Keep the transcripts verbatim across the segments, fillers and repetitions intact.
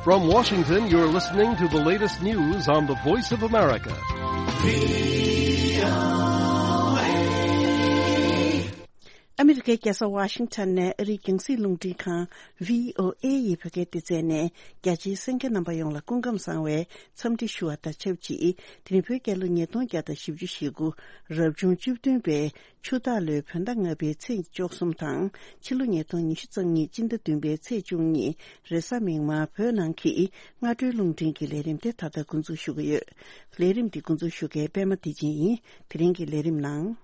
From Washington, you're listening to the latest news on the Voice of America. ཨ་མི་རི་ཀའི་རྒྱལ་ས་ཝ་ཤིང་ཊོན་ནས་ཨ་རིའི་རྒྱང་སྲིང་རླུང་འཕྲིན་ཁང་བྷི་ཨོ་ཨེ་ཡི་བོད་སྐད་སྡེ་ཚན་ནས་རྒྱ་ཆེའི་གསན་མཁན་རྣམ་པ་ཡོངས་ལ་སྐུ་ཁམས་བཟང་བའི་འཚམས་འདྲི་ཞུ་བ་དང་ཆབས་ཅིག་དེ་རིང་བོད་རྒྱལ་ལོ་ཉིས་སྟོང་བརྒྱ་དང་བཞི་བཅུ་ཞེ་དགུ་རབ་བྱུང་བཅུ་བདུན་པའི་ཆུ་སྟག་ལོའི་བོད་ཟླ་ལྔ་པའི་ཚེས་བཅུ་གསུམ་དང་། ཕྱི་ལོ་ཉིས་སྟོང་ཉི་ཤུ་རྩ་གཉིས་སྤྱི་ཟླ་བདུན་པའི་ཚེས་བཅུ་གཉིས་རེས་གཟའ་མིག་དམར་བོད་ནང་གི་སྔ་དྲོའི་རླུང་འཕྲིན་གྱི་ལས་རིམ་དེ་ད་ལྟ་འགོ་འཛུགས་ཞུ་གི་ཡོད། ལས་རིམ་འདི་འགོ་འཛུགས་ཞུ་མཁན་པད་མ་བདེ་ཆེན་ཡིན། དེ་རིང་གི་ལས་རིམ་ནང་།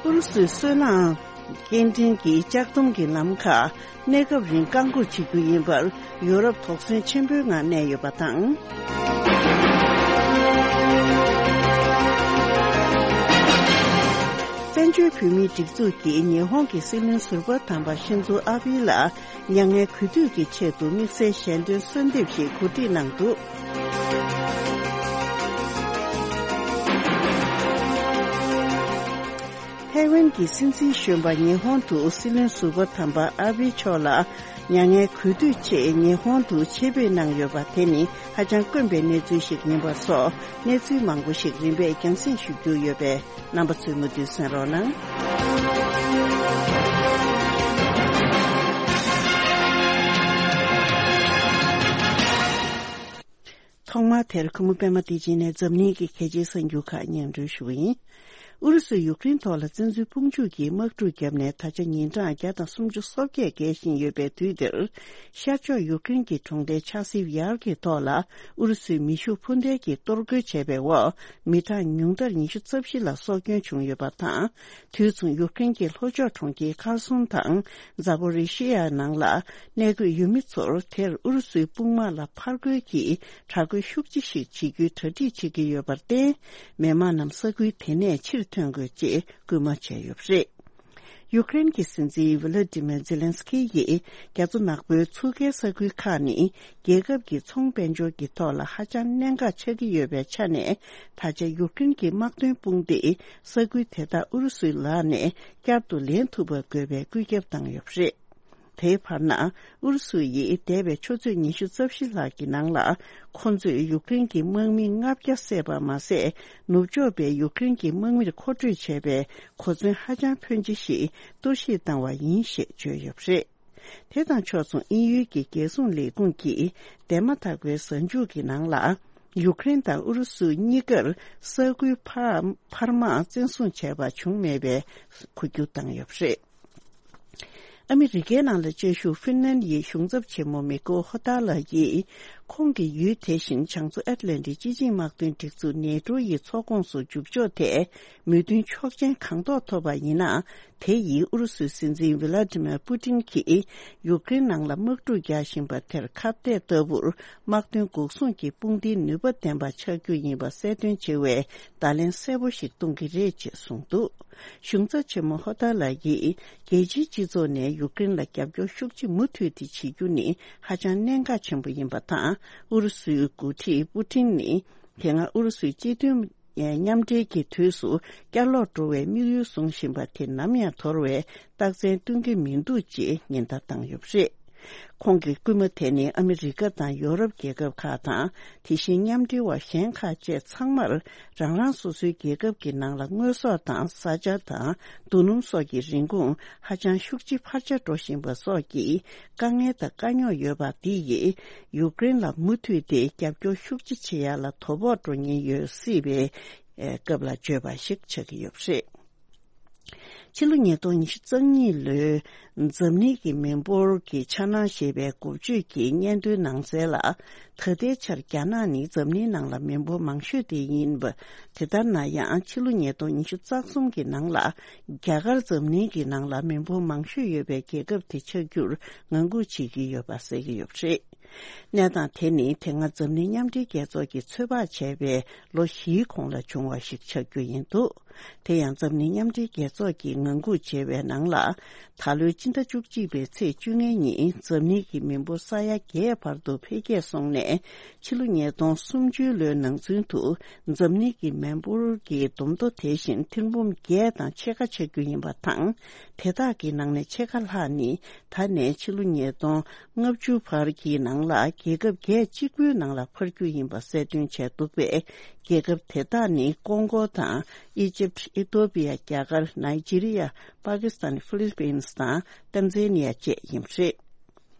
ཨུ་རུ་སུའི་སོལ་རླངས་སྐྱེལ་འདྲེན་གྱི་ལྕགས་དོང་གི་ལམ་ཁ་གནས་སྐབས་རིང་བཀག་འགོག་བྱེད་རྒྱུ་ཡིན་པར་ཡོ་རོབ་དོགས་ཟོན་ཆེན་པོའི་ངང་གནས་ཡོད་པ་དང་། བཙན་བྱོལ་བོད་མིའི་སྒྲིག་འཛུགས་ཀྱིས་ཉི་ཧོང་གི་སྲིད་བློན་ཟུར་པ་དམ་པ་ཤིན་ཛོ་ཨ་བྷི་ལ། མྱ་ངན་གུས་འདུད་ཀྱི་ཆེད་དུ་དམིགས་བསལ་ཞལ་འདོན་གསོལ་འདེབས་ཤིག་གོ་སྒྲིག་གནང་འདུག། ཐའེ་ཝན་གྱི་སྲིད་འཛིན་གཞོན་པ་ཉི་ཧོང་དུ་སྲིད་བློན་ཟུར་པ་དམ་པ་ཨ་བྷི་མཆོག་ལ་མྱ་ངན་གུས་འདུད་ཆེད་ཉི་ཧོང་དུ་ཆེད་ཕེབས་གནང་ཡོད་པ་དེ་ནི་ཧ་ཅང་དཀོན་པའི་གནས་ཚུལ་ཞིག་ཡིན་པ་སོགས་གནས་ཚུལ་མང་པོ་ཞིག་རིམ་པས་རྒྱང་སྲིང་ཞུ་རྒྱུ་ཡོད་པས། རྣམ་པ་ཚོས་མུ་མཐུད་གསན་རོགས་གནང་། ཐོག་མར་དེར་ཁུ་མོ་པད་མ་བདེ་ཆེན་ནས་འཛམ་གླིང་གི་གལ་ཆེའི་གསར་འགྱུར་ཁག་སྙན་སྒྲོན་ཞུ་བ་ཡིན། ཨུ་རུ་སུས་ཡུཀ་རེན་ཐོག་ལ་བཙན་འཛུལ་དཔུང་འཇུག་གིས་དམག་འཁྲུག་བརྒྱབ་ནས་ད་ཆ་ཉིན་གྲངས་བརྒྱ་དང་སུམ་ཅུ་སོ་བརྒྱད་བརྒལ་བཞིན་ཡོད་པའི་དུས་འདིར། ཤར་ཕྱོགས་ཡུཀ་རེན་གྱི་གྲོང་རྡལ་ཆ་སིབ་ཡར་གྱི་ཐོག་ལ་ཨུ་རུ་སུའི་མེ་ཤུགས་འཕུར་མདེལ་གྱིས་གཏོར་རྒོལ་བྱས་པའི་འོག་མི་གྲངས་ཉུང་མཐར་ཉི་ཤུ་རྩ་བཞི་ལ་སྲོག་སྐྱོན་བྱུང་ཡོད་པ་དང་། དུས་མཚུངས་ཡུཀ་རེན་གྱི་ལྷོ་ཕྱོགས་གྲོང་ཁྱེར་ཁར་སོན་དང་ཛ་པོ་རི་ཤི་ཡ་ནང་ལ་གནས་འཁོད་ཡུལ་མི་ཚོར་དེར་ཨུ་རུ་སུའི་དཔུང་དམག་ལ་ཕར་རྒོལ་གྱིས་དྲག་རྒོལ་ཤུགས་ཆེ་ཞིག་བྱེད་རྒྱུའི་གྲ་སྒྲིག་བྱེད་ཀྱི་ཡོད་པར་བརྟེན། མི་མང་རྣམས་ས་ཁུལ་དེ་ནས་ཕྱིར་ཐོན་དགོས་ཅེས་སྐུལ་མ་བྱས་ཡོད་པ་རེད། ཡུཀ་རེན་གྱི་སྲིད་འཛིན་ཝི་ལ་ཏི་མེར་ཛེ་ལན་སི་ཁི་ཡིས་རྒྱ་མཚོ་ནག་པོའི་མཚུར་ཁའི་ས་ཁུལ་ཁག་ནི་རྒྱལ་ཁབ་ཀྱི་ཚོང་དཔལ་འབྱོར་གྱི་ཐོག་ལ་ཧ་ཅང་གནད་འགག་ཆགས་ཀྱི་ཡོད་པའི་ཆ་ནས། ད་ཆ་ཡུཀ་རེན་གྱི་དམག་དོན་དཔུང་སྡེས་ས་ཁུལ་དེ་དག་ཨུ་རུ་སུའི་ལག་ནས་བསྐྱར་དུ་ལེན་ཐུབ་པ་དགོས་པའི་བཀོད་ཁྱབ་བཏང་ཡོད་པ་རེད། དེའི་བར་ན། ཨུ་རུ་སུ་ཡིས་འདས་པའི་ཆུ་ཚོད་ཉི་ཤུ་རྩ་བཞི་ལྷག་གི་ནང་ལ། ཁོ་ཚོས་ཡུཀ་རེན་གྱི་དམག་མི་ལྔ་བརྒྱ་བསད་པ་མ་ཟད། ནུབ་ཕྱོགས་པས་ཡུཀ་རེན་གྱི་དམག་མིར་མཁོ་སྤྲོད་བྱས་པའི་གོ་མཚོན་ཧ་ཅང་ཕོན་ཆེ་ཞིག་གཏོར་བཤིག་བཏང་བ་ཡིན་ཞེས་བརྗོད་ཡོད་པ་རེད། དེ་དང་ཕྱོགས་མཚུངས་དབྱིན་ཡུལ་གྱི་རྒྱལ་སྲུང་ལས་ཁུངས་ཀྱིས་འདས་མ་ཐག་པའི་གཟའ་མཇུག་གི་ནང་ལ། ཡུཀ་རེན་དང་ཨུ་རུ་སུ་གཉིས་ཀར་ས་ཁུལ་འཕར་འཕར་མ་བཙན་བཟུང་བྱས་པ་བྱུང་མེད་པའི་གོ་རྒྱུ་བཏང་ཡོད་པ་རེད། ཨ་མི་རི་ཀའི་ནང་ལ་བཅའ་བཞུགས་ཧྥིན་ལན་ཡི་གཞུང་ཚབ་ཆེན་མོ་མི་ཀོ་ཧོ་ཏཱ་ལགས་ཀྱིས། ཁོང་གི་ཡུལ་དེ་བཞིན་བྱང་མཚོ་ཨེཊ་ལན་ཊིག་སྤྱི་ཆིངས་དམག་དོན་སྒྲིག་འཛུགས་ནེ་ཏྲོ་ཡི་ཚོགས་ཁོངས་སུ་འཇུག་ཕྱོགས་ཐད་མོས་མཐུན་ཆོག་མཆན་གང་ཐོག་ཐོབ་པ་ཡིན་ན། དེ་ཡིས་ཨུ་རུ་སུའི་སྲིད་འཛིན་ཝི་ལ་ཏི་མེར་པུ་ཏིན་གྱིས་ཡུཀ་རེན་ནང་ལ་དམག་འཁྲུག་རྒྱག་བཞིན་པ་དེར་ཁ་གཏད་ལྟ་བུར་དམག་དོན་འགོག་སྲུང་གི་དཔུང་སྡེའི་ནུས་པ་ལྡན་པ་ཆགས་རྒྱུ་ཡིན་པ་གསལ་སྟོན་བྱེད་པའི་བརྡ་ལན་གསལ་པོ་ཞིག་གཏོང་གི་རེད་ཅེས་གསུངས་འདུག། གཞུང་ཚབ་ཆེན་མོ་ཧོ་ཏཱ་ལགས་ཀྱིས་རྒྱལ་སྤྱིའི་སྤྱི་ཚོགས་ནས་ཡུཀ་རེན་ལ་རྒྱབ་སྐྱོར་ཤུགས་ཆེ་མུ་མཐུད་དེ་བྱེད་རྒྱུ་ནི་ཧ་ཅང་གནད་འགག་ཆེན་པོ་ཡིན་པ་དང་། ཨུ་རུ་སུའི་འགོ་ཁྲིད་པུ་ཏིན་ནི་དེ་སྔ་ཨུ་རུ་སུའི་སྤྱི་མཐུན་མཉམ་འབྲེལ་གྱི་དུས་སུ་བསྐྱར་ལོག་འགྲོ་བའི་དམིགས་ཡུལ་བཟུང་བཞིན་པ་དེ་ནམ་ཡང་དོར་བའི་རྟགས་མཚན་སྟོན་གྱི་མི་འདུག་ཅེས་ཉེན་བརྡ་བཏང་ཡོད་པ་རེད། ཁོང་གི་སྐུལ་མ་དེ་ནི་ཨ་མི་རི་ཀ་དང་ཡོ་རོབ་རྒྱལ་ཁབ་ཁག་དང་། དེ་བཞིན་མཉམ་འབྲེལ་བ་གཞན་ཁག་བཅས་ཚང་མར་རང་རང་སོ་སོའི་རྒྱལ་ཁབ་ཀྱི་ནང་ལ་དངོས་ཟོག་དང་བཟའ་བཅའ་དང་རྡོ་སྣུམ་སོགས་ཀྱི་རིན་གོང་ཧ་ཅང་ཤུགས་ཆེ་འཕར་ཆ་འགྲོ་བཞིན་པ་སོགས་ཀྱི་དཀའ་ངལ་དང་དཀའ་རྙོག་ཡོད་པ་འདི་ཡིས་ཡུཀ་རེན་ལ་མུ་མཐུད་དེ་རྒྱབ་སྐྱོར་ཤུགས་ཆེ་བྱེད་ཡག་ལ་དོ་ཕོག་འགྲོ་ཉེན་ཡོད་སྲིད་པའི་སྐབས་ལ་བརྗོད་པ་ཞིག་ཆགས་ཀྱི་ཡོད་པ་རེད། ཕྱི་ལོ་ཉིས་སྟོང་ཉི་ཤུ་རྩ་གཉིས་ལོའི་འཛམ་གླིང་གི་མི་འབོར་གྱི་འཆར་སྣང་ཞེས་པའི་འགོ་བརྗོད་ཀྱི་སྙན་ཐོའི་ནང་གསལ་ལ། ད་ལྟའི་ཆར་རྒྱ་ནག་ནི་འཛམ་གླིང་ནང་ལ་མི་འབོར་མང་ཤོས་དེ་ཡིན་པ། དེ་ལྟར་ན་ཡང་ཕྱི་ལོ་ཉིས་སྟོང་ཉི་ཤུ་རྩ་གསུམ་གྱི་ནང་ལ་རྒྱ་གར་འཛམ་གླིང་གི་ནང་ལ་མི་འབོར་མང་ཤོས་ཡོད་པའི་རྒྱལ་ཁབ་དེ་ཆགས་རྒྱུར་ངང་སྒུག་བྱེད་ཀྱི་ཡོད་པ་གསལ་གྱི་ཡོད་པ་རེད། གནས་སྟངས་དེ་ནི་དེ་སྔ་འཛམ་གླིང་མཉམ་འབྲེལ་རྒྱལ་ཚོགས་ཀྱིས་ཚོད་དཔག་བྱས་པའི་ལོ་བཞིའི་གོང་ལ་བྱུང་བ་ཞིག་ཆགས་རྒྱུ་ཡིན་འདུག། དེ་ཡང་འཛམ་གླིང་མཉམ་འབྲེལ་རྒྱལ་ཚོགས་ཀྱིས་ངང་སྒུག་བྱས་པའི་ནང་ལ། ད་ལོའི་སྤྱི་ཟླ་བཅུ་གཅིག་པའི་ཚེས་བཅོ་ལྔའི་ཉིན་འཛམ་གླིང་གི་མི་འབོར་ས་ཡ་བརྒྱད་བར་དུ་འཕེལ་རྒྱས་སོང་ནས། ཕྱི་ལོ་ཉིས་སྟོང་སུམ་ཅུ་ལོའི་ནང་ཚུན་དུ་འཛམ་གླིང་གི་མི་འབོར་གྱི་བསྡོམས་ཐོ་དེ་བཞིན་ཐེར་འབུམ་བརྒྱད་དང་ཕྱེད་ཀ་ཆགས་རྒྱུ་ཡིན་པ་དང་། དེ་དག་གི་ནང་ནས་ཕྱེད་ཀ་ལྷག་ནི་ད་ནས་ཕྱི་ལོ་ཉིས་སྟོང་ལྔ་བཅུ་བར་གྱི་ནང་ལ་རྒྱལ་ཁབ་བརྒྱད་གཅིག་པུའི་ནང་ལ་འཕར་རྒྱུ་ཡིན་པ་གསལ་སྟོན་བྱས་འདུག་པས། རྒྱལ་ཁབ་དེ་དག་ནི་ཀོང་གོ་དང་། ཨི་ཇིབ། ཨི་ཐོ་པི་ཡ། རྒྱ་གར། ནཱི་ཇི་རི་ཡ། པ་ཀི་སི་ཐན། ཧྥི་ལི་པིན་སི་དང་། ཏན་ཛན་ནི་ཡ་བཅས་ཡིན་པ་རེད།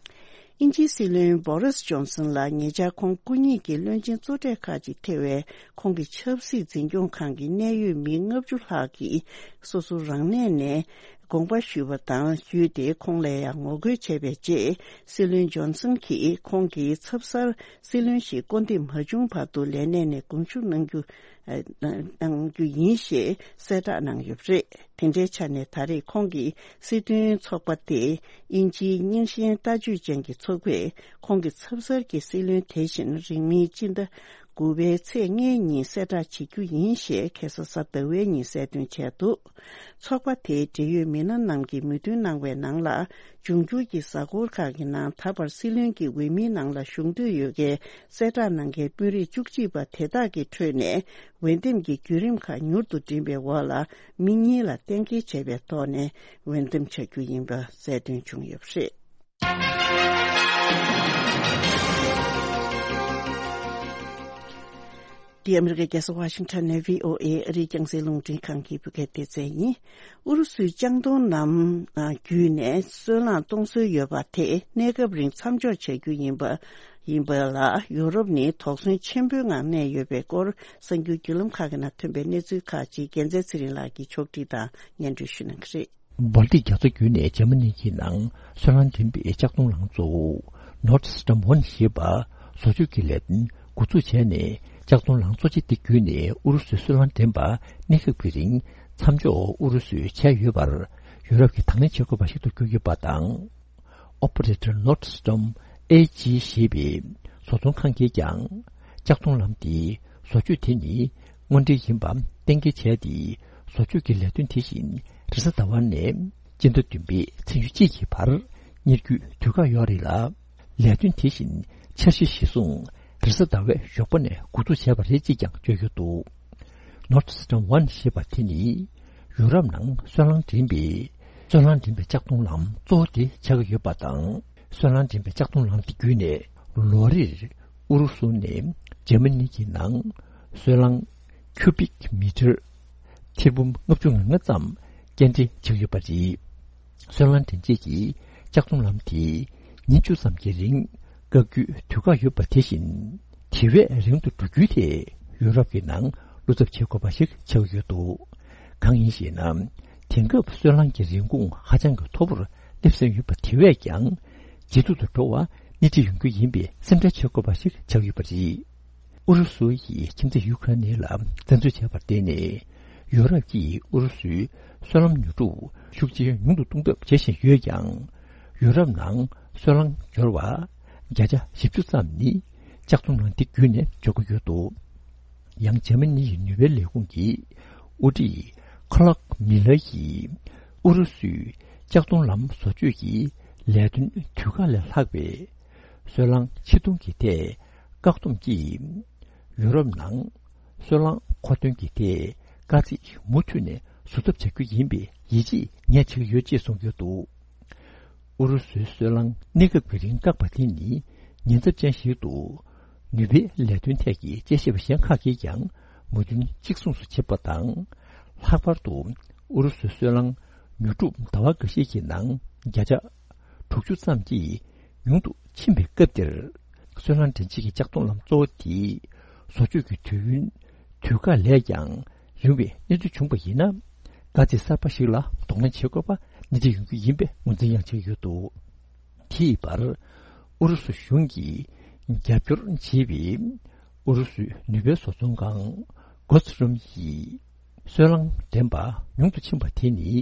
དབྱིན་ཇིའི་སྲིད་བློན་བོ་རིས་ཇོན་སན་ལགས་ཉེ་ཆར་ཁོང་སྐུ་ཉིད་ཀྱི་བློན་ཆེན་གཙོ་གྲས་ཁག་ཅིག་ཐེ་བའི་ཁོང་གི་ཆབ་སྲིད་འཛིན་སྐྱོང་ཁང་གི་གནད་ཡོད་མི་ལྔ་བཅུ་ལྷག་གིས་སོ་སོ་རང་གནས་ནས་དགོངས་པ་ཞུས་པ་དང་བརྒྱུད་དེ། ཁོང་ལ་ཡང་ངོ་རྒོལ་བྱས་པའི་རྗེས། སྲིད་བློན་ཇོན་སན་གྱིས་ཁོང་གི་ཚབ་གསར་སྲིད་བློན་ཞིག་བསྐོ་འདེམས་མ་བྱུང་བར་དུ་ལས་གནས་ནས་དགོངས་ཞུ་གནང་རྒྱུ། གནང་རྒྱུ་ཡིན་ཞེས་གསལ་བསྒྲགས་གནང་ཡོད་པ་རེད། དེ་འདྲའི་ཆ་ནས་ད་རེས་ཁོང་གི་སྲིད་དོན་ཚོགས་པ་སྟེ། དབྱིན་ཇིའི་རྙིང་ཞེན་ལྟ་སྤྱོད་ཅན་གྱི་ཚོགས་པས་ཁོང་གི་ཚབ་གསར་གྱི་སྲིད་བློན་དེ་བཞིན་རིང་མིན་སྤྱི་ཟླ་དགུ་པའི་ཚེས་ལྔའི་ཉིན་གསལ་བསྒྲགས་བྱེད་རྒྱུ་ཡིན་ཞེས་ཁ་སང་གཟའ་ཟླ་བའི་ཉིན་གསལ་སྟོན་བྱས་འདུག་ཚོགས་པ་དེའི་འབྲེལ་ཡོད་མི་སྣ་རྣམས་ཀྱིས་མོས་མཐུན་གནང་བའི་ནང་ལ། འབྱུང་འགྱུར་གྱི་གཟའ་འཁོར་ཁག་གི་ནང་ད་བར་སྲིད་བློན་གྱི་འོས་མིའི་ནང་ལ་ཞུགས་འདོད་ཡོད་མཁན་གསལ་བསྒྲགས་གནང་མཁན་དཔོན་རིགས་བཅུ་གཅིག་པ་དེ་དག་གི་ཁྲོད་ནས། འོས་འདེམས་ཀྱི་བརྒྱུད་རིམ་ཁག་མྱུར་དུ་འགྲིམས་པའི་འོག་ལ། མི་གཉིས་ལ་གཏན་འཁེལ་བྱས་པའི་ཐོག་ནས་འོས་འདེམས་བྱ་རྒྱུ་ཡིན་པ་གསལ་སྟོན་བྱུང་ཡོད་པ་རེད། འདི་ཨ་མི་རི་ཀའི་རྒྱལ་ས་ཝ་ཤིང་ཊོན་ནས་བྷི་ཨོ་ཨེ་ཨ་རིའི་རྒྱང་སྲིང་རླུང་འཕྲིན་ཁང་གི་བོད་སྐད་སྡེ་ཚན་ཡིན། ཨུ་རུ་སུའི་ལྕགས་མདོང་ལམ་བརྒྱུད་ནས་སོལ་རླངས་གཏོང་སྲོལ་ཡོད་པ་དེ་གནས་སྐབས་རིང་མཚམས་འཇོག་བྱ་རྒྱུ་ཡིན་པ། ཡིན་པ་ལ་ཡུ་རོབ་ནི་དོགས་ཟོན་ཆེན་པོའི་ངང་གནས་ཡོད་པའི་སྐོར། གསར་འགྱུར་བརྒྱུད་ལམ་ཁག་གི་ནང་ཐོན་པའི་གནས་ཚུལ་ཁག་ཅིག་རྒྱལ་མཚན་ཚེ་རིང་ལགས་ཀྱིས་ཕྱོགས་སྒྲིག་དང་སྙན་སྒྲོན་ཞུ་གནང་གི་རེད། སྦལ་ཏིག་རྒྱ་མཚོ་བརྒྱུད་ནས་འཇར་མ་ནི་གི་ནང་སོལ་རླངས་འདྲེན་པའི་ལྕགས་མདོང་ལམ་གཙོ་བོ་Nord Stream one ཞེས་པ་བཟོ་བཅོས་ཀྱི་ལས་དོན་འགོ་འཛུགས་བྱས་ནས། ལྕགས་མདོང་ལམ་གཙོ་ཆེ་དེ་བརྒྱུད་ནས་ཨུ་རུ་སུའི་སོལ་རླངས་འདྲེན་པ་གནས་སྐབས་ཀྱི་རིང་མཚམས་འཇོག་ཨུ་རུ་སུས་བྱས་ཡོད་པར་ཡུ་རོབ་ཀྱིས་དང་ལེན་བྱེད་དགོས་པ་ཞིག་ཏུ་གྱུར་ཡོད་པ་དང་། Operator Nord Stream A G ཞེས་པའི་བཟོ་ཚོང་ཁང་གིས་ཀྱང་། ལྕགས་མདོང་ལམ་དེའི་བཟོ་བཅོས་དེ་ནི་དངོས་འབྲེལ་ཡིན་པ་གཏན་འཁེལ་བྱས་ཏེ། བཟོ་བཅོས་ཀྱི་ལས་དོན་དེ་བཞིན་རེས་གཟའ་ཟླ་བ་ནས་སྤྱི་ཟླ་བདུན་པའི་ཚེས་ཉེར་གཅིག་གི་བར་གཉེར་རྒྱུའི་དུས་བཀག་ཡོད་རེད་ལ། ལས་དོན་དེ་བཞིན་འཆར་གཞི་གཞིར་བཟུང་རེས་གཟའ་ཟླ་བའི་ཞོགས་པ་ནས་འགོ་འཛུགས་བྱས་པ་རེད་ཅེས་ཀྱང་བརྗོད་ཡོད་འདུག Nord Stream one ཞེས་པ་དེ་ནི་ཡུ་རོབ་ནང་སོལ་རླངས་འདྲེན་པའི་སོལ་རླངས་འདྲེན་པའི་ལྕགས་མདོང་ལམ་གཙོ་བོ་དེ་ཆགས་ཀྱི་ཡོད་པ་དང་། སོལ་རླངས་འདྲེན་པའི་ལྕགས་མདོང་ལམ་དེ་བརྒྱུད་ནས་ལོ་རེར་ཨུ་རུ་སུ་ནས་འཇར་མ་ནི་གི་ནང་སོལ་རླངས་ཁྱུ་བིག་མི་ཊར་ཐེར་འབུམ་ལྔ་བཅུ་ང་ལྔ་ཙམ་སྐྱེལ་འདྲེན་བྱེད་ཀྱི་ཡོད་པ་རེད། སོལ་རླངས་འདྲེན་བྱེད་ཀྱི་ལྕགས་མདོང་ལམ་དེ་ཉིན་བཅུ་ཙམ་གྱི་རིང་བཀག་རྒྱུའི་དུས་བཀག་ཡོད་པ་དེ་བཞིན། དེ་བས་རིང་དུ་འགྲོ་རྒྱུའི་ཐད་ཡུ་རོབ་ཀྱི་ནང་བློ་འཚབ་བྱེད་དགོས་པ་ཞིག་ཆགས་ཡོད་འདུག་གང་ཡིན་ཞེ་ན། དེང་སྐབས་སོལ་རླངས་ཀྱི་རིན་གོང་ཧ་ཅང་གི་མཐོ་པོར་སླེབས་ཟིན་ཡོད་པ་དེ་བས་ཀྱང་ཇེ་སྡུག་ཏུ་འགྲོ་བ་སྣེ་ཁྲིད་ཡོང་རྒྱུ་ཡིན་པའི་སེམས་ཁྲལ་བྱེད་དགོས་པ་ཞིག་ཆགས་ཡོད་པ་རེད། ཨུ་རུ་སུ་ཡིས་ཁྱིམ་མཚེས་ཡུ་ཁ་རེན་ལ་བཙན་འཛུལ་བྱས་པར་བརྟེན་ནས། ཡུ་རོབ་ཀྱིས་ཨུ་རུ་སུའི་སོལ་རླངས་ཉོ་སྒྲུབ་ཤུགས་ཆེ་ཉུང་དུ་གཏོང་ཐབས་བྱེད་བཞིན་ཡོད་ཀྱང་། ཡུ་རོབ་ནང་སོལ་རླངས་འབྱོར་བ་བརྒྱ་ཆ་བཞི་བཅུ་ཙམ་ནི་ལྕགས་མདོང་ལམ་འདི་བརྒྱུད་ནས་འབྱོར་གྱི་ཡོད་འདུག་ཡང་འཇར་མ་ནི་ཡི་ནུས་པའི་ལས་ཁུངས་ཀྱི་དབུ་ཁྲིད་ཁ་ལག་མི་ལར་ཡིས་ཨུ་རུ་སུའི་ལྕགས་མདོང་ལམ་བཟོ་བཅོས་ཀྱི་ལས་དོན་དུས་བཀག་ལས་ལྷག་པའི་སོལ་རླངས་ཕྱིར་གཏོང་གི་ཐད་བཀག་སྡོམ་གྱིས། ཡུ་རོབ་ནང་སོལ་རླངས་མཁོ་འདོན་གྱི་ཐད་དཀའ་ཚེགས་མུ་མཐུད་ནས་བཟོད་ཐབས་བྱ་རྒྱུ་ཡིན་པའི་ཡིད་ཆེས་ངས་བྱེད་ཀྱི་ཡོད་ཅེས་གསུངས་ཡོད་འདུག་ཨུ་རུ་སུའི་སོལ་རླངས་གནས་སྐབས་ཀྱི་རིང་བཀག་པ་དེ་ནི་ཉེན་ཚབས་ཅན་ཞིག་ཏུ། ནུས་པའི་ལས་དོན་ཐད་ཀྱི་དཔྱད་ཞིབ་པ་གཞན་ཁག་གིས་ཀྱང་མོས་མཐུན་གཅིག་མཚུངས་སུ་བྱེད་པ་དང་། ལྷག་པར་དུ་ཨུ་རུ་སུའི་སོལ་རླངས་ཉོ་སྒྲུབ་ཟླ་བ་འགའ་ཤས་ཀྱི་ནང་བརྒྱ་ཆ་དྲུག་ཅུ་ཙམ་གྱིས་ཉུང་དུ་ཕྱིན་པའི་སྐབས་འདིར། སོལ་རླངས་འདྲེན་བྱེད་ཀྱི་ལྕགས་མདོང་ལམ་གཙོ་བོ་དེའི་བཟོ་བཅོས་ཀྱི་དུས་ཡུན་དུས་བཀག་ལས་ཀྱང་རིང་བའི་གནས་ཚུལ་བྱུང་བ་ཡིན་ན། དཀའ་ཚེགས་གསར་པ་ཞིག་ལ་གདོང་ལེན་བྱེད་དགོས་པ་སྣེ་ཁྲིད་ཡོང་རྒྱུ་ཡིན་པའི་ངོས་འཛིན་ཡང་བྱེད་ཀྱི་ཡོད་འདུག་དེའི་བར། ཨུ་རུ་སུ་གཞུང་གིས་རྒྱབ་སྐྱོར་བྱས་པའི་ཨུ་རུ་སུའི་ནུས་པའི་བཟོ་ཚོང་ཁང་གོ་ཚི་རོམ་ཡིས། སོལ་རླངས་འདྲེན་པ་ཉུང་དུ་ཕྱིན་པ་དེ་ནི།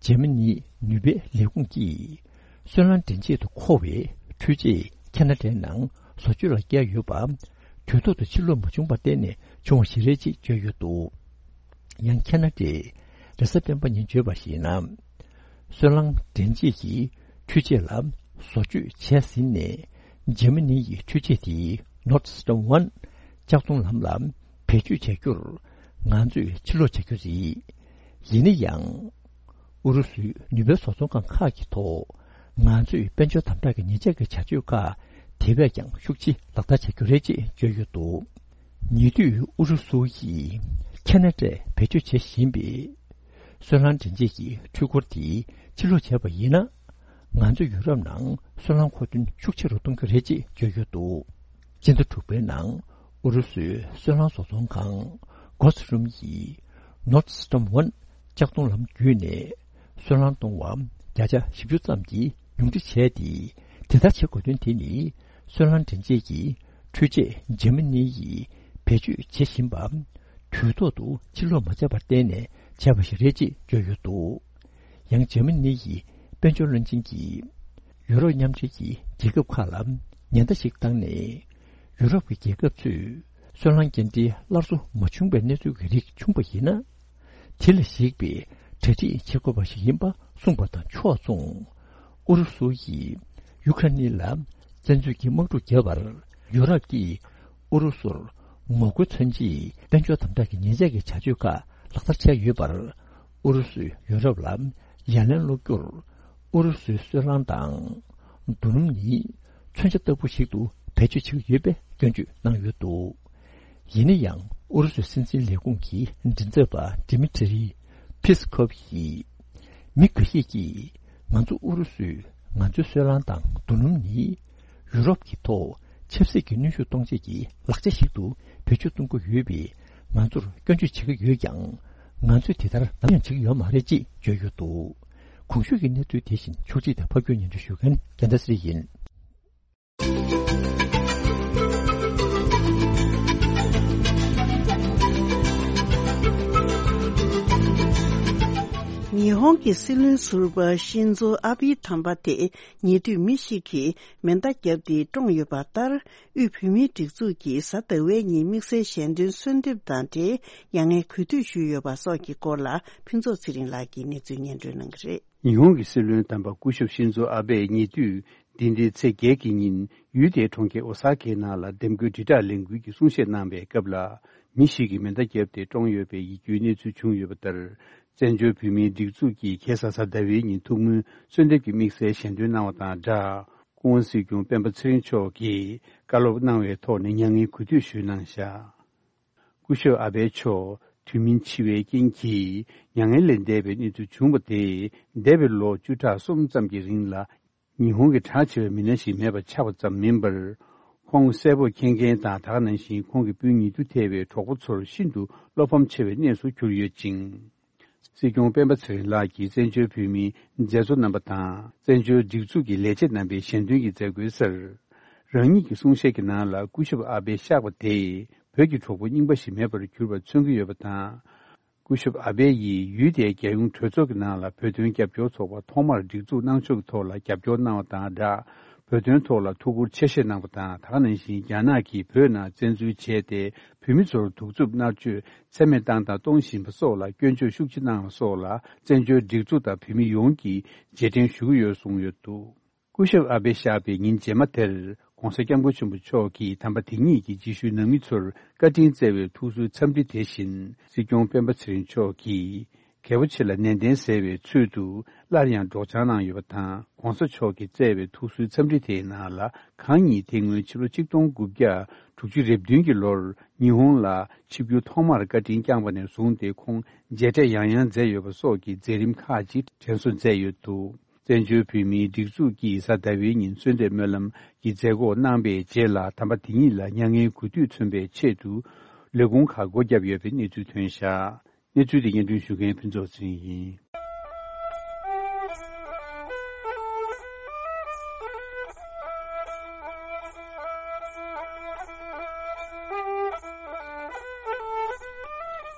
འཇར་མ་ནིའི་ནུས་པའི་ལས་ཁུངས་ཀྱིས་སོལ་རླངས་འདྲེན་ཆེད་དུ་མཁོ་བའི་འཕྲུལ་ཆས་ཁེ་ན་ཌའི་ནང་བཟོ་བཅོས་ལ་བསྐྱལ་ཡོད་པ། དུས་ཐོག་ཏུ་ཕྱིར་སློག་མ་བྱུང་བར་བརྟེན་ནས་བྱུང་བ་ཞིག་རེད་ཅེས་བརྗོད་ཡོད་འདུག་ཡང་ཁེ་ན་ཌའི་རེས་གཟའ་སྤེན་པ་ཉིན་བརྗོད་པར་གཞིགས་ན། སོལ་རླངས་འདྲེན་བྱེད་ཀྱི་འཕྲུལ་ཆས་ལ་བཟོ་བཅོས་བྱས་ཟིན་ནས། འཇར་མ་ནི་ཡི་འཕྲུལ་ཆས་དེ་Nord Stream one ལྕགས་མདོང་ལམ་ལ་བེད་སྤྱོད་བྱ་རྒྱུར་ང་ཚོས་ཕྱིར་སློག་བྱ་རྒྱུ་རེད། ཡིན་ན་ཡང་། ཨུ་རུ་སུའི་ནུས་པའི་བཟོ་ཚོང་ཁང་ཁག་གི་ཐོག་ང་ཚོས་དཔལ་འབྱོར་དམ་དྲག་གི་ཉེས་ཆད་ཀྱི་བྱ་སྤྱོད་ཁག་དེ་བས་ཀྱང་ཤུགས་ཆེ་ལག་བསྟར་བྱ་རྒྱུ་རེད་ཅེས་བརྗོད་ཡོད་འདུག་ཉེ་དུས་ཨུ་རུ་སུ་ཡིས་ཁེ་ན་ཌས་བེད་སྤྱོད་བྱེད་བཞིན་པའི་སོལ་རླངས་འདྲེན་བྱེད་ཀྱི་འཕྲུལ་འཁོར་དེ་ཕྱིར་སློག་བྱས་པ་ཡིན་ན། ང་ཚོས་ཡུ་རོབ་ནང་སོལ་རླངས་མཁོ་འདོན་ཤུགས་ཆེ་རུ་གཏོང་རྒྱུ་རེད་ཅེས་བརྗོད་ཡོད་འདུག་སྤྱི་ཟླ་དྲུག་པའི་ནང་ཨུ་རུ་སུའི་སོལ་རླངས་བཟོ་ཚོང་ཁང་Gazprom ཡིས་Nord Stream one ལྕགས་མདོང་ལམ་བརྒྱུད་ནས་སོལ་རླངས་གཏོང་བ་བརྒྱ་ཆ་བཞི་བཅུ་ཙམ་གྱིས་ཉུང་འཕྲི་བྱས་ཏེ། དེ་ལྟར་བྱེད་དགོས་དོན་དེ་ནི་སོལ་རླངས་འདྲེན་བྱེད་ཀྱི་འཕྲུལ་ཆས་འཇར་མ་ནི་ཡིས་བེད་སྤྱོད་བྱེད་བཞིན་པ་དུས་ཐོག་ཏུ་ཕྱིར་སློག་མ་བྱས་པར་བརྟེན་ནས་བྱས་པ་ཞིག་རེད་ཅེས་བརྗོད་ཡོད་འདུག་ཡང་འཇར་མ་ནི་ཡི་དཔལ་འབྱོར་བློན་ཆེན་གྱིས་ཡུ་རོབ་མཉམ་འབྲེལ་གྱི་རྒྱལ་ཁབ་ཁག་ལ་ཉེན་བརྡ་ཞིག་བཏང་ནས། ཡུ་རོབ་ཀྱི་རྒྱལ་ཁབ་ཚོས་སོལ་རླངས་འགན་འཁྲིའི་སླར་གསོ་མ་བྱུང་བའི་གནས་ཚུལ་གྱི་རིགས་བྱུང་བ་ཡིན་ན། དེ་ལ་གཞིགས་པའི་གྲ་སྒྲིག་བྱེད་དགོས་པ་ཞིག་ཡིན་པ་གསུངས་པ་དང་ཕྱོགས་མཚུངས། ཨུ་རུ་སུ་ཡིས་ཡུ་ཁ་ནི་ལ་བཙན་འཛུལ་གྱི་དམག་འཁྲུག་བརྒྱབ་པར་ཡུ་རོབ་ཀྱིས་ཨུ་རུ་སུར་ངོ་རྒོལ་མཚོན་ཆེད་དཔལ་འབྱོར་དམ་དྲག་གི་ཉེས་ཆད་ཀྱི་བྱ་སྤྱོད་ཁག་ལག་བསྟར་བྱས་ཡོད་པར། ཨུ་རུ་སུས་ཡུ་རོབ་ལ་ཡ་ལན་སློག་རྒྱུར། ཨུ་རུ་སུའི་སོལ་རླངས་དང་རྡོ་སྣུམ་ནི་མཚོན་ཆ་ལྟ་བུ་ཞིག་ཏུ་བེད་སྤྱོད་བྱེད་ཀྱི་ཡོད་པའི་སྐྱོན་བརྗོད་གནང་ཡོད་འདུག་ཡིན་ན་ཡང་ཨུ་རུ་སུའི་སྲིད་འཛིན་ལས་ཁུངས་ཀྱི་མགྲིན་ཚབ་པ་Dmitry Peskov ཡིས། མི་འགའ་ཤས་ཀྱིས་ང་ཚོ་ཨུ་རུ་སུས་ང་ཚོའི་སོལ་རླངས་དང་རྡོ་སྣུམ་ནི་ཡུ་རོབ་ཀྱི་ཐོག་ཆབ་སྲིད་ཀྱི་གནོན་ཤུགས་གཏོང་བྱེད་ཀྱི་ལག་ཆ་ཞིག་ཏུ་བེད་སྤྱོད་གཏོང་གི་ཡོད་པས། ང་ཚོར་སྐྱོན་བརྗོད་བྱེད་ཀྱི་ཡོད་ཀྱང་། ང་ཚོས་དེ་ལྟར་ནམ་ཡང་བྱེད་ཀྱི་ཡོད་མ་རེད་ཅེས་བརྗོད་ཡོད་འདུག་གོང་ཞུས་ཀྱི་གནས་ཚུལ་དེ་བཞིན་ཕྱོགས་སྒྲིག་དང་ཕབ་སྒྱུར་སྙན་སྒྲོན་ཞུ་མཁན་རྒྱལ་མཚན་ཚེ་རིང་ཡིན། ཉི་ཧོང་གི་སྲིད་བློན་ཟུར་པ་ཤིན་ཛོ་ཨ་བྷི་དམ་པ་དེ་ཉེ་དུས་མི་ཞིག་གིས་མེ་མདའ་བརྒྱབ་སྟེ་བཀྲོངས་ཡོད་པ་ལྟར། དབུས་བོད་མིའི་སྒྲིག་འཛུགས་ཀྱིས་གཟའ་ཟླ་བའི་ཉིན་དམིགས་བསལ་ཞལ་འདོན་གསོལ་འདེབས་དང་འབྲེལ་མྱ་ངན་གུས་འདུད་ཞུས་ཡོད་པ་སོགས་ཀྱི་སྐོར་ལ་ཕུན་ཚོགས་ཚེ་རིང་ལགས་ཀྱིས་གནས་ཚུལ་སྙན་སྒྲོན་གནང་གི་རེད། ཉི་ཧོང་གི་སྲིད་བློན་དམ་པ་སྐུ་ཞབས་ཤིན་ཛོ་ཨ་བྷེས་ཉེ་དུས་འདི་ཟླའི་ཚེས་བརྒྱད་ཀྱི་ཉིན་ཡུལ་དེའི་གྲོང་ཁྱེར་ཨོ་ས་ཀའི་ནང་ལ་འདེམས་བསྐོའི་དྲིལ་བསྒྲགས་ལས་འགུལ་གྱི་གསུང་བཤད་གནང་བའི་སྐབས་ལ། མི་ཞིག་གིས་མེ་མདའ་བརྒྱབ་སྟེ་བཀྲོངས་ཡོད་པའི་ཡིད་སྐྱོའི་གནས་ཚུལ་བྱུང་ཡོད་པ་ལྟར། བཙན་བྱོལ་བོད་མིའི་སྒྲིག་འཛུགས་ཀྱིས་ཁ་སང་གཟའ་ཟླ་བའི་ཉིན་ཐུགས་སྨོན་གསོལ་འདེབས་ཀྱི་དམིགས་བསལ་ཞལ་འདོན་གནང་བ་དང་སྦྲགས། སྐུ་ངོ་སྲིད་སྐྱོང་སྤེན་པ་ཚེ་རིང་མཆོག་གིས་བཀའ་སློབ་གནང་བའི་ཐོག་ནས་མྱ་ངན་གུས་འདུད་ཞུས་གནང་བཞག་སྐུ་ཞབས་ཨ་བྷེ་མཆོག་དུས་མིན་འཆི་བའི་རྐྱེན་གྱིས་མྱ་ངན་ལས་འདས་པའི་གནས་ཚུལ་བྱུང་བ་དེས། འདས་པའི་ལོ་བཅུ་ཕྲག་གསུམ་ཙམ་གྱི་རིང་ལ། ཉི་ཧོང་གི་གྲགས་ཆེ་བའི་མི་སྣ་ཞིག་མེད་པ་ཆགས་པ་ཙམ་མིན་པར། ཁོང་གསལ་པོར་མཁྱེན་མཁན་དང་། ད་ག་ནང་བཞིན་ཁོང་གི་སྤུན་ཉེ་དུ་ཐལ་བའི་གྲོགས་པོ་ཚོར་ཤིན་ཏུ་བློ་ཕམ་ཆེ་བའི་གནས་སུ་གྱུར་ཡོད་ཅིང་། སྲིད་སྐྱོང་སྤེན་པ་ཚེ་རིང་ལགས་ཀྱིས་བཙན་བྱོལ་བོད་མིའི་མཛད་གཙོ་རྣམ་པ་དང་། བཙན་བྱོལ་སྒྲིག་འཛུགས་ཀྱི་ལས་བྱེད་རྣམ་པའི་ཞལ་འདོན་གྱི་མཛད་སྒོའི་སར། རང་ཉིད་ཀྱི་གསུང་བཤད་ཀྱི་ནང་ལ་སྐུ་ཞབས་ཨ་བྷེ་གཤེགས་པ་དེས་བོད་ཀྱི་གྲོགས་པོ་རྙིང་པ་ཞིག་མེད་པར་གྱུར་པ་མཚོན་གྱི་ཡོད་པ་དང་། སྐུ་ཞབས་ཨ་བྷེ་ཡིས་ཡུལ་དེའི་རྒྱལ་ཡོངས་གྲོས་ཚོགས་ཀྱི་ནང་ལ་བོད་དོན་རྒྱབ་སྐྱོར་ཚོགས་པ་ཐོག་མར་སྒྲིག་འཛུགས་གནང་ཕྱོགས་ཀྱི་ཐོག་ལ་རྒྱབ་སྐྱོར་གནང་བ་དང་སྦྲགས། བོད་དོན་ཐོག་ལ་ཐུགས་ཁུར་ཆེ་བཞེས་གནང་བ་དང་། ད་ག་ནང་བཞིན་རྒྱ་ནག་གིས་བོད་ནང་བཙན་འཛུལ་བྱས་ཏེ། བོད་མི་ཚོར་གདུག་རྩུབ་མནར་གཅོད་ཚད་མེད་བཏང་དང་གཏོང་བཞིན་པ་སོགས་ལ་སྐྱོན་བརྗོད་ཤུགས་ཆེ་གནང་བ་སོགས་ལ། བཙན་བྱོལ་སྒྲིག་འཛུགས་དང་བོད་མི་ཡོངས་ཀྱིས་རྗེས་དྲན་ཞུ་གི་ཡོད་གསུངས་ཡོད་འདུག་སྐུ་ཞབས་ཨ་བྷེ་གཤེགས་པའི་ཉིན་རྗེས་མ་དེར། ྋགོང་ས་ྋསྐྱབས་མགོན་ཆེན་པོ་མཆོག་གིས་དམ་པ་དེ་ཉིད་ཀྱི་རྗེས་ཤུལ་ནང་མི་ཚོར་བཀའ་དྲིན་སྩལ་བའི་ཐུགས་གསོའི་འཚམས་འདྲི་དེ་བཞིན། སྲིད་སྐྱོང་སྤེན་པ་ཚེ་རིང་མཆོག་གིས། རྒྱལ་པོ་ཆེ་ལ་ནན་ཏན་གསལ་བའི་ཚུལ་དུ། སླར་ཡང་སྒྲོག་སྦྱང་གནང་ཡོད་པ་དང་། ྋགོང་ས་མཆོག་གིས་སྩལ་བའི་ཐུགས་གསོའི་འཚམས་འདྲི་དེའི་ནང་ལ། གང་ཉིད་དེ་སྔོན་ཕྱི་ལོ་ཆིག་སྟོང་དགུ་བརྒྱ་དྲུག་ཅུ་རེ་བདུན་གྱི་ལོར། ཉི་ཧོང་ལ་ཆིབས་བསྒྱུར་ཐོག་མར་བཀའ་དྲིན་བསྐྱངས་པ་ནས་བཟུང་སྟེ། ཁོང་མཇལ་འཕྲད་ཡང་ཡང་མཛད་ཡོད་པ་སོགས་ཀྱི་མཛད་རིམ་ཁག་ཅིག་དྲན་གསོ་མཛད་ཡོད་འདུག་བཙན་བྱོལ་བོད་མིའི་སྒྲིག་འཛུགས་ཀྱིས་གཟའ་ཟླ་བའི་ཉིན་གསོལ་འདེབས་སྨོན་ལམ་གྱི་མཛད་སྒོ་གནང་པའི་རྗེས་ལ། དམ་པ་དེ་ཉིད་ལ་མྱ་ངན་གུས་འདུད་མཚོན་པའི་ཆེད་དུ། ལས་ཁུངས་ཁག་སྒོ་བརྒྱབ་ཡོད་པའི་གནས་ཚུལ་ཐོན་བཞག་གནས་ཚུལ་དེ་སྙན་སྒྲོན་ཞུ་མཁན་ཕུན་ཚོགས་ཚེ་རིང་ཡིན།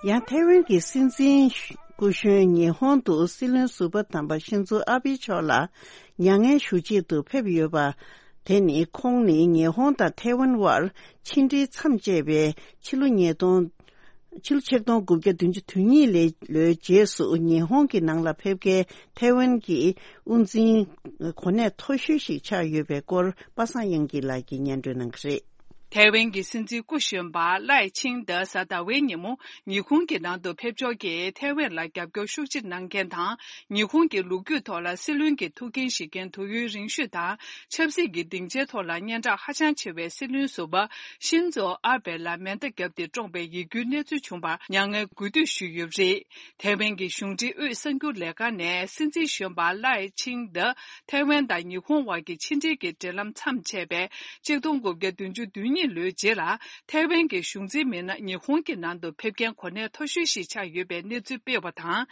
ཡང་ཐའེ་ཝན་གྱི་སྲིད་འཛིན་སྐུ་གཞོན་ཉི་ཧོང་དུ་སྲིད་བློན་ཟུར་པ་དམ་པ་ཤིན་ཛོ་ཨ་བྷེ་མཆོག་ལ་མྱ་ངན་ཞུ་ཆེད་དུ་ཕེབས་ཡོད་པ། དེ་ནི་ཁོང་ནི་ཉི་ཧོང་དང་ཐའེ་ཝན་དབར་ཕྱི་འབྲེལ་མཚམས་བཅད་པའི་ཕྱི་ལོ་ཉིས་སྟོང་ ཕྱི་ལོ་ཆིག་སྟོང་དགུ་བརྒྱ་བདུན་ཅུ་དོན་གཉིས་ལོའི་རྗེས་སུ་ཉི་ཧོང་གི་ནང་ལ་ཕེབས་མཁན་ཐའེ་ཝན་གྱི་དབུ་འཛིན་གོ་གནས་མཐོ་ཤོས་ཤིག་ཆགས་ཡོད་པའི་སྐོར་པ་སངས་དབྱངས་སྐྱིད་ལགས་ཀྱིས་སྙན་སྒྲོན་གནང་གི་རེད། ཐའེ་ཝན་གྱི་སྲིད་འཛིན་སྐུ་གཞོན་པ་ལའེ་ཆིང་ཏེ་གཟའ་ཟླ་བའི་ཉིན་མོ་ཉི་ཧོང་གི་ནང་དུ་ཕེབས་འབྱོར་གྱིས་ཐའེ་ཝན་ལ་རྒྱབ་སྐྱོར་ཤུགས་ཆེ་གནང་མཁན་དང་། ཉི་ཧོང་གི་ལོ་རྒྱུས་ཐོག་ལ་སྲིད་བློན་གྱི་ཐུགས་འགན་བཞེས་མཁན་དུས་ཡུན་རིང་ཤོས་དང་། ཆབ་སྲིད་ཀྱི་སྡིངས་ཆའི་ཐོག་ལ་སྙན་གྲགས་ཧ་ཅང་ཆེ་བའི་སྲིད་བློན་ཟུར་པ་ཤིན་ཛོ་ཨ་བྷེ་ལ་མེ་མདའ་བརྒྱབ་སྟེ་བཀྲོངས་པའི་ཡིད་སྐྱོའི་གནས་ཚུལ་བྱུང་བར་མྱ་ངན་གུས་འདུད་ཞུས་ཡོད་པ་རེད། ཐའེ་ཝན་གྱི་གཞུང་འབྲེལ་དབུས་གསར་འགྱུར་ལས་ཁང་ནས་སྲིད་འཛིན་གཞོན་པ་ལའེ་ཆིང་ཏེ་ཐའེ་ཝན་དང་ཉི་ཧོང་དབར་གྱི་ཕྱི་འབྲེལ་གྱི་འབྲེལ་ལམ་མཚམས་ཆད་པའི་ཆིག་སྟོང་དགུ་བརྒྱ་བདུན་ཅུ་དོན་གཉིས་ལོའི་རྗེས་ལ། ཐའེ་ཝན་གྱི་གཞུང་འཛིན་མི་སྣ་ཉི་ཧོང་གི་ནང་དུ་ཕེབས་མཁན་གོ་གནས་མཐོ་ཤོས་ཤིག་ཆགས་ཡོད་པའི་གནས་ཚུལ་སྤེལ་བ་དང་།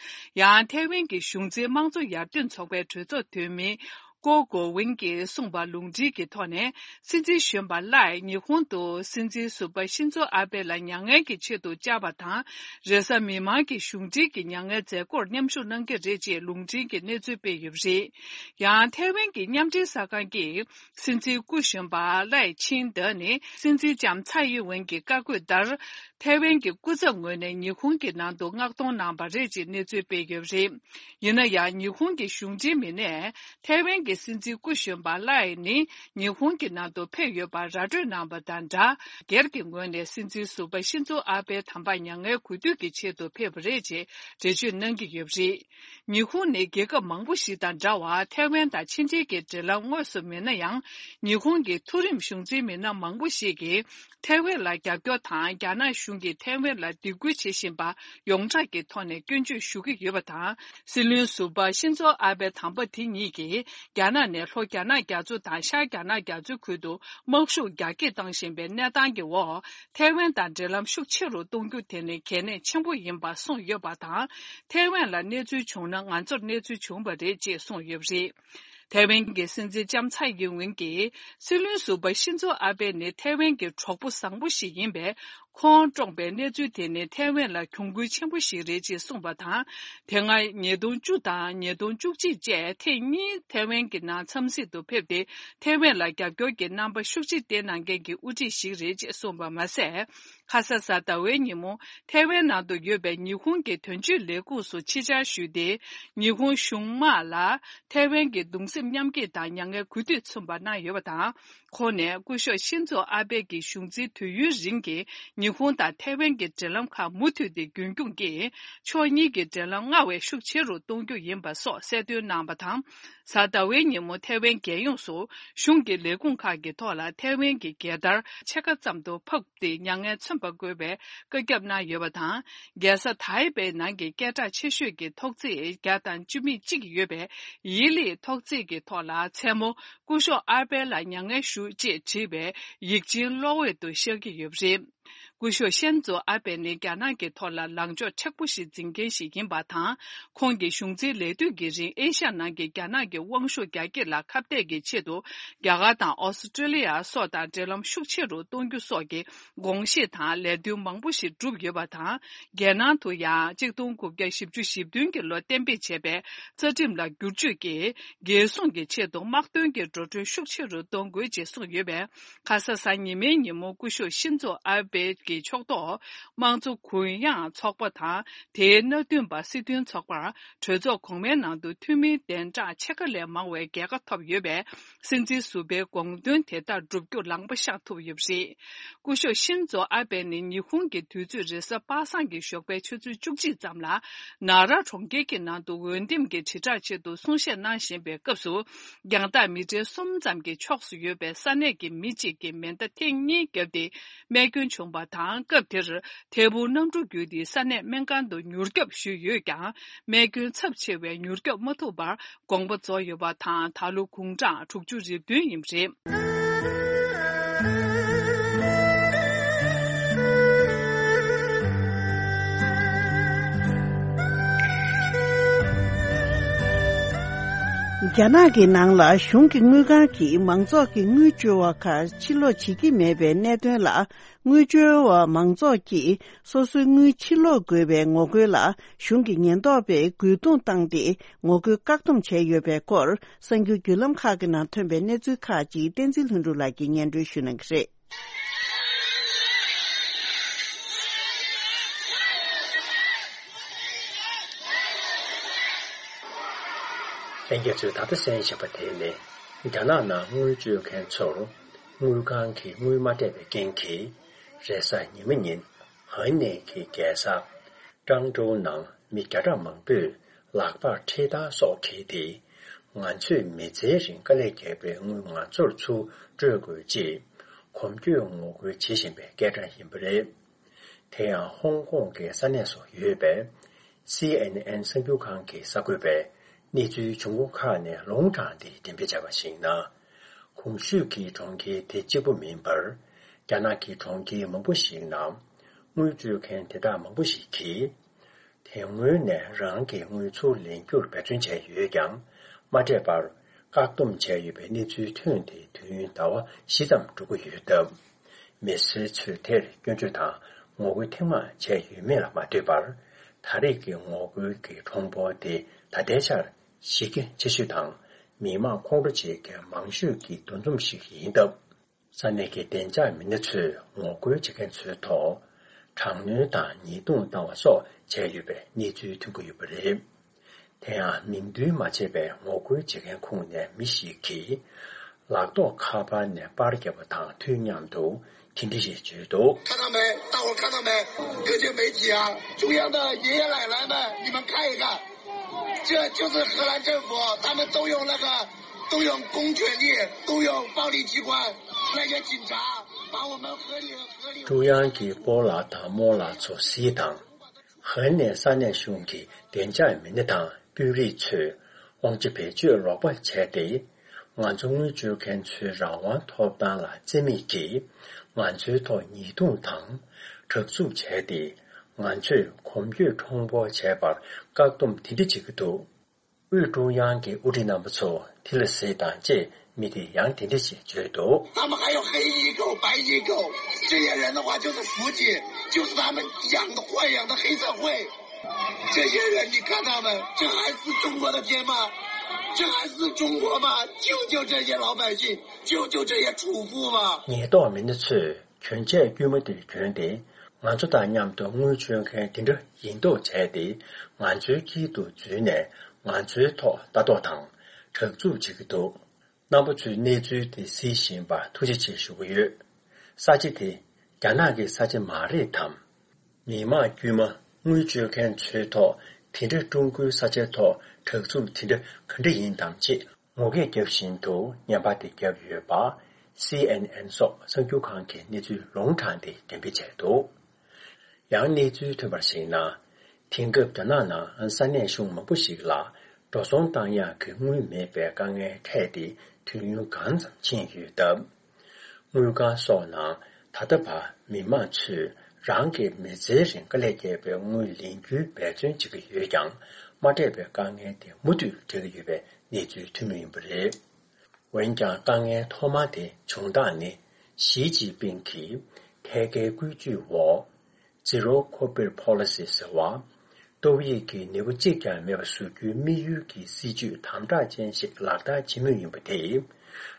ཡང་ཐའེ་ཝན་གྱི་གཞུང་འཛིན་དམངས་གཙོ་ཡར་ཐོན་ཚོགས་པའི་གྲོས་ཚོགས་འཐུས་མི་ཀོ་གོ་ཝིན་གྱིས་གསུངས་པ་ལུང་འདྲེན་གྱི་ཐོག་ནས། སྲིད་འཛིན་གཞོན་པ་ལའེ་ཉི་ཧོང་དུ་སྲིད་འཛིན་ཟུར་པ་ཤིན་ཛོ་ཨ་བྷེ་ལ་མྱ་ངན་གྱི་ཆེད་དུ་བཅར་བ་དང་། རེས་གཟའ་མིག་དམར་གྱི་གཞུང་འབྲེལ་གྱི་མྱ་ངན་མཛད་སྒོར་མཉམ་ཞུགས་གནང་གི་རེད་ཅེས་ལུང་འདྲེན་གྱི་གནས་ཚུལ་སྤེལ་ཡོད་པ་རེད། ཡང་ཐའེ་ཝན་གྱི་མཉམ་འབྲེལ་གསར་ཁང་གིས། སྲིད་འཛིན་སྐུ་གཞོན་པ་ལའེ་ཆིང་ཏེ་ནི་སྲིད་འཛིན་ལྕམ་ཚའེ་ཡིན་ཝེན་གྱི་བཀའ་བཀོད་ལྟར། ཐའེ་ཝན་གྱི་སྐུ་ཚབ་ངོས་ནས་ཉི་ཧོང་གི་ནང་དུ་མངགས་གཏོང་གནང་བ་རེད་ཅེས་གནས་ཚུལ་སྤེལ་ཡོད་པ་རེད། ཡིན་ན་ཡང་ཉི་ཧོང་གི་གཞུང་འབྲེལ་མི་སྣས་ཐའེ་ཝན་གྱི་སྲིད་འཛིན་སྐུ་གཞོན་པ་ལའེ་ནི་ཉི་ཧོང་གི་ནང་དུ་ཕེབས་ཡོད་པར་ར་སྤྲོད་གནང་བ་དང་སྦྲགས། སྒེར་གྱི་ངོས་ནས་སྲིད་འཛིན་ཟུར་པ་ཤིན་ཛོ་ཨ་བྷེའི་དམ་པ་མྱ་ངན་གུས་འདུད་ཀྱི་ཆེད་དུ་ཕེབས་པ་རེད་ཅེས་འགྲེལ་བརྗོད་གནང་གི་ཡོད་པ་རེད། ཉི་ཧོང་ནི་རྒྱལ་ཁབ་མང་པོ་ཞིག་དང་འདྲ་བར་ཐའེ་ཝན་དང་ཕྱི་འབྲེལ་གྱི་འབྲེལ་ལམ་དངོས་སུ་མེད་ན་ཡང་། ཉི་ཧོང་གི་མཐོ་རིམ་གཞུང་འཛིན་མི་སྣ་མང་པོ་ཞིག་གིས་ཐའེ་ཝན་ལ་རྒྱབ་སྐྱོར་དང་། རྒྱ་ནག་གཞུང་གིས་ཐའེ་ཝན་ལ་སྡིགས་སྐུལ་བྱེད་བཞིན་པ་ཡོངས་གྲགས་ཀྱི་ཐོག་ནས་སྐྱོན་བརྗོད་ཞུ་གི་ཡོད་པ་དང་། སྲིད་བློན་ཟུར་པ་ཤིན་ཛོ་ཨ་བྷེ་དམ་པ་དེ་ཉིད་ཀྱིས། རྒྱ་ནག་ནས་ལྷོ་རྒྱ་ནག་རྒྱ་མཚོ་དང་ཤར་རྒྱ་ནག་རྒྱ་མཚོའི་ཁུལ་དུ་དམག་ཤུགས་རྒྱ་སྐྱེད་བཏང་བཞིན་པའི་གནས་སྟངས་ཀྱི་འོག་ཐའེ་ཝན་དང་འབྲེལ་ལམ་ཤུགས་ཆེ་རུ་གཏོང་རྒྱུ་དེ་ནི་གལ་གནད་ཆེན་པོ་ཡིན་པ་གསུངས་ཡོད་པ་དང་། ཐའེ་ཝན་ལ་གནས་ཚུལ་བྱུང་ན་ང་ཚོར་གནས་ཚུལ་བྱུང་བ་རེད་ཅེས་གསུངས་ཡོད་པ་རེད། ཐའེ་ཝན་གྱི་སྲིད་འཛིན་ལྕམ་ཚའེ་ཡིན་ཝེན་གྱིས་སྲིད་བློན་ཟུར་པ་ཤིན་ཛོ་ཨ་བྷེ་ནི་ཐའེ་ཝན་གྱི་གྲོགས་པོ་བཟང་པོ་ཞིག་ཡིན་པས། ཁོང་བཀྲོངས་པའི་གནས་ཚུལ་དེ་ནི་ཐའེ་ཝན་ལ་གྱོང་གུན་ཆེན་པོ་ཞིག་རེད་ཅེས་གསུངས་པ་དང་། དེ་སྔ་ཉིས་སྟོང་བཅུ་དང་ཉིས་སྟོང་བཅུ་གཅིག་བཅས་ཐེངས་གཉིས་ཐའེ་ཝན་གྱི་ནང་འཚམས་གཟིགས་དུ་ཕེབས་ཏེ། ཐའེ་ཝན་ལ་རྒྱབ་སྐྱོར་གྱི་རྣམ་པ་ཤུགས་ཆེ་བསྟན་གནང་མཁན་གྱི་དབུ་ཁྲིད་ཞིག་རེད་ཅེས་གསུངས་པ་མ་ཟད། ཁ་ས་གཟའ་ཟླ་བའི་ཉིན་མོ་ཐའེ་ཝན་ནང་དུ་ཡོད་པའི་ཉི་ཧོང་གི་དོན་གཅོད་ལས་ཁུངས་སུ་ཆེད་བཅར་ཞུས་ཏེ། ཉི་ཧོང་གཞུང་དམག་ལ་ཐའེ་ཝན་གྱི་གདུང་སེམས་མཉམ་སྐྱེད་དང་མྱ་ངན་གུས་འདུད་མཚོན་པ་གནང་ཡོད་པ་དང་། ཁོང་ནས་སྐུ་ཞབས་ཤིན་ཛོ་ཨ་བྷེ་གྱི་གཞུང་འཛིན་དུས་ཡུན་རིང་གི་ཉི་ཧོང་དང་ཐའེ་ཝན་གྱི་འབྲེལ་ལམ་ཁག་མུ་མཐུད་དེ་རྒྱུན་སྐྱོང་གིས། ཕྱོགས་གཉིས་ཀྱི་འབྲེལ་ལམ་སྔར་བས་ཤུགས་ཆེ་རུ་གཏོང་རྒྱུ་ཡིན་པ་སོགས་གསལ་སྟོན་གནང་བ་དང་། གཟའ་ཟླ་བའི་ཉིན་མོ་ཐའེ་ཝན་རྒྱལ་ཡོངས་སུ་གཞུང་གི་ལས་ཁུངས་ཁག་གི་ཐོག་ལ་ཐའེ་ཝན་གྱི་རྒྱལ་དར་ཕྱེད་ཀ་ཙམ་དུ་ཕབ་སྟེ་མྱ་ངན་མཚོན་པ་དགོས་པའི་བཀའ་ཁྱབ་གནང་ཡོད་པ་དང་། རྒྱལ་ས་ཐའེ་པེ་ནང་གི་སྐད་གྲགས་ཆེ་ཤོས་ཀྱི་ཐོག་བརྩེགས་བརྒྱ་དང་བཅུ་མེད་གཅིག་ཡོད་པའི་ཡི་ལིའི་ཐོག་བརྩེགས་ཀྱི་ཐོག་ལ། མཚན་མོ་སྐུ་ཞབས་ཨར་པེ་ལ་མྱ་ངན་ཞུ་ཅེས་བྲིས་པའི་ཡིག་ཆེན་གློག་འོད་དུ་ཤར་གྱི་ཡོད་པ་རེད། སྐུ་ཞབས་ཤན་ཛོ་ཨ་པེ་ནི་རྒྱ་ནག་གི་ཐོག་ལ་ལངས་ཕྱོགས་མཁྲེགས་པོ་ཞིག་འཛིན་མཁན་ཞིག་ཡིན་པ་དང་། ཁོང་གི་གཞུང་འཛིན་ལས་དུས་ཀྱི་རིང་ཨེ་ཤ་ཡ་ནང་གི་རྒྱ་ནག་གི་དབང་ཤུགས་རྒྱ་སྐྱེད་ལ་ཁ་གཏད་ཀྱི་ཆེད་དུ། རྒྱ་གར་དང་ཨོ་སི་ཀྲི་ལི་ཡ་སོགས་དང་འབྲེལ་ལམ་ཤུགས་ཆེ་རུ་གཏོང་རྒྱུ་སོགས་ཀྱི་དགོངས་བཞེས་དང་ལས་དོན་མང་པོ་ཞིག་བསྒྲུབས་ཡོད་པ་དང་། རྒྱལ་ནང་དུ་ཡང་གཅིག་སྟོང་དགུ་བརྒྱ་བཞི་བཅུ་ཞེ་བདུན་གྱི་ལོ་གཏན་འབེབས་བྱས་པའི་རྩ་ཁྲིམས་ལ་བསྒྱུར་བཅོས་ཀྱིས། རྒྱལ་སྲུང་གི་ཆེད་དུ་དམག་དོན་གྱི་འགྲོ་གྲོན་ཤུགས་ཆེ་རུ་གཏོང་དགོས་ཅེས་གསུངས་ཡོད་པས། ཁ་ས་གཟའ་ཉི་མའི་ཉིན་མོ་སྐུ་ཞབས་ཤིན་ཛོ་ཨ་བྷེ་གི་ཕྱོགས་གཏོགས་དམངས་གཙོ་གུ་ཡངས་ཚོགས་པ་དང་། དེའི་མནའ་མཐུན་པ་སྲིད་དོན་ཚོགས་པར་གྲོས་ཚོགས་གོང་མའི་ནང་དུ་འཐུས་མིའི་གདན་གྲངས་ཕྱེད་ཀ་ལས་མང་བའི་རྒྱལ་ཁ་ཐོབ་ཡོད་པས། སྲིད་འཛིན་ཟུར་པའི་དགོངས་དོན་དེ་ལྟར་བསྒྲུབ་རྒྱུ་ལམ་པ་ཤར་ཐུབ་ཡོད་པ་རེད། སྐུ་ཞབས་ཤིན་ཛོ་ཨ་བྷེ་ནི་ཉི་ཧོང་གི་དུས་ཚོད་རེས་གཟའ་པ་སངས་ཀྱི་ཞོགས་པའི་ཆུ་ཚོད་བཅུ་གཅིག་ཙམ་ལ། ན་ར་གྲོང་ཁྱེར་གྱི་ནང་དུ་འོས་འདེམས་ཀྱི་དྲིལ་བསྒྲགས་ཆེད་དུ་གསུང་བཤད་གནང་བཞིན་པའི་སྐབས་སུ། རྒྱང་ཐག་མི་ཊར་གསུམ་ཙམ་གྱི་ཕྱོགས་སུ་ཡོད་པའི་ས་གནས་ཀྱི་མི་གཅིག་གིས་མེ་མདའ་ཐེངས་གཉིས་བརྒྱབ་སྟེ་རྨས་སྐྱོན་བྱུང་བ་དང་། སྐབས་དེར་ཐལ་འབུ་གནམ་གྲུ་བརྒྱུད་དེ་ས་གནས་སྨན་ཁང་དུ་མྱུར་སྐྱོབ་ཞུས་ཡོད་ཀྱང་། རྨས་སྐྱོན་ཚབས་ཆེ་བས་མྱུར་སྐྱོབ་མ་ཐུབ་པར་དགོངས་པ་རྫོགས་ཡོད་པ་དང་། ད་ལོ་དགུང་གྲངས་དྲུག་ཅུ་རེ་བདུན་ཡིན་པ་རེད། རྒྱ་ནག་གི་ནང་ལ་གཞུང་གི་དངུལ་ཁང་གིས་མང་ཚོགས་ཀྱི་དངུལ་བཅོལ་བ་ཁག་ཕྱིར་སློག་བྱེད་ཀྱི་མེད་པའི་གནད་དོན་ལ། དངུལ་བཅོལ་བ་མང་ཚོགས་ཀྱིས་སོ་སོའི་དངུལ་ཕྱིར་སློག་དགོས་པའི་ངོ་རྒོལ་ལ་གཞུང་གི་ཉེན་རྟོག་པས་རྒོལ་རྡུང་བཏང་སྟེ་ངོ་རྒོལ་བཀག་སྡོམ་བྱས་ཡོད་པའི་སྐོར། གསར་འགྱུར་བརྒྱུད་ལམ་ཁག་གི་ནང་ཐོན་པའི་གནས་ཚུལ་ཁག་ཅིག་བསྟན་འཛིན་ལྷུན་གྲུབ་ལགས་ཀྱིས་སྙན་སྒྲོན་ཞུ་གནང་གི་རེད། ལྷན་རྒྱས་ཚོས་ད་ལྟ་གསན་བཞིན་པ་དེ་ནི། རྒྱ་ནག་ནང་དངུལ་སྤྱོད་མཁན་ཚོར་དངུལ་ཁང་གིས་དངུལ་མ་སྤྲད་པའི་རྐྱེན་གྱིས། རེས་གཟའ་ཉི་མ་ཉིན་ཧན་ནེ་གི་རྒྱལ་ས་ཀྲང་ཀྲོའུ་ནང་མི་བརྒྱ་ཕྲག་མང་པོས་ལག་པར་ཁྲིད་ཐག་སོགས་འཁྱེར་ཏེ། ང་ཚོས་མི་ཚེའི་རིང་དཀའ་ལས་བརྒྱབ་པའི་དངུལ་ང་ཚོར་ཚུར་སྤྲོད་དགོས་ཅེས་གོམ་བགྲོད་ངོ་རྒོལ་བྱེད་བཞིན་པའི་སྐད་གྲགས་ཡིན་པ་རེད། དེ་ཡང་ཧོང་ཀོང་གི་ས་གནས་སུ་ཡོད་པའི་སི་ཨེན་ཨེན་གསར་འགྱུར་ཁང་གི་གསར་འགོད་པས་གནས་ཚུལ་བྱུང་ཁུངས་ཁག་ནས་ལུང་དྲངས་ཏེ་འགྲེམས་སྤེལ་བྱས་པར་གཞིགས་ན། གོང་ཞུས་ཀྱི་གྲོང་ཁྱེར་དེ་གཅིག་པུ་མིན་པར། རྒྱ་ནག་གི་གྲོང་ཁྱེར་མང་པོ་ཞིག་ནང་དངུལ་སྤྲོད་མཁན་དེ་དག་མང་པོ་ཞིག་གིས། དེ་སྔོན་ནས་རང་གི་དངུལ་ཚུར་ལེན་རྒྱུར་འབད་བརྩོན་བྱས་ཡོད་ཀྱང་། མ་སྤྲད་པར་བཀག་སྡོམ་བྱས་ཡོད་པའི་གནས་ཚུལ་ཐོན་ཏེ། དུས་ཡུན་ཟླ་བ་བཞི་ཙམ་འགྲོ་གི་ཡོད་སྟབས། མི་སེར་ཚོས་དེར་སྐྱོན་བརྗོད་དང་ངོ་རྒོལ་ཐེངས་མང་བྱས་ཡོད་མེད་ལ་མ་ལྟོས་པར། ད་རེས་ཀྱི་ངོ་རྒོལ་གྱི་ཁྲོམ་སྐོར་དེ་ད་ལྟའི་ཆར་གཞི་རྒྱ་ཆེ་ཤོས་དང་། མི་མང་ཁོང་ཁྲོ་བྱེད་མཁན་མང་ཤོས་ཀྱི་འདུ་འཛོམས་ཤིག་ཡིན་སྟབས། ས་གནས་ཀྱི་བདེ་འཇགས་མི་སྣ་ཚོས་ངོ་རྒོལ་བྱེད་མཁན་ཚོའི་ཐོག་དྲག་གནོན་དང་ཉེས་རྡུང་བཏང་བ་སོགས་བྱས་ཡོད་པའི་གནས་ཚུལ་ཐོན་གྱི་ཡོད་པ་རེད། དེ་ཡང་མིང་འདོན་མ་བྱས་པའི་ངོ་རྒོལ་བྱེད་མཁན་ཁོངས་ནས་མི་ཞིག་གིས་ལག་ཐོགས་ཁ་པར་ནས་པར་བརྒྱབ་པ་དང་དུས་མཉམ་དུ་དེ་འདྲ་ཞིག་བརྗོད་འདུག 看到没？大伙儿看到没？各界媒体啊，中央的爷爷奶奶们，你们看一看，这就是荷兰政府，他们动用那个，动用公权力，动用暴力机关，那些警察把我们合理合理。 ཀྲུང་དབྱང་གི་སྤོ་ལགས་དང་རྨོ་ལགས་ཚོ་གཟིགས་དང་། ཧན་ནས་ས་གནས་གཞུང་གི་བདེ་འཇགས་མི་སྣ་དང་དཔོན་རིགས་ཚོས་དབང་ཆ་བེད་སྤྱོད་ལོག་པ་བྱས་ཏེ། ང་ཚོ་དངུལ་སྤྱོད་མཁན་ཚོའི་རང་དབང་ཐོབ་ཐང་ལ་བརྩི་མེད་ཀྱིས་ང་ཚོའི་ཐོག་ཉེས་རྡུང་དང་དྲག་རྩུབ་བྱས་ཏེ། ང་ཚོས་གོམ་བགྲོད་ཁྲོམ་སྐོར་བྱས་པར་བཀག་སྡོམ་དེ་འདྲ་བྱེད་ཀྱི་འདུག་དབུས་ཀྲུང་དབྱང་གི་དབུ་ཁྲིད་རྣམ་པ་ཚོ་དེ་ལ་གཟིགས་དང་ཅེས་མི་དེས་ཡང་དེ་འདྲ་ཞིག་བརྗོད་འདུག 他们还有黑衣狗、白衣狗，这些人的话就是福警，就是他们养的黑社会。这些人，你看他们，这还是中国的天吗？这还是中国吗？救救这些老百姓，救救这些主妇吧！ ཉེན་རྟོག་མི་སྣ་ཚོས་གྱོན་ཆས་དཀྱུས་མ་དེ་གྱོན་ཏེ། ང་ཚོ་དང་མཉམ་དུ་དངུལ་སྤྱོད་མཁན་དེ་འདྲ་ཡིན་མདོག་བྱས་ཏེ། ང་ཚོའི་དཀྱིལ་དུ་འཛུལ་ནས་ང་ཚོའི་ཐོག་ལྟ་རྟོག་དང་དྲག་རྩུབ་བྱེད་ཀྱི་འདུག་རྣམ་པ་ཚོས་གནས་ཚུལ་དེ་གཟིགས་བཞིན་པར་ཐུགས་རྗེ་ཆེ་ཞུ་གི་ཡོད། ས་ཆ་དེ་རྒྱ་ནག་གི་ས་ཆ་མ་རེད་དམ། མི་དམངས་དཀྱུས་མ་དངུལ་སྤྱོད་མཁན་ཚོའི་ཐོག་དེ་འདྲ་ཀྲུང་གོའི་ས་ཆའི་ཐོག་དྲག་རྩུབ་དེ་འདྲ་ག་འདྲ་ཡིན་དམ་ཅེས་ངོ་སྐད་བརྒྱབ་བཞིན་དུ་བརྙན་པར་དེ་བརྒྱབ་ཡོད་པ། སི་ཨེན་ཨེན་སོགས་གསར་འགྱུར་ཁང་གིས་གནས་ཚུལ་ལུང་དྲངས་ཏེ་འགྲེམས་སྤེལ་བྱས་འདུག་ཡང་གནས་ཚུལ་ཐོན་པར་གཞིགས་ན། དེང་སྐབས་རྒྱ་ནག་ནང་ས་གནས་གཞུང་མང་པོ་ཞིག་ལ་འགྲོ་སོང་བཏང་ཡག་གི་དངུལ་མེད་པའི་དཀའ་ངལ་འཕྲད་དེ་དུས་ཡུན་གང་ཙམ་ཕྱིན་ཡོད་སྟབས། དངུལ་ཁང་སོགས་ནང་ད་ལྟ་བར་མི་མང་ཚོས་རང་གི་མི་ཚེའི་རིང་དཀའ་ལས་བརྒྱབ་པའི་དངུལ་ལེན་རྒྱུའི་འབད་བརྩོན་བྱེད་ཀྱི་ཡོད་ཀྱང་། མ་སྤྲད་པའི་དཀའ་ངལ་དེ་མུ་མཐུད་འཕྲད་ཀྱི་ཡོད་པའི་གནས་ཚུལ་ཐོན་མུས་ཡིན་པ་རེད། འོན་ཀྱང་དཀའ་ངལ་ཐོག་མ་དེ་བྱུང་སྟངས་ནི་ཞི་ཅིན་ཕིང་གིས་ཐད་ཀའི་བཀོད་ཇུས་འོག Zero Covid Policy ཟེར་བ། ཏོག་དབྱིབས་ཀྱི་ནད་འབུ་གཅིག་ཀྱང་མེད་པ་བཟོ་རྒྱུའི་དམིགས་ཡུལ་གྱི་སྲིད་ཇུས་དམ་དྲག་ཅན་ཞིག་ལག་བསྟར་བྱེད་མུས་ཡིན་པ་དེས།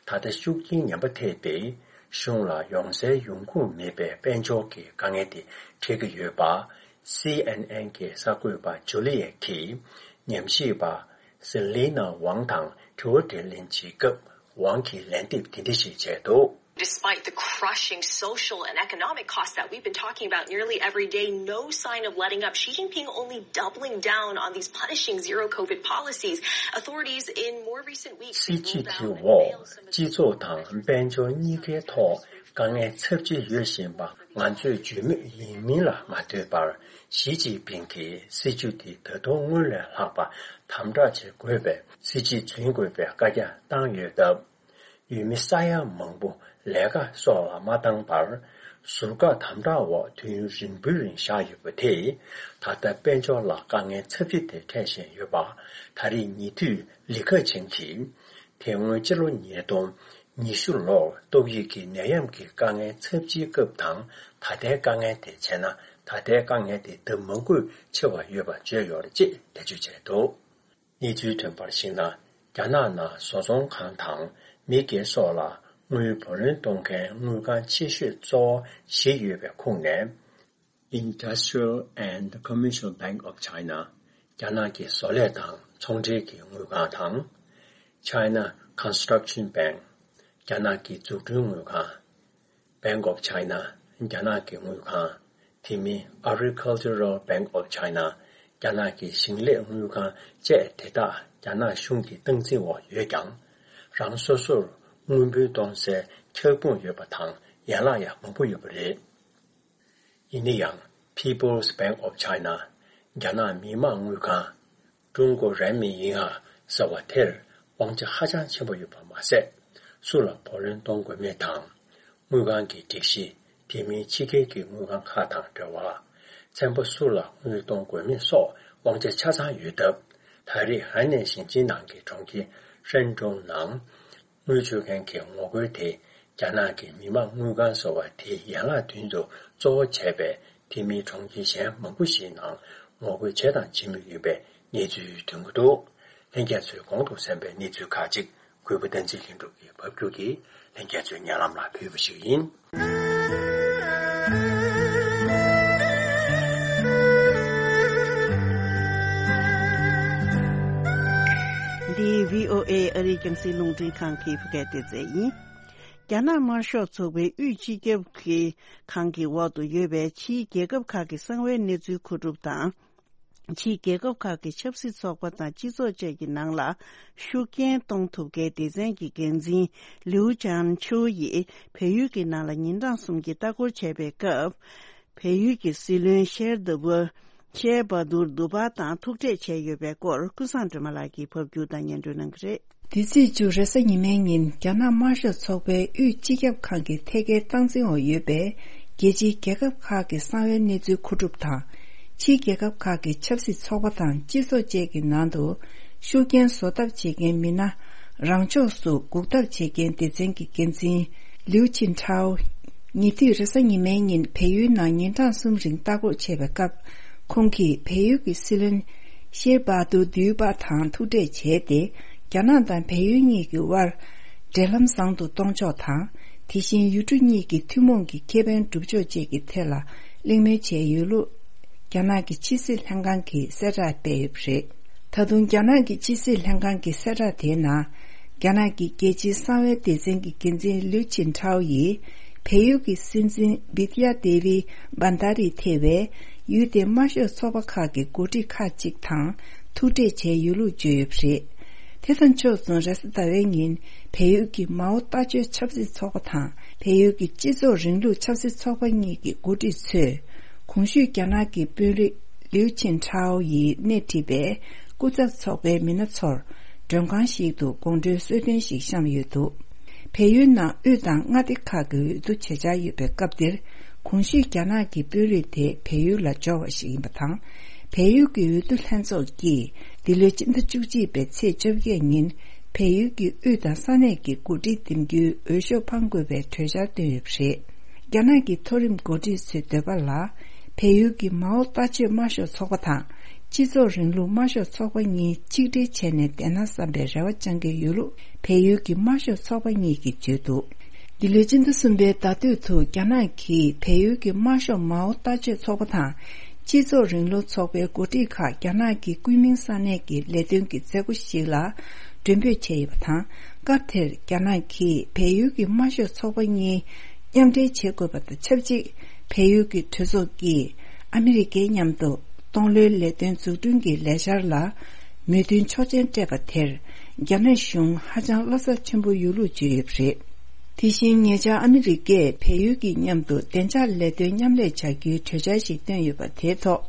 ད་ལྟ་ཤུགས་རྐྱེན་ངན་པ་ཐེབས་ཏེ། གཞུང་ལ་ཡོང་སའི་ཡོང་ཁུངས་མེད་པའི་དཔལ་འབྱོར་གྱི་དཀའ་ངལ་དེ་འཕྲད་ཀྱི་ཡོད་པ། སི་ཨེན་ཨེན་གྱི་གསར་འགོད་པ་ཇུ་ལི་ཡེ་གིས་ཉམས་ཞིབ་པ་སི་ལི་ན་ཝང་དང་དྲི་བ་དྲིས་ལན་བྱེད་སྐབས། ཝང་གིས་ལན་འདེབས་དེ་འདྲ་ཞིག་བྱས་འདུག Despite the crushing social and economic costs that we've been talking about nearly every day, no sign of letting up. Xi Jinping only doubling down on these punishing zero COVID policies. Authorities in more recent weeks, སྲིད་ཇུས་དེ་འོག་སྤྱི་ཚོགས་དང་དཔལ་འབྱོར་གཉིས་ཀའི་ཐོག་དཀའ་ངལ་ཚབས་ཆེ་ཡོད་བཞིན་པ་ང་ཚོས་བརྗོད་མུས་ཡིན་མིན་ལ་མ་ལྟོས་པར། ཞི་ཅིན་ཕིང་གིས་སྲིད་ཇུས་དེ་ད་དུང་སྔོན་ལས་ལྷག་པ་དམ་དྲག་བྱེད་དགོས་པའི་སྲིད་ཇུས་འཛིན་དགོས་པའི་བཀའ་རྒྱ་བཏང་ཡོད་སྟབས། ཡུལ་མི་ས་ཡ་མང་པོ་ལས་ཀ་སོགས་ལ་མ་བཏང་བར། ཟུར་བཀག་དམ་དྲག་འོག་དུས་ཡུན་རིང་པོའི་རིང་བཞག་ཡོད་པ་དེས། ད་ལྟ་དཔལ་འབྱོར་ལ་དཀའ་ངལ་ཚབས་ཆེ་དེ་འཕྲད་བཞིན་ཡོད་པ། ད་རེས་ཉེ་དུས་ལི་ཁེ་ཆང་གིས། དེ་སྔོན་ཕྱི་ལོ་ཉིས་སྟོང་ཉི་ཤུ་ལོར་ཏོག་དབྱིབས་ཀྱི་ནད་ཡམས་ཀྱི་དཀའ་ངལ་ཚབས་ཆེའི་སྐབས་དང་ད་ལྟའི་དཀའ་ངལ་དེ་བྱས་ན། ད་ལྟའི་དཀའ་ངལ་དེ་ལྡབ་མང་པོས་ཆེ་བ་ཡོད་པ་བརྗོད་ཡོད་རེད་ཅེས་འགྲེལ་བརྗོད་བྱས་འདུག་གནས་ཚུལ་ཐོན་པར་གཞིགས་ན། རྒྱ་ནག་ནང་བཟོ་ཚོང་ཁང་དང་མི་སྒེར་སོགས་ལ་དངུལ་བུ་ལོན་གཏོང་མཁན་དངུལ་ཁང་ཆེ་ཤོས་གཙོ་བོ་བཞི་ཡོད་པའི་ཁོངས་ནས། Industrial and Commercial Bank of China། རྒྱ་ནག་གི་བཟོ་ལས་དང་ཚོང་འབྲེལ་གྱི་དངུལ་ཁང་དང་། China Construction Bank། རྒྱ་ནག་གི་འཛུགས་སྐྲུན་དངུལ་ཁང་། Bank of China། རྒྱ་ནག་གི་དངུལ་ཁང་། དེ་མིན་Agricultural Bank of China། རྒྱ་ནག་གི་ཞིང་ལས་དངུལ་ཁང་བཅས་དེ་དག་རྒྱ་ནག་གཞུང་གི་སྟངས་འཛིན་འོག་ཡོད་ཀྱང་། རང་སོ་སོར་དངུལ་འབུལ་གཏོང་སའི་ཁྱབ་ཁོངས་ཡོད་པ་དང་ཡན་ལག་ཡང་མང་པོ་ཡོད་པ་རེད། ཡིན་ན་ཡང་People's Bank of China། རྒྱ་ནག་མི་དམངས་དངུལ་ཁང་། ཀྲུང་གོ་རན་མིན་ཡིན་ཧ་ཟེར་བ་དེར་དབང་ཆ་ཧ་ཅང་ཆེན་པོ་ཡོད་པ་མ་ཟད། སུ་ལ་བུ་ལོན་གཏོང་དགོས་མིན་དང་། དངུལ་ཁང་གི་སྒྲིག་གཞི། དེ་མིན་ཕྱི་རྒྱལ་གྱི་དངུལ་ཁང་ཁག་དང་འབྲེལ་བ། ཚན་པ་སུ་ལ་དངུལ་གཏོང་དགོས་མིན་སོགས་དབང་ཆ་ཆ་ཚང་ཡོད་སྟབས། ད་རེས་ཧན་ནན་ཞིང་ཆེན་ནང་གི་གྲོང་ཁྱེར་ཧྲན་ཀྲུང་ནང་དངུལ་སྤྱོད་མཁན་གྱི་ངོ་རྒོལ་དེ་རྒྱ་ནག་གི་མི་དམངས་དངུལ་ཁང་ཟེར་བ་དེའི་ཡན་ལག་མདུན་དུ་གཙོ་བོ་བྱས་པའི་དེ་མིན་གྲོང་ཁྱེར་གཞན་མང་པོ་ཞིག་ནང་ངོ་རྒོལ་བྱས་དང་བྱེད་མུས་ཡིན་པའི་གནས་ཚུལ་ཐོན་གྱི་འདུག་ལྷན་རྒྱས་ཚོས་གོང་དུ་གསན་པའི་གནས་ཚུལ་ཁག་ཅིག་གུས་པ་བསྟན་འཛིན་ལྷུན་གྲུབ་ཀྱིས་ཕབ་སྒྱུར་གྱིས་ལྷན་རྒྱས་ཚོའི་སྙན་ལམ་ལ་ཕུལ་བ་ཞིག་ཡིན། འདི་བྷི་ཨོ་ཨེ་ཨ་རིའི་རྒྱང་སྲིང་རླུང་འཕྲིན་ཁང་གི་བོད་སྐད་སྡེ་ཚན་ཡིན། རྒྱ་ནག་དམར་ཤོག་ཚོགས་པའི་དབུས་སྤྱི་ཁྱབ་ཀྱི་ཁང་གི་འོག་ཏུ་ཡོད་པའི་ཕྱིའི་རྒྱལ་ཁབ་ཁག་གི་གསང་བའི་གནས་ཚུལ་མཁོ་སྒྲུབ་དང་། ཕྱིའི་རྒྱལ་ཁབ་ཁག་གི་ཆབ་སྲིད་ཚོགས་པ་དང་སྤྱི་ཚོགས་བཅས་ཀྱི་ནང་ལ་ཤུགས་རྐྱེན་གཏོང་ཐུབ་མཁན་སྡེ་ཚན་གྱི་འགན་འཛིན་ལིའུ་ཅན་ཆུའུ་ཡིས་བལ་ཡུལ་གྱི་ནང་ལ་ཉིན་གྲངས་གསུམ་གྱི་ལྟ་སྐོར་བྱས་པའི་སྐབས། བལ་ཡུལ་གྱི་སྲིད་བློན་ཤེར་ཟླ་བུ། ཤེར་བྷ་དུར་དུ་བྷ་དང་ཐུག་འཕྲད་བྱས་ཡོད་པའི་སྐོར་ཀུན་བཟང་སྒྲོལ་མ་ལགས་ཀྱིས་ཕབ་སྒྱུར་དང་སྙན་སྒྲོན་གནང་གི་རེད། འདི་ཚེས་བཅུ་རེས་གཟའ་ཉི་མའི་ཉིན་རྒྱ་ནག་དམར་ཤོག་ཚོགས་པའི་དབུས་སྤྱི་ཁྱབ་ཁང་གི་ཐད་ཀའི་སྟངས་འཛིན་འོག་ཡོད་པའི་རྒྱལ་སྤྱིའི་རྒྱལ་ཁབ་ཁག་གི་གསང་བའི་གནས་ཚུལ་མཁོ་སྒྲུབ་དང་། ཕྱིའི་རྒྱལ་ཁབ་ཁག་གི་ཆབ་སྲིད་ཚོགས་པ་དང་སྤྱི་ཚོགས་བཅས་ཀྱི་ནང་དུ་ཤུགས་རྐྱེན་བཟོ་ཐབས་བྱེད་མཁན་མི་སྣ་རང་ཕྱོགས་སུ་འགུག་ཐབས་བྱེད་མཁན་སྡེ་ཚན་གྱི་འགན་འཛིན་ལིའུ་ཆིན་ཁྲའོ། ཉེ་དུས་རེས་གཟའ་ཉི་མའི་ཉིན་བལ་ཡུལ་ནང་ཉིན་གྲངས་གསུམ་རིང་ལྟ་སྐོར་བྱས་པའི་སྐབས། ཁོང་གིས་བལ་ཡུལ་གྱི་སྲིད་བློན་ཤེར་བྷ་དུར་དུས་པ་དང་ཐུག་འཕྲད་བྱས་ཏེ། རྒྱ་ནག་དང་བལ་ཡུལ་གཉིས་ཀྱི་དབར་འབྲེལ་ལམ་བཟང་དུ་གཏོང་ཕྱོགས་དང་། དེ་བཞིན་ཡུལ་གྲུ་གཉིས་ཀྱི་ཐུན་མོང་གི་ཁེ་ཕན་སྒྲུབ་ཕྱོགས་བཅས་ཀྱི་ཐད་ལ་གླེང་མོལ་བྱས་ཡོད་ལུགས། རྒྱ་ནག་གི་ཕྱི་སྲིད་ལྷན་ཁང་གིས་གསལ་བསྒྲགས་སྤེལ་ཡོད་པ་རེད། ད་དུང་རྒྱ་ནག་གི་ཕྱི་སྲིད་ལྷན་ཁང་གི་གསལ་བསྒྲགས་དེའི་ནང་། རྒྱ་ནག་གི་རྒྱལ་སྤྱིའི་གསང་བའི་སྡེ་ཚན་གྱི་འགན་འཛིན་ལིའུ་ཆིན་ཁྲའོ་ཡིས། བལ་ཡུལ་གྱི་སྲིད་འཛིན་བི་དི་ཡ་དེ་བི་བྷན་དྷ་རི་ཐེ་བས། ཡུལ་དེའི་དམར་ཤོག་ཚོགས་པ་ཁག་གི་འགོ་ཁྲིད་ཁག་ཅིག་དང་ཐུག་འཕྲད་བྱས་ཡོད་ལུགས་བརྗོད་ཡོད་པ་རེད། དེ་དང་ཕྱོགས་མཚུངས་རེས་གཟའ་ཟླ་བའི་ཉིན། བལ་ཡུལ་གྱི་མའོ་ལྟ་སྤྱོད་ཆབ་སྲིད་ཚོགས་པ་དང་། བལ་ཡུལ་གྱི་སྤྱི་ཚོགས་རིང་ལུགས་ཆབ་སྲིད་ཚོགས་པ་གཉིས་ཀྱི་འགོ་ཁྲིད་ཚོས། གོང་ཞུས་རྒྱ་ནག་གི་དཔོན་རིགས་ལིའུ་ཆིན་ཁྲའོ་ཡིས་སྣེ་ཁྲིད་པའི་སྐུ་ཚབ་ཚོགས་པའི་མི་སྣ་ཚོར། མགྲོན་ཁང་ཞིག་ཏུ་དགོང་དྲོའི་གསོལ་སྟོན་ཞིག་བཤམས་ཡོད་འདུག་བལ་ཡུལ་ནང་དབུས་དང་མངའ་སྡེ་ཁག་གི་འོས་བསྡུ་བྱེད་འཆར་ཡོད་པའི་སྐབས་འདིར། གོང་ཞུས་རྒྱ་ནག་གི་དཔོན་རིགས་དེ་བལ་ཡུལ་ལ་འབྱོར་བ་ཞིག་ཡིན་པ་དང་། བལ་ཡུལ་གྱི་འོས་བསྡུ་ལྷན་ཚོགས་ཀྱིས་འདི་ལོའི་སྤྱི་ཟླ་བཅུ་གཅིག་པའི་ཚེས་བཅོ་བརྒྱད་ཉིན། བལ་ཡུལ་གྱི་དབུས་དང་ས་གནས་ཀྱི་འགོ་ཁྲིད་འདེམས་རྒྱུའི་འོས་ཤོག་འཕང་དགོས་པའི་གྲོས་འཆར་བཏོན་ཡོད་པ་རེད། རྒྱ་ནག་གི་མཐོ་རིམ་འགོ་ཁྲིད་ཚོའི་འདོད་པ་ལ། བལ་ཡུལ་གྱི་མའོ་ལྟ་སྤྱོད་དམར་ཤོག་ཚོགས་པ་དང་། སྤྱི་ཚོགས་རིང་ལུགས་དམར་ཤོག་ཚོགས་པ་གཉིས་ཆིག་སྒྲིལ་བྱས་ནས་བསྡད་ན་བསམ་པའི་རེ་བ་བཅང་གི་ཡོད་ལུགས་བལ་ཡུལ་གྱི་དམར་ཤོག་ཚོགས་པ་གཉིས་ཀྱིས་བརྗོད་འདུག་འདི་ལོའི་སྤྱི་ཟླ་གསུམ་པའི་ཟླ་སྟོད་དུ་རྒྱ་ནག་གིས་བལ་ཡུལ་གྱི་དམར་ཤོག་མའོ་ལྟ་སྤྱོད་ཚོགས་པ་དང་། སྤྱི་ཚོགས་རིང་ལུགས་ཚོགས་པའི་འགོ་ཁྲིད་ཁག་རྒྱ་ནག་གི་ཀུན་མིང་ས་གནས་ཀྱི་ལས་དོན་གྱི་མཛད་སྒོ་ཞིག་ལ་མགྲོན་འབོད་བྱས་ཡོད་པ་དང་། སྐབས་དེར་རྒྱ་ནག་གིས་བལ་ཡུལ་གྱི་དམར་ཤོག་ཚོགས་པ་གཉིས་མཉམ་འབྲེལ་བྱེད་དགོས་པ་དང་ཆབས་ཅིག་བལ་ཡུལ་གྱི་གྲོས་ཚོགས་ཀྱིས་ཨ་མི་རི་ཀའི་མཉམ་དུ་སྟོང་ལོའི་ལས་དོན་འཛུགས་སྐྲུན་གྱི་ལས་འཆར་ལ་མོས་མཐུན་ཆོག་མཆན་སྤྲད་པ་དེར། རྒྱ་ནག་གཞུང་ཧ་ཅང་བློ་འཚབ་ཆེན་པོ་ཡོད་ལུགས་བརྗོད་ཡོད་པ་རེད། དེ་བཞིན་ཉེ་ཆར་ཨ་མི་རི་ཀས་བལ་ཡུལ་གྱི་མཉམ་དུ་བདེ་འཇགས་ལས་དོན་མཉམ་ལས་བྱ་རྒྱུའི་གྲོས་འཆར་ཞིག་བཏོན་ཡོད་པ་དེའི་ཐོག་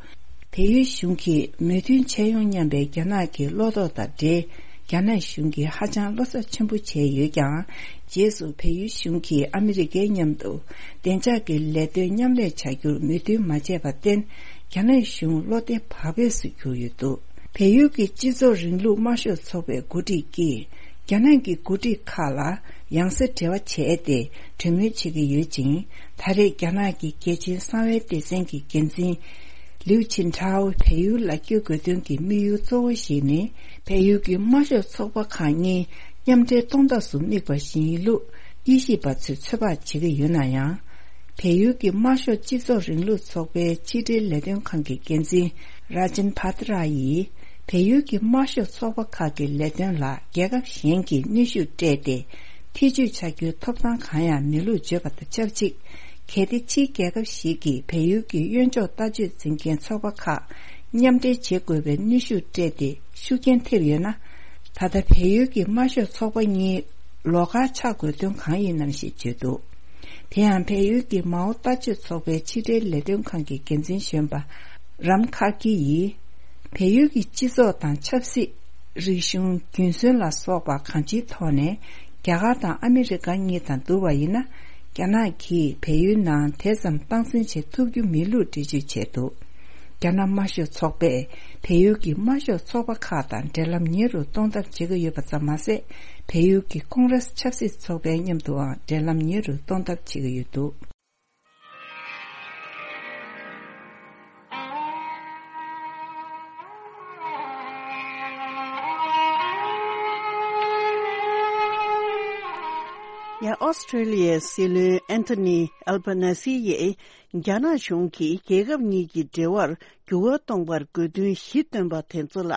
བལ་ཡུལ་གཞུང་གིས་མོས་མཐུན་བྱས་ཡོང་སྙམ་པའི་རྒྱ་ནག་གི་བློ་དོགས་དང་འབྲེལ། རྒྱ་ནག་གཞུང་གིས་ཧ་ཅང་བློ་འཚབ་ཆེན་པོ་བྱས་ཡོད་ཀྱང་། རྗེས་སུ་བལ་ཡུལ་གཞུང་གིས་ཨ་མི་རི་ཀའི་མཉམ་དུ་བདེ་འཇགས་ཀྱི་ལས་དོན་མཉམ་ལས་བྱ་རྒྱུར་མོས་མཐུན་མ་བྱས་པར་བརྟེན། རྒྱ་ནག་གཞུང་བློ་བདེ་བག་ཕེབས་སུ་གྱུར་ཡོད་འདུག་བལ་ཡུལ་གྱི་སྤྱི་ཚོགས་རིང་ལུགས་དམར་ཤོག་ཚོགས་པའི་འགོ་ཁྲིད་ཀྱིས། རྒྱ་ནག་གི་འགོ་ཁྲིད་ཁག་ལ་ཡང་སེ་འབྲེལ་བ་བྱས་ཏེ། གྲོས་མོལ་བྱེད་ཀྱི་ཡོད་ཅིང་། ད་རེས་རྒྱ་ནག་གི་རྒྱལ་སྤྱིའི་གསང་བའི་སྡེ་ཚན་གྱི་འགན་འཛིན། ལིའུ་ཆིན་ཁྲའོ་བལ་ཡུལ་ལ་བསྐྱོད་དགོས་དོན་གྱི་དམིགས་ཡུལ་གཙོ་བོ་ཞིག་ནི། བལ་ཡུལ་གྱི་དམར་ཤོག་ཚོགས་པ་ཁག་གཉིས་མཉམ་འབྲེལ་གཏོང་ཐབས་སུ་དམིགས་པ་ཞིག་ཡིན་ལུགས་དབྱེ་ཞིབ་པ་ཚོས་ཚོད་དཔག་བྱེད་ཀྱི་ཡོད་ན་ཡང་། བལ་ཡུལ་གྱི་དམར་ཤོག་སྤྱི་ཚོགས་རིང་ལུགས་ཚོགས་པའི་ཕྱི་འབྲེལ་ལས་དོན་ཁང་གི་འགན་འཛིན་ར་ཇིན་བྷ་ཏྲ་ཡིས། བལ་ཡུལ་གྱི་དམར་ཤོག་ཚོགས་པ་ཁག་གི་ལས་དོན་ལ་རྒྱལ་ཁབ་གཞན་གྱིས་གནོན་ཤུགས་སྤྲད་དེ། ཐེ་བྱུས་བྱ་རྒྱུའི་ཐོབ་ཐང་གང་ཡང་མེད་ལུགས་བརྗོད་པ་དང་ཆབས་ཅིག་གལ་ཏེ་ཕྱིའི་རྒྱལ་ཁབ་ཞིག་གིས་བལ་ཡུལ་གྱི་གཡོན་ཕྱོགས་ལྟ་སྤྱོད་འཛིན་མཁན་ཚོགས་པ་ཁག་མཉམ་འབྲེལ་བྱེད་དགོས་པའི་གནོན་ཤུགས་སྤྲད་དེ་ཤུགས་རྐྱེན་ཐེབས་ཡོད་ན། ད་ལྟ་བལ་ཡུལ་གྱི་དམར་ཤོག་ཚོགས་པ་གཉིས་ལོགས་ཀར་ཆགས་དགོས་དོན་གང་ཡིན་ནམ་ཞེས་བརྗོད་འདུག་དེ་ཡང་བལ་ཡུལ་གྱི་མའོ་ལྟ་སྤྱོད་ཚོགས་པའི་ཕྱི་འབྲེལ་ལས་དོན་ཁང་གི་འགན་འཛིན་གཞོན་པ་རམ་ཁ་ཀི་ཡིས། བལ་ཡུལ་གྱི་སྤྱི་ཚོགས་དང་ཆབ་སྲིད། རིག་གཞུང་། རྒྱུན་སྲོལ་ལ་སོགས་པ་གང་ཅིའི་ཐོག་ནས་རྒྱ་གར་དང་ཨ་མི་རི་ཀ་གཉིས་དང་བསྡུར་བ་ཡིན་ན། རྒྱ་ནག་གིས་བལ་ཡུལ་ནང་དེ་ཙམ་སྟངས་འཛིན་བྱེད་ཐུབ་རྒྱུ་མེད་ལུགས་འགྲེལ་བརྗོད་བྱས་འདུག་རྒྱ་ནག་དམར་ཤོག་ཚོགས་པས་བལ་ཡུལ་གྱི་དམར་ཤོག་ཚོགས་པ་ཁག་དང་འབྲེལ་ལམ་ཉེ་རུ་གཏོང་ཐབས་བྱེད་ཀྱི་ཡོད་པ་ཙམ་མ་ཟད། བལ་ཡུལ་གྱི་ཀོང་རེས་ཆབ་སྲིད་ཚོགས་པའི་མཉམ་དུའང་འབྲེལ་ལམ་ཉེ་རུ་གཏོང་ཐབས་བྱེད་ཀྱི་ཡོད་འདུག་ཡང་ཨོ་སི་ཁྲེ་ལི་ཡའི་སྲིད་བློན་ཨན་ཐོ་ནི་ཨལ་བྷ་ནེ་སི་ཡིས་རྒྱ་ནག་གཞུང་གིས་རྒྱལ་ཁབ་གཉིས་ཀྱི་འབྲེལ་བར་འགྱུར་བ་གཏོང་བར་དགོས་འདུན་བཞི་བཏོན་པ་དེ་ཚོ་ལ་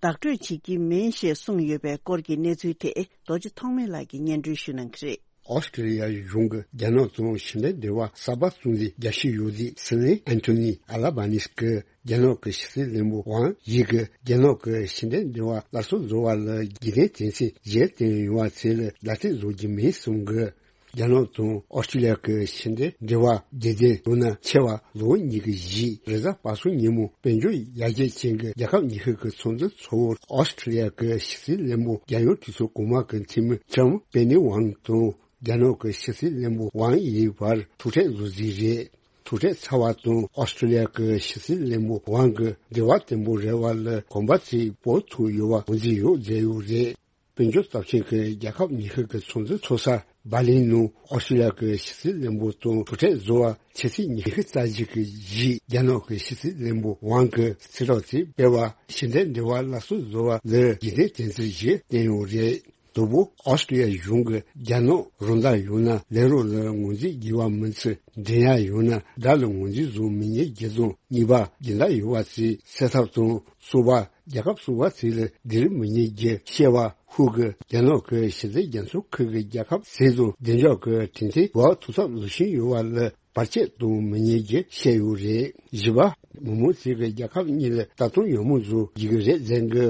བདག་སྤྲོད་བྱེད་ཀྱི་མིན་ཞེས་གསུངས་ཡོད་པའི་སྐོར་གྱི་གནས་ཚུལ་དེ་རྡོ་རྗེ་ཐོགས་མེད་ལགས་ཀྱིས་སྙན་སྒྲོན་ཞུ་གནང་གི་རེད། ཨོ་སི་ཀྲི་ལི་ཡ་གཞུང་གིས་རྒྱ་ནག་དང་ཕྱི་འབྲེལ་འབྲེལ་བ་གསར་པ་བཙུགས་ནས་རྒྱ་ཆེ་ཡོད་དུས། སྲིད་བློན་ཨན་ཐོ་ནི་ཨ་ལ་བྷ་ནིས་ཀྱིས་རྒྱ་ནག་གི་ཕྱི་སྲིད་བློན་པོ་ཝང་ཡི་གིས་རྒྱ་ནག་གི་ཕྱི་འབྲེལ་འབྲེལ་བ་སླར་གསོ་བཟོ་བ་ལ་རྒྱུན་ལྡན་དོན་ཚན་བཞི་བཏོན་ཡོད་པ་དེ་ལ་ལད་ཟློས་བཟོ་རྒྱུ་མིན་གསུངས་ཀྱི། རྒྱ་ནག་དང་ཨོ་སི་ཀྲི་ལི་ཡ་གི་ཕྱི་འབྲེལ་འབྲེལ་བ་རྒྱུན་ལྡན་ཡོང་ན་ཆེ་བ་ལོ་ཉི་ཤུ་རྗེས་རེས་གཟའ་པ་སངས་ཉིན་མོ་དཔལ་འབྱོར་ཡར་རྒྱས་ཅན་གྱི་རྒྱལ་ཁབ་ཉི་ཤུ་གི་ཚོགས་འདུ་ཚོགས་འོག་ཨོ་སི་ཀྲི་ལི་ཡ་གི་ཕྱི་སྲིད་བློན་པོ་རྒྱལ་ཡོངས་གྲོས་ཚོགས་གོང་མ་གི་འཐུས་མི་ཀྲམ་པེ་ནི་ཝང་དང་རྒྱ་ནག་གི་ཕྱི་སྲིད་བློན་པོ་ཝང་ཡི་བར་ཐུག་འཕྲད་བཟོ་རྩིས་རེད། ཐུག་འཕྲད་ཚར་བ་དང་ཨོ་སི་ཀྲི་ལི་ཡ་གི་ཕྱི་སྲིད་བློན་པོ་ཝང་གིས་འབྲེལ་བ་བརྟན་པོ་རེད་པ་ལ་གོམ་པ་ཚོས་སྤོ་ཐུབ་ཡོད་པ་ངོས་འཛིན་ཡོད་མཛད་ཡོད་རེད། དཔལ་འབྱོར་སྟོབས་ཆེན་གྱི་རྒྱལ་ཁབ་ཉི་ཤུ་གི་ཚོགས་འདུ་ཚོགས་ས་འབར་ལིན་ནང་ཨོ་སི་ཀྲི་ལི་ཡ་གི་ཕྱི་སྲིད་བློན་པོ་དང་ཐུག་འཕྲད་བཟོ་བར་ཕྱི་ཚེས་ཉི་ཤུ་རྩ་གཅིག་གི་གཞིས་རྒྱ་ནག་གི་ཕྱི་སྲིད་བློན་པོ་ཝང་གིས་གསལ་བསྒྲགས་ཅིག་སྤེལ་བར། ཕྱི་འབྲེལ་འབྲེལ་བ་སླར་གསོ་བཟོ་བ་ལ་རྒྱུན་ལྡན་དོན་ཚན་བཞི་བཏོན་ཡོད་རེད། དང་པོ། ཨོ་སི་ཀྲི་ལི་ཡ་གཞུང་གིས་རྒྱ་ནག་རང་བདག་ཡོད་ན་ལས་རོགས་ལ་ངོས་འཛིན་དགོས་པ་མིན་ཚེ། འགྲན་ཡ་ཡོད་ན་དགྲ་ལ་ངོས་འཛིན་བཟོ་མི་ཉན་རྒྱུ་དང་། གཉིས་པ། རྒྱུན་ལྡན་ཡོད་པ་ཚོས་སེལ་ཐབས་དང་། གསུམ་པ། རྒྱལ་ཁབ་གསུམ་པ་ཚོ་ལ་སྡིགས་ར་མི་ཉན་རྒྱུ། བཤད་པ་ཧུ་གིས་རྒྱ་ནག་གི་ཕྱི་སྲིད་རྒྱ་མཚོ་ཁུལ་གྱི་རྒྱལ་ཁབ་ཚོ་དང་བདེ་འཇགས་ཀྱི་གྲོས་མཐུན་འགོ་ཐུག་ཐབས་ལུགས་མཐུན་ཡོད་པ་ལ་བར་ཆད་གཏོང་མི་ཉན་རྒྱུ་བཤད་ཡོད་རེད། བཞི་པ། མི་མང་ཚོས་ཀྱིས་རྒྱལ་ཁབ་གཉིས་ལ་ལྟ་སྟངས་ཡང་མོ་བཟོ་དགོས་ཀྱི་རེད་ཟེར་གི།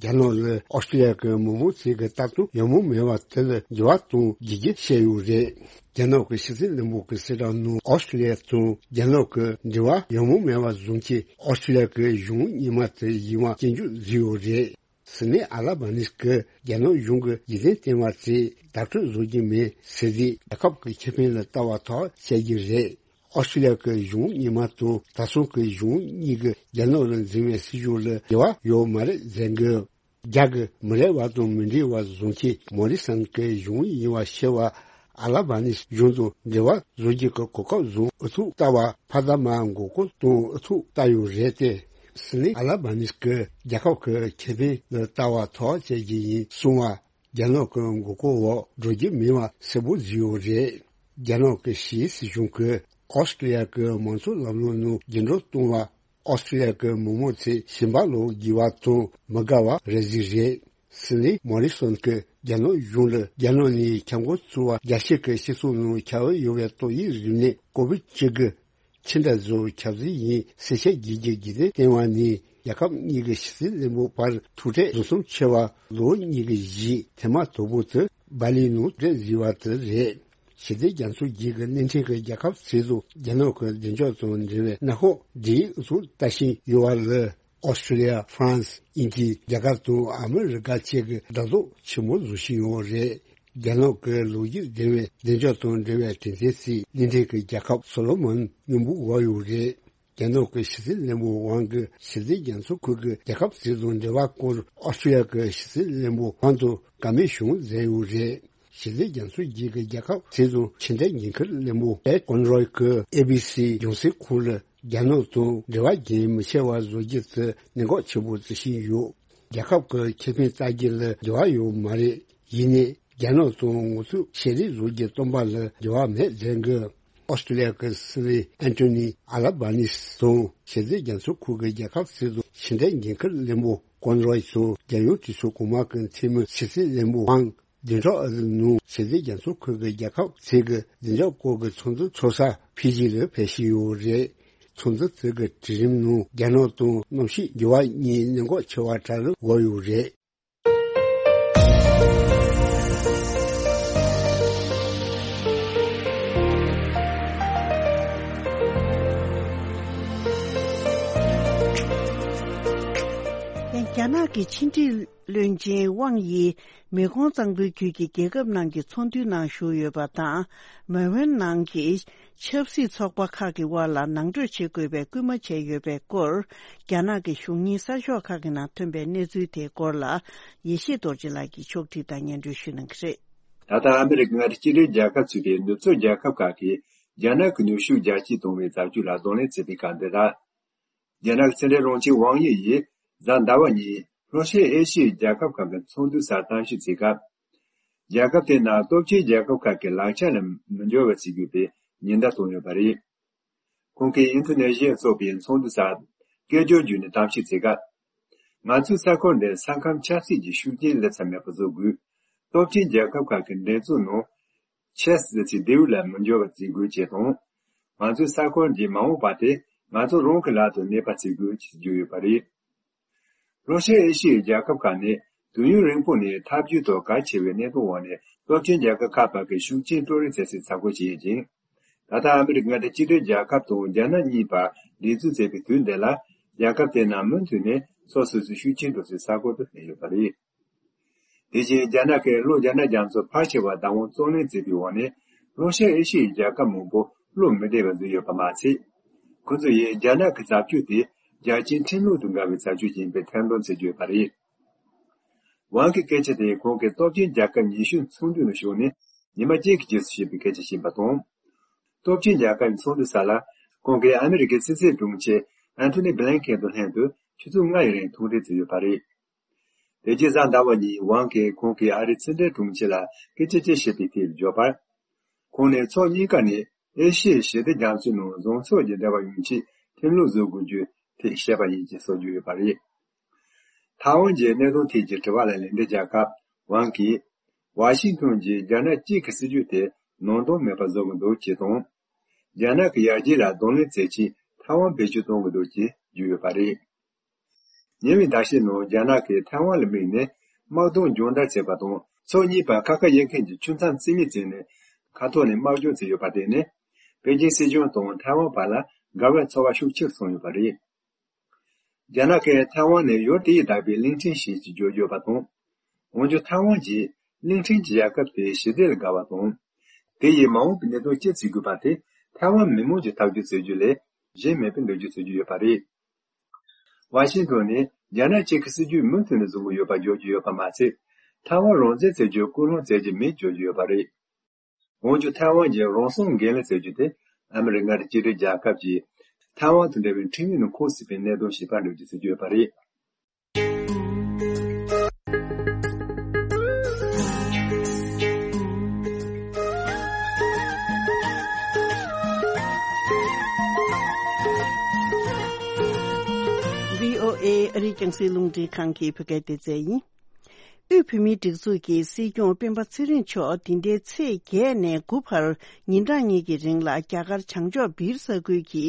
རྒྱ་ནག་ལ་ཨོ་སི་ཀྲི་ལི་ཡ་གི་མི་མང་ཚོས་ཀྱི་ལྟ་སྟངས་ཡང་མོ་མེད་པ་དེ་ལ་འགྱུར་བ་གཏོང་དགོས་རྒྱུ་བཤད་ཡོད་རེད། རྒྱ་ནག་གི་ཕྱི་སྲིད་བློན་པོ་གི་གསལ་བསྒྲགས་ནང་ཨོ་སི་ཀྲི་ལི་ཡ་དང་རྒྱ་ནག་གི་འབྲེལ་བ་ཡང་མོ་མེད་པ་བཟོ་མཁན་ཨོ་སི་ཀྲི་ལི་ཡ་གི་གཞུང་རྙིང་མ་དེ་ཡིན་པ་སྐྱོན་བརྗོད་བཟོས་ཡོད་རེད། སྲིད་བློན་ཨ་ལ་བྷ་ནིས་ཀྱིས་རྒྱ་ནག་གཞུང་གིས་རྒྱུན་ལྡན་བསྟན་པ་དེ་བདག་སྤྲོད་བཟོ་རྒྱུ་མིན་ཟེར་དུས། རྒྱལ་ཁབ་ཀྱི་ཁེ་ཕན་ལ་ལྟ་བ་ཐག་བཅད་རྒྱུ་རེད། ཨོ་སི་ཀྲི་ལི་ཡ་གི་གཞུང་རྙིང་མ་དང་ད་ཐེངས་ཀྱི་གཞུང་གཉིས་ཀྱིས་རྒྱ་ནག་ལ་འཛིན་པའི་སྲིད་བྱུས་ལ་འབྲེལ་བ་ཡོད་མ་རེད་ཟེར་གི། རྒྱ་གི་མི་རིགས་པ་དང་མི་འབྲེལ་བ་བཟོ་མཁན་མོ་རི་སན་གྱི་གཞུང་རྙིང་པ་ཞེས་པ་ཨ་ལ་བྷ་ནིས་གཞུང་དང་འབྲེལ་བ་བཟོ་རྒྱུ་གི་གོ་སྐབས་བཟུང་ཨུ་ཚུགས་བལྟ་བ། ཕ་ད་མ་མགོ་སྐོར་གཏོང་ཨུ་ཚུགས་བལྟ་ཡོད་རེད་དེ། སྲིད་བློན་ཨ་ལ་བྷ་ནིས་ཀྱིས་རྒྱལ་ཁབ་ཀྱི་ཁེ་ཕན་ལ་ལྟ་བ་ཐག་བཅད་རྒྱུ་ཡིན་གསུངས་པ། རྒྱ་ནག་གི་མགོ་སྐོར་འོག་འགྲོ་རྒྱུ་མིན་པ་གསལ་པོ་བཟོས་ཡོད་རེད། རྒྱ་ནག་གི་ཕྱིའི་སྲིད་གཞུང་གིས་ཨོ་སི་ཀྲི་ཡ་གི་མང་གཙོ་ལམ་ལུགས་ནང་རྒྱུན་སྒྲོག་གཏོང་བ། ཨོ་སི་ཀྲི་ཡ་གི་མི་མང་ཚོས་ཞེན་པ་ལོག་དགོས་པ་དང་མི་དགའ་བ་རེ་ཟིག་རེད། སྲིད་བློན་མོ་རི་སོན་གྱིས་རྒྱ་ནག་གཞུང་ལ་རྒྱ་ནག་ནས་ཁྱབ་མགོ་ཚུགས་པ། རྒྱ་ཕྱི་གི་སྤྱི་ཚོགས་ནང་ཁྱབ་ཡོད་པའི་ཏོག་དབྱིབས་རིམས་ནད་ཀོ་བིད་བཅུ་དགུ་ཅི་འདྲ་བཟོ་ཁྱབ་གསོད་ཡིན་ཟེར་བཤད་རྒྱུ་གི་རྒྱུ་མཚན་བསྟན་པ་ནས། རྒྱལ་ཁབ་གཉིས་ཀྱི་ཕྱི་སྲིད་བློན་པོ་བར་ཐུག་འཕྲད་རྫོགས་མཚམས་ཆེ་བ་ལོ་གཉིས་ཀྱི་གཞིས་ཐེངས་མ་དང་པོ་དེ་འབར་ལིན་ནང་གྲས་བཟོས་པ་དེ་རེད། ཕྱི་སྲིད་རྒྱ་མཚོ་བརྒྱུད་ཀྱི་སྣེ་འདྲེན་གྱི་རྒྱལ་ཁབ་ཚོ་དང་རྒྱ་ནག་གི་བདེ་འཇགས་དང་འབྲེལ་བའི་གནམ་ཐོག་འབྲེལ་ཡོད་ཚོ་ལྟ་བཞིན་ཡོད་པ་ལ། ཨོ་སི་ཀྲི་ལི་ཡ། ཧྥ་རན་སི། དབྱིན་ཇི། རྒྱ་གར་དང་ཨ་མི་རི་ཀ་བཅས་ཀྱིས་དགའ་ཕྱོགས་ཆེན་པོ་བཟོ་བཞིན་ཡོད་རེད། རྒྱ་ནག་གི་ལོ་རྒྱུས་ལྡན་པའི་བདེ་འཇགས་དང་འབྲེལ་བའི་གྲོས་མཐུན་ཞིག་སྣེ་འདྲེན་གྱི་རྒྱལ་ཁབ་སོ་ལོ་མོན་མཉམ་པོ་འོག་ཡོད་རེད། རྒྱ་ནག་གི་ཕྱི་སྲིད་བློན་པོ་ཝང་གིས་ཕྱི་སྲིད་རྒྱ་མཚོ་ཁུལ་གྱི་རྒྱལ་ཁབ་ཚོ་དང་འབྲེལ་བ་སྐོར་ཨོ་སི་ཀྲི་ལི་ཡ་གི་ཕྱི་སྲིད་བློན་པོ་ཝང་དང་བཀའ་མོལ་བྱུང་ཟེར་ཡོད་རེད། ཕྱི་སྲིད་རྒྱ་མཚོ་བརྒྱུད་ཀྱི་རྒྱལ་ཁབ་ཚོ་དང་ཕྱི་འབྲེལ་འགན་འཁུར་བློན་པོ་པེ་ཀོན་རོས་ཀྱིས་ཨེ་བི་སི་རྒྱང་སྲིང་ཁང་ལ། རྒྱ་ནག་དང་འབྲེལ་བ་རྒྱུན་མི་ཆད་པ་བཟོ་རྒྱུ་དེ་གནད་འགག་ཆེན་པོ་བརྩི་བཞིན་ཡོད། རྒྱལ་ཁབ་ཀྱི་ཁེ་ཕན་བལྟ་རྒྱུ་ལ་འབྲེལ་བ་ཡོད་མ་རེད། ཡིན་ནའི་རྒྱ་ནག་དང་ངོ་ཐུག་ཤེས་རིག་བཟོ་རྒྱུ་སྟོན་པ་ལ་འབྲེལ་བ་མེད་ཟེར་གི། ཨོ་སི་ཀྲི་ལི་ཡ་གི་སྲིད་བློན་ཨན་ཐོ་ནི་ཨ་ལ་བྷ་ནིས་དང་ཕྱི་སྲིད་རྒྱ་མཚོ་ཁུལ་གྱི་རྒྱལ་ཁབ་ཚོ་དང་ཕྱི་འབྲེལ་འགན་འཁུར་བློན་པོ་ ཀོན་རོས་སུ་རྒྱལ་ཡོངས་གྲོས་ཚོགས་གོང་མ་གི་འཐུས་མི་ཕྱི་སྲིད་བློན་པོ་ཝང་བདུན་ཕྲག་ཨ་རིའི་ནང་ཕྱི་སྲིད་རྒྱ་མཚོ་ཁུལ་གྱི་རྒྱལ་ཁབ་ཚོས་ཀྱི་བདེ་འཇགས་སྐོར་གྱི་ཚོགས་འདུ་ཚོགས་ས་ཕི་ཇི་ལ་ཕེབས་བཞིན་ཡོད་རེད། ཚོགས་འདུ་དེ་གི་གྲལ་རིམ་ནང་རྒྱ་ནག་དང་གནམ་གཤིས་འགྱུར་བ་གཉིས་གནད་འགག་ཆེ་བ་གྲས་ལ་བགོས་ཡོད་རེད། རྒྱ་ནག་གི་ཕྱི་འབྲེལ་བློན་ཆེན་ཝང་ཡིས་མེ་ཀོང་གཙང་པོའི་རྒྱུད་ཀྱི་རྒྱལ་ཁབ་ནང་གི་ཚོགས་འདུའི་ནང་ཞུགས་ཡོད་པ་དང་། མེལ་བོན་ནང་གི་ཆབ་སྲིད་ཚོགས་པ་ཁག་གི་དབར་ལ་ནང་གྲོས་བྱེད་དགོས་པའི་སྐུལ་མ་བྱས་ཡོད་པའི་སྐོར། རྒྱ་ནག་གི་གཞུང་གཉེར་གསར་ཤོག་ཁག་གི་ནང་ཐོན་པའི་གནས་ཚུལ་དེའི་སྐོར་ལ། ཡེ་ཤེས་རྡོ་རྗེ་ལགས་ཀྱིས་ཕྱོགས་སྒྲིག་དང་སྙན་སྒྲོན་ཞུ་གནང་གི་རེད། ད་ལྟ་ཨ་མི་རི་ཀའི་མངའ་སྡེ་གཅིག་སྒྲིལ་རྒྱལ་ཁབ་ཚུད་པའི་ནུབ་ཕྱོགས་རྒྱལ་ཁབ་ཁག་གིས་རྒྱ་ནག་གི་ནུས་ཤུགས་རྒྱ་སྐྱེད་གཏོང་བའི་བྱ་སྤྱོད་ལ་གདོང་ལེན་བྱེད་པའི་སྐབས་འདི་ལ། རྒྱ་ནག་གི་ཕྱི་འབྲེལ་དྲུང་ཆེ་ཝང་དབྱི་ཡིས་གཟའ་ཟླ་བ་ཉིན་ལྷོ་ཤར་ཨེ་ཤི་ཡའི་རྒྱལ་ཁབ་ཁག་གི་ཚོགས་འདུའི་སར་གཏམ་ཞིབ་བྱེད་སྐབས། རྒྱལ་ཁབ་དེ་ནང་སྟོབས་ཆེན་རྒྱལ་ཁབ་ཁག་གི་ལག་ཆ་ལ་མི་འབྱོར་བ་བྱེད་རྒྱུ་དེ་ཉེན་བརྡ་བཏང་ཡོད་པ་རེད། ཁོང་གིས་ཨིན་ཌོ་ནེ་ཤི་ཡར་འཚོགས་པའི་ཚོགས་འདུ་སར་སྐད་སྒྱུར་བརྒྱུད་ནས་གཏམ་བཤད་བྱེད་སྐབས། ང་ཚོའི་ས་ཁུལ་འདིར་ས་ཁམས་ཆབ་སྲིད་ཀྱི་ཤུགས་རྐྱེན་སླེབས་ས་མེད་པ་བཟོ་དགོས། སྟོབས་ཆེན་རྒྱལ་ཁབ་ཁག་གི་འགྲན་རྩོད་ནང་ཆེས་ཟེར་ཚིག་ལྡེའུ་ལ་མི་འབྱོར་བ་བྱེད་དགོས་ཅེས་དང་། ང་ཚོའི་ས་ཁུལ་གྱི་མ་འོངས་པ་དེ་ང་ཚོ་རང་གི་ལག་ཏུ་གནས་པ་བྱེད་དགོས་ཅེས་བརྗོད་ཡོད་པ་རེད། ལྷོ་ཤར་ཨེ་ཤི་ཡའི་རྒྱལ་ཁབ་ཁག་ནི་དུས་ཡུན་རིང་པོ་ནས་འཐབ་ཇུས་ཐོག་གལ་ཆེ་བའི་གནད་དོན་འོག་ནས་སྟོབས་ཆེན་རྒྱལ་ཁབ་ཁག་བར་གྱི་ཤུགས་རྐྱེན་སྤྲོད་རེས་བྱེད་སའི་ས་ཁུལ་ཞིག་ཡིན་ཅིང་། ད་ལྟ་ཨ་མི་རི་ཀ་མངའ་སྡེ་གཅིག་སྒྲིལ་རྒྱལ་ཁབ་དང་རྒྱ་ནག་གཉིས་བར་འགྲན་རྩོད་བྱེད་པའི་དུས་འདི་ལ། རྒྱལ་ཁབ་དེ་རྣམས་མུ་མཐུད་ནས་སོ་སོ་སོའི་ཤུགས་རྐྱེན་འགྲོ་སའི་ས་ཁུལ་དུ་སླེབས་ཡོད་པ་རེད། དེ་བཞིན་རྒྱ་ནག་གིས་ལྷོ་རྒྱ་ནག་རྒྱ་མཚོ་ཕལ་ཆེ་བ་བདག་དབང་རྩོད་ལེན་བྱེད་པའི་འོག་ནས། ལྷོ་ཤར་ཨེ་ཤི་ཡའི་རྒྱལ་ཁབ་མང་པོ་བློ་མི་བདེ་བར་བཟོས་ཡོད་པ་མ་ཟད། ཁོ་ཚོ་ཡིས་རྒྱ་ནག་གི་བྱ་སྤྱོད་དེ་རྒྱལ་སྤྱིའི་ཁྲིམས་ལུགས་དང་འགལ་བའི་བྱ་སྤྱོད་ཡིན་པའི་ཐེར་འདོན་བྱེད་ཀྱི་ཡོད་པ་རེད། ཝང་གི་སྐད་ཆ་དེ་ཁོང་གིས་སྟོབས་ཆེན་རྒྱལ་ཁབ་ཉི་ཤུ་ཚོགས་འདུའི་ནང་ཞུགས་ནས་ཉི་མ་གཅིག་གི་རྗེས་སུ་བཤད་པའི་སྐད་ཆ་ཞིག་ཡིན་པ་དང་། སྟོབས་ཆེན་རྒྱལ་ཁབ་ཚོགས་འདུའི་ས་ལ་ཁོང་གིས་ཨ་མི་རི་ཀའི་ཕྱི་སྲིད་དྲུང་ཆེ་ཨན་ཐོ་ནི་བྷི་ལན་ཁེན་དང་ལྷན་དུ་ཆུ་ཚོད་ལྔ་ཡི་རིང་ཐུག་འཕྲད་བྱས་ཡོད་པ་རེད། དེ་རྗེས་གཟའ་ཟླ་བ་ཉིན་ཝང་གིས་ཁོང་གིས་ཨ་རིའི་ཕྱི་འབྲེལ་དྲུང་ཆེ་ལ་སྐད་ཆ་ཅིག་བཤད་པའི་ཐད་བརྗོད་པར། ཁོང་ནས་ཕྱོགས་གཉིས་ཀ་ནས་ཨེ་ཤི་ཡའི་ཞི་བདེ་རྒྱ་མཚོའི་ནང་བཟང་ཕྱོགས་ཀྱི་འབྲེལ་བ་ཡོང་ཆེད་ཁྲིམས་ལུགས་བཟོ་དགོས་རྒྱུའི་ཐད་བཤད་པ་ཡིན་ཅེས་སོགས་བརྗོད་ཡོད་པ་རེད། ཐའེ་ཝན་གྱི་གནད་དོན་ཐད་ཀྱི་དྲི་བ་ལ་ལན་འདེབས་བརྒྱབ་སྐབས་ཝང་གིས། ཝ་ཤིང་ཏོན་གྱིས་རྒྱ་ནག་གཅིག་གི་སྲིད་ཇུས་དེ་ནང་དོན་མེད་པ་བཟོ་གི་འདུག་ཅེས་དང་། རྒྱ་ནག་གི་ཡར་རྒྱས་ལ་གདོང་ལེན་བྱེད་ཆེད་ཐའེ་ཝན་བེད་སྤྱོད་གཏོང་གི་འདུག་ཅེས་བརྗོད་ཡོད་པ་རེད། ཉེ་བའི་ཟླ་ཤས་ནང་རྒྱ་ནག་གིས་ཐའེ་ཝན་ལ་དམིགས་ནས་དམག་དོན་སྦྱོང་བརྡར་བྱས་པ་དང་། ཕྱོགས་གཉིས་བར་ཁ་ཁ་དབྱེ་མཁན་གྱི་ཆུ་མཚམས་རྩིས་མེད་བྱས་ནས་མཁའ་ཐོག་ནས་དམག་སྦྱོང་བྱས་ཡོད་པ་དེ་ནི། པེ་ཅིང་སྲིད་གཞུང་དང་ཐའེ་ཝན་བར་ལ་འགལ་བའི་ཚོར་བ་ཤུགས་ཆེར་སོང་ཡོད་པ་རེད། རྒྱ་ནག་གིས་ཐའེ་ཝན་ནི་ཡུལ་དེ་ཡིས་བདག་པའི་གླིང་ཕྲན་ཞིག་ཅེས་བརྗོད་ཡོད་པ་དང་། འོན་ཀྱང་ཐའེ་ཝན་གྱིས་གླིང་ཕྲན་གྱི་རྒྱལ་ཁབ་དེའི་ཞི་བདེ་ལ་དགའ་བ་དང་། དེ་ཡིས་མ་འོངས་པའི་གནད་དོན་ཅི་བྱེད་དགོས་པ་དེ་ཐའེ་ཝན་མི་མང་གིས་ཐག་གཅོད་བྱེད་རྒྱུ་ལས་གཞན་མེད་པའི་འགྲེལ་བརྗོད་བྱེད་ཀྱི་ཡོད་པ་རེད། ཝ་ཤིང་ཏོན་ནས་རྒྱ་ནག་གཅིག་གི་སྲིད་ཇུས་མུ་མཐུད་ནས་བཟུང་གི་ཡོད་པ་བརྗོད་ཀྱི་ཡོད་པ་མ་ཟད། ཐའེ་ཝན་རང་བཙན་བྱེད་རྒྱུར་སྐུལ་སློང་བྱེད་ཀྱི་མེད་བརྗོད་ཀྱི་ཡོད་པ་རེད། འོན་ཀྱང་ཐའེ་ཝན་གྱི་རང་སྲུང་འགན་ལེན་བྱ་རྒྱུ་དེ་ཨ་མི་རི་ཀ་མངའ་སྡེ་གཅིག་སྒྲིལ་རྒྱལ་ཁབ་ཀྱིས་ཐའེ་ཝན་དང་འབྲེལ་བའི་ཁྲིམས་ཡིག་ནང་འཁོད་སྲིད་པའི་གནད་དོན་ཞིག་པར་འགྲེལ་བརྗོད་བྱེད་ཀྱི་ཡོད་པ་རེད། བྷི་ཨོ་ཨེ་ཨ་རིའི་རྒྱང་སྲིང་རླུང་འཕྲིན་ཁང་གི་བོད་སྐད་སྡེ་ཚན་ཡིན། དབུས་བོད་མིའི་སྒྲིག་འཛུགས་ཀྱི་སྲིད་སྐྱོང་སྤེན་པ་ཚེ་རིང་མཆོག་འདི་ཟླའི་ཚེས་བརྒྱད་ནས་དགུ་བར་ཉིན་གྲངས་གཉིས་ཀྱི་རིང་ལ་རྒྱ་གར་བྱང་ཕྱོགས་སྦིར་ས་ཁུལ་གྱི་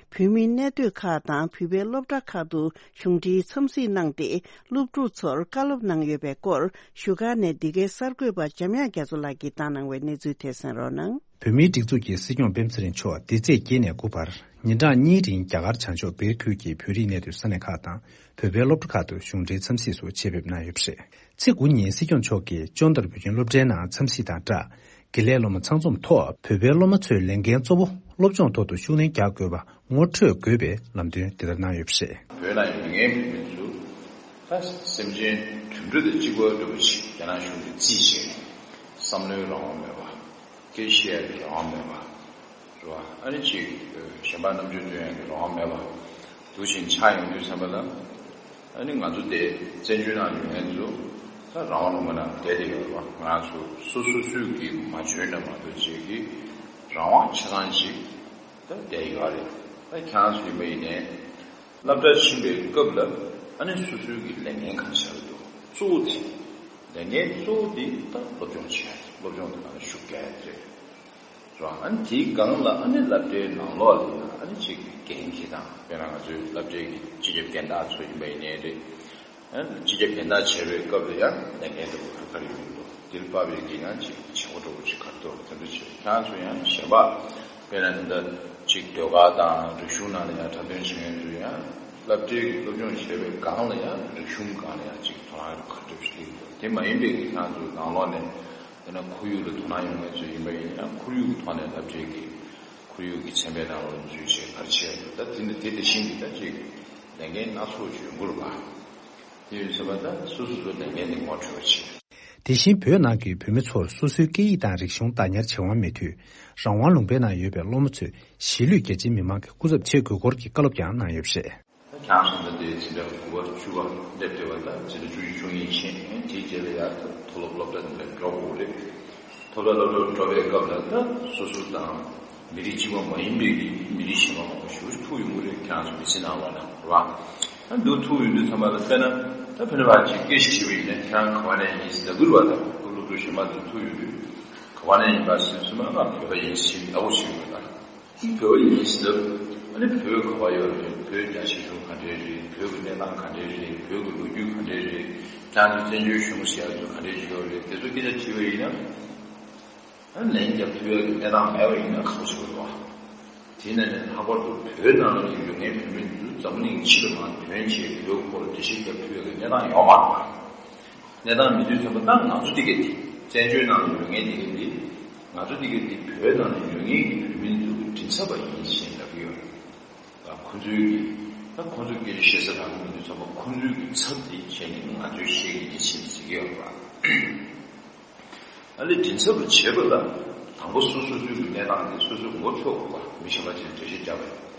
བོད་མིའི་གནས་སྡོད་ཁག་དང་བོད་པའི་སློབ་གྲྭ་ཁག་ཏུ་གཞུང་འབྲེལ་འཚམས་གཟིགས་གནང་སྟེ། སློབ་ཕྲུག་ཚོར་བཀའ་སློབ་གནང་ཡོད་པའི་སྐོར་བཞུགས་སྒར་ནས་འདི་གའི་གསར་འགོད་པ་འཇམ་དབྱངས་རྒྱ་མཚོ་ལགས་ཀྱིས་བཏང་གནང་བའི་གནས་ཚུལ་དེ་གསན་རོགས་གནང་། བོད་མིའི་སྒྲིག་འཛུགས་ཀྱི་སྲིད་སྐྱོང་སྤེན་པ་ཚེ་རིང་མཆོག་འདི་ཚེས་བརྒྱད་ནས་དགུ་བར་ཉིན་གྲངས་གཉིས་རིང་རྒྱ་གར་བྱང་ཕྱོགས་སྦིར་ཁུལ་གྱི་བོད་རིགས་གནས་སྡོད་ས་གནས་ཁག་དང་བོད་པའི་སློབ་གྲྭ་ཁག་ཏུ་གཞུང་འབྲེལ་འཚམས་གཟིགས་སུ་ཆེད་ཕེབས་གནང་ཡོད་པ་རེད། ཚེས་དགུ་ཉིན་སྲིད་སྐྱོང་མཆོག་གིས་ཅོན་ཏར་བོད་ཁྱིམ་སློབ་གྲྭའི་ནང་འཚམས་གཟིགས་དང་སྦྲགས། དགེ་ལས་སློབ་མ་ཚང་འཛོམས་ཐོག་བོད་པའི་སློབ་མ་ཚོའི་ལས་འགན་གཙོ་བོ་སློབ་སྦྱོང་ཐོག་ཏུ་ཤུགས་སྣོན་རྒྱག་དགོས་པ་ངོ་འཕྲོད་དགོས་པའི་ལམ་སྟོན་དེ་ལྟར་གནང་ཡོད་པ་རེད། བོད་ནང་ཡོད་མཁན་མི་ཚོ་ད་སེམས་ཅན་དུད་འགྲོ་དང་གཅིག་པ་འདྲ་པོ་ཅིག་རྒྱ་ནག་གཞུང་གིས་རྩིས་བྱས་ནས་བསམ་བློའི་རང་དབང་མེད་པ། སྐད་ཆ་བཤད་ཡག་གི་རང་དབང་མེད་པ། རེད་བ། ཨ་ནི་ཅིག་གཞན་པ་རྣམ་དཔྱོད་སྟོན་ཡག་གི་རང་དབང་མེད་པ། འདུག་བཞིན་ཆགས་ཡོང་དུས་ཙམ་པ་ལ། ཨ་ནི་ང་ཚོ་དེ་བཙན་བྱོལ་ནང་ཡོད་མཁན་ཚོ་ད་རང་དབང་ལུང་པ་ནང་བསྡད་བསྡད་ཡོད་རེད་བ། ང་ཚོ་སོ་སོ་སོས་ཀྱིས་མ་འཇོན་ན་མ་གཏོགས་ཅིག་གི་རང་དབང་ཆ་ཚང་ཅིག་ད་བསྡད་ཡོད་རེད། ད་ཁྱེད་རང་ཚོ་ཡིན་པ་ཡིན་ནའི། སློབ་གྲྭ་ཕྱིན་པའི་སྐབས་ལ། ཨ་ནི་སོ་སོའི་གི་ལས་འགན་གང་ཤར་འདུག་གཙོ་བོ་དེ། ལས་འགན་གཙོ་བོ་དེ་ད་སློབ་སྦྱོང་བྱས། སློབ་སྦྱོང་དེ་ནང་ལ་ཤུགས་རྒྱག་ཡ་དེ་རེད། རེད་བ། ཨ་ནི་དེའི་སྒང་ལ་ཨ་ནི་སློབ་གྲྭའི་ནང་ལོགས་ལ་ཡང་ཨ་ནི་ཅིག་འགན་འཁྱེར་སྟངས། དཔེར་ན་ང་ཚོའི་སློབ་གྲྭའི་གི་སྤྱི་ཁྱབ་འགན་བདག་ཚོ་ཡིན་པ་ཡིན་ནའི་རེད། ཨ་ནི་སྤྱི་ཁྱབ་འགན་བདག་བྱས་པའི་སྐབས་ལ་ཡང་ལས་འགན་དེ་ཁུར་ཁུར་ཡོང་གི་འདུག་དེར་དཔག་པའི་གི་ཡང་ཅིག་བྱེད་སྒོ་འདྲ་པོ་ཅིག་ག་རེ་འདུག་དེ་འདྲ་བྱས། ཁྱེད་རང་ཚོ་ཡང་གཞན་པ། དཔེར་ན་ད་ལྟ་ཅིག་ཟློས་གར་དང་རིག་གཞུང་ནང་ལ་ཡང་འཁྲབ་སྟོན་བྱེད་མཁན་ཚོ་ཡང་སློབ་གྲྭའི་གི་སློབ་སྦྱོང་བྱས་པའི་སྒང་ལ་ཡང་རིག་གཞུང་སྒང་ལ་ཡང་ཅིག་དོ་སྣང་ག་འདྲ་ཞིག་སླེབས་ཡོད། དེ་མ་ཡིན་པའི་གི་ཁྱེད་རང་ཚོ་ནང་ལོགས་ནས། དཔེར་ན་ཁོར་ཡུག་ལ་དོ་སྣང་ཡོང་མཁན་ཚོ་ཡིན་པ་ཡིན་ན་ཁོར་ཡུག་གི་ཐོག་ནས་སློབ་གྲྭའི་གི་ཁོར་ཡུག་གི་ཚན་པའི་ནང་ལ་འཛུལ་བྱས་ག་རེ་བྱས་འདུག་ད་དེ་ནི་དེ་དེ་བཞིན་གྱི་ད་ཅིག་ལས་འགན་སྣ་ཚོགས་ཡོང་གི་རེད་པ། དེ་ཡིན་ཙང་ད་སོ་སོ་སོ་ལས་འགན་དེ་ངོ་འཕྲོད་པ་བྱེད། དེ་བཞིན་བོད་ནང་གི་བོད་མི་ཚོར་སོ་སོའི་སྐད་ཡིག་དང་རིག་གཞུང་བདག་ཉར་བྱེད་དབང་མེད་དུས། རང་དབང་ལུང་པའི་ནང་ཡོད་པའི་སློབ་མ་ཚོས་གཞིས་ལུས་རྒྱ་ཆེའི་མི་མང་གི་སྐུ་ཚབ་བྱེད་དགོས་སྐོར་གྱི་བཀའ་སློབ་ཀྱང་གནང་ཡོད་པ་རེད། ཁྱེད་རང་ཚོ་ད་ལྟའི་འཛིན་གྲྭ་དགུ་པ་བཅུ་པ་སླེབས་བསྡད་པ་དང་འཛིན་གྲྭ་བཅུ་གཅིག་བཅུ་གཉིས་ཕྱིན། དེའི་རྗེས་ལ་ཡར་མཐོ་སློབ་སློབ་གྲྭ་འདི་འདྲ་འགྲོ་དགོས་རེད། མཐོ་སློབ་སློབ་གྲྭར་འགྲོ་བའི་སྐབས་ལ་ད་སོ་སོ་དང་མི་རིགས་གཅིག་པ་མ་ཡིན་པའི་གི་མི་རིགས་གཞན་པ་མང་པོ་ཞིག་ཐུག་ཡོང་གི་རེད། ཁྱེད་རང་ཚོ་མི་ཚེ་ནང་ལོགས་ལ་རེད་བ། ད་འདུག་ཐུག་ཡོང་དུས་ཚང་མ་ལ་དཔེར་ན་ད་ཕན་པ་ཅིག་སྐད་ཞིག་དྲིས་པ་ཡིན་ན་ཁྱེད་རང་ག་བ་ནས་ཡིན་ཟེར་ལབ་ཀྱི་རེད་བ། ད་སློབ་ཕྲུག་གཞན་པ་ཚོ་ཐུག་ཡོང་དུས་ག་བ་ནས་ཡིན་པ་ཟེར་དུས་ཚང་མ་ང་བོད་པ་ཡིན་ཟེར་ལབ་དགོས་ཞིག་ཡོད་པ། བོད་པ་ཡིན་ཟེར། ཨ་ནི་བོད་ག་པར་ཡོད་རེད། བོད་རྒྱ་ཆེ་ཆུང་ག་འདྲས་རེད། བོད་ཀྱི་གནས་སྟངས་ག་འདྲས་རེད། བོད་ཀྱི་ལོ་རྒྱུས་ག་འདྲས་རེད། ཁྱེད་ཚོ་བཙན་བྱོལ་གཞུང་ཟེར་ཡག་ཚོ་ག་འདྲས་ཡོད་རེད། དེ་ཚོ་སྐད་ཆ་དྲིས་པ་ཡིན་ན། ཨ་ལན་རྒྱབ་ཐུབ་ཡག་གི་གནས་སྟངས་མེད་པ་ཡིན་ན་ཁག་པོ་ཆེ་བ་རེད་བ། དེ་ནས་ནས་ལྷག་པར་དུ་བོད་ནང་ལ་ཡོད་མཁན་བོད་མི་ཚོ་འཛམ་གླིང་ཕྱི་ལ་མར་ཐོན་བྱས་བོད་སྐོར་འགྲེལ་བཤད་རྒྱབ་ཐུབ་ཡག་གི་གནས་སྟངས་ཡོད་མ་རེད་བ། གནས་སྟངས་མི་འདུག་ཚང་མ་ད་ང་ཚོ་འདི་ག་དེ་བཙན་བྱོལ་ནང་ལ་ཡོད་མཁན་འདི་ག་དེ་ང་ཚོ་འདི་ག་དེ་བོད་ནང་ལ་ཡོད་མཁན་གྱི་བོད་མི་ཚོ་གི་མགྲིན་ཚབ་པ་ཡིན་ཞེས་ལབ་ཀྱི་ཡོད། ད་ཁོ་ཚོའི་གི་ད་ཁོ་ཚོ་སྐད་ཆ་བཤད་ས་རག་གི་མི་འདུག་ཚང་མ་ཁོ་ཚོའི་གི་ཚབ་དེ་བྱས་ནས་ང་ཚོའི་བཤད་ཀྱི་འདི་བྱེད་ཟེར་གྱི་ཡོད་པ། ཨ་ལས་མགྲིན་ཚབ་ལ་བྱེད་པ་ལ་དང་པོ་སོ་སོ་སོའི་གི་གནས་སྟངས་དེ་སོ་སོས་ངོ་འཕྲོད་དགོས་པ། མི་གཞན་པ་ཅིག་ལ་འགྲེལ་བཤད་རྒྱབ་པ་ཡིན།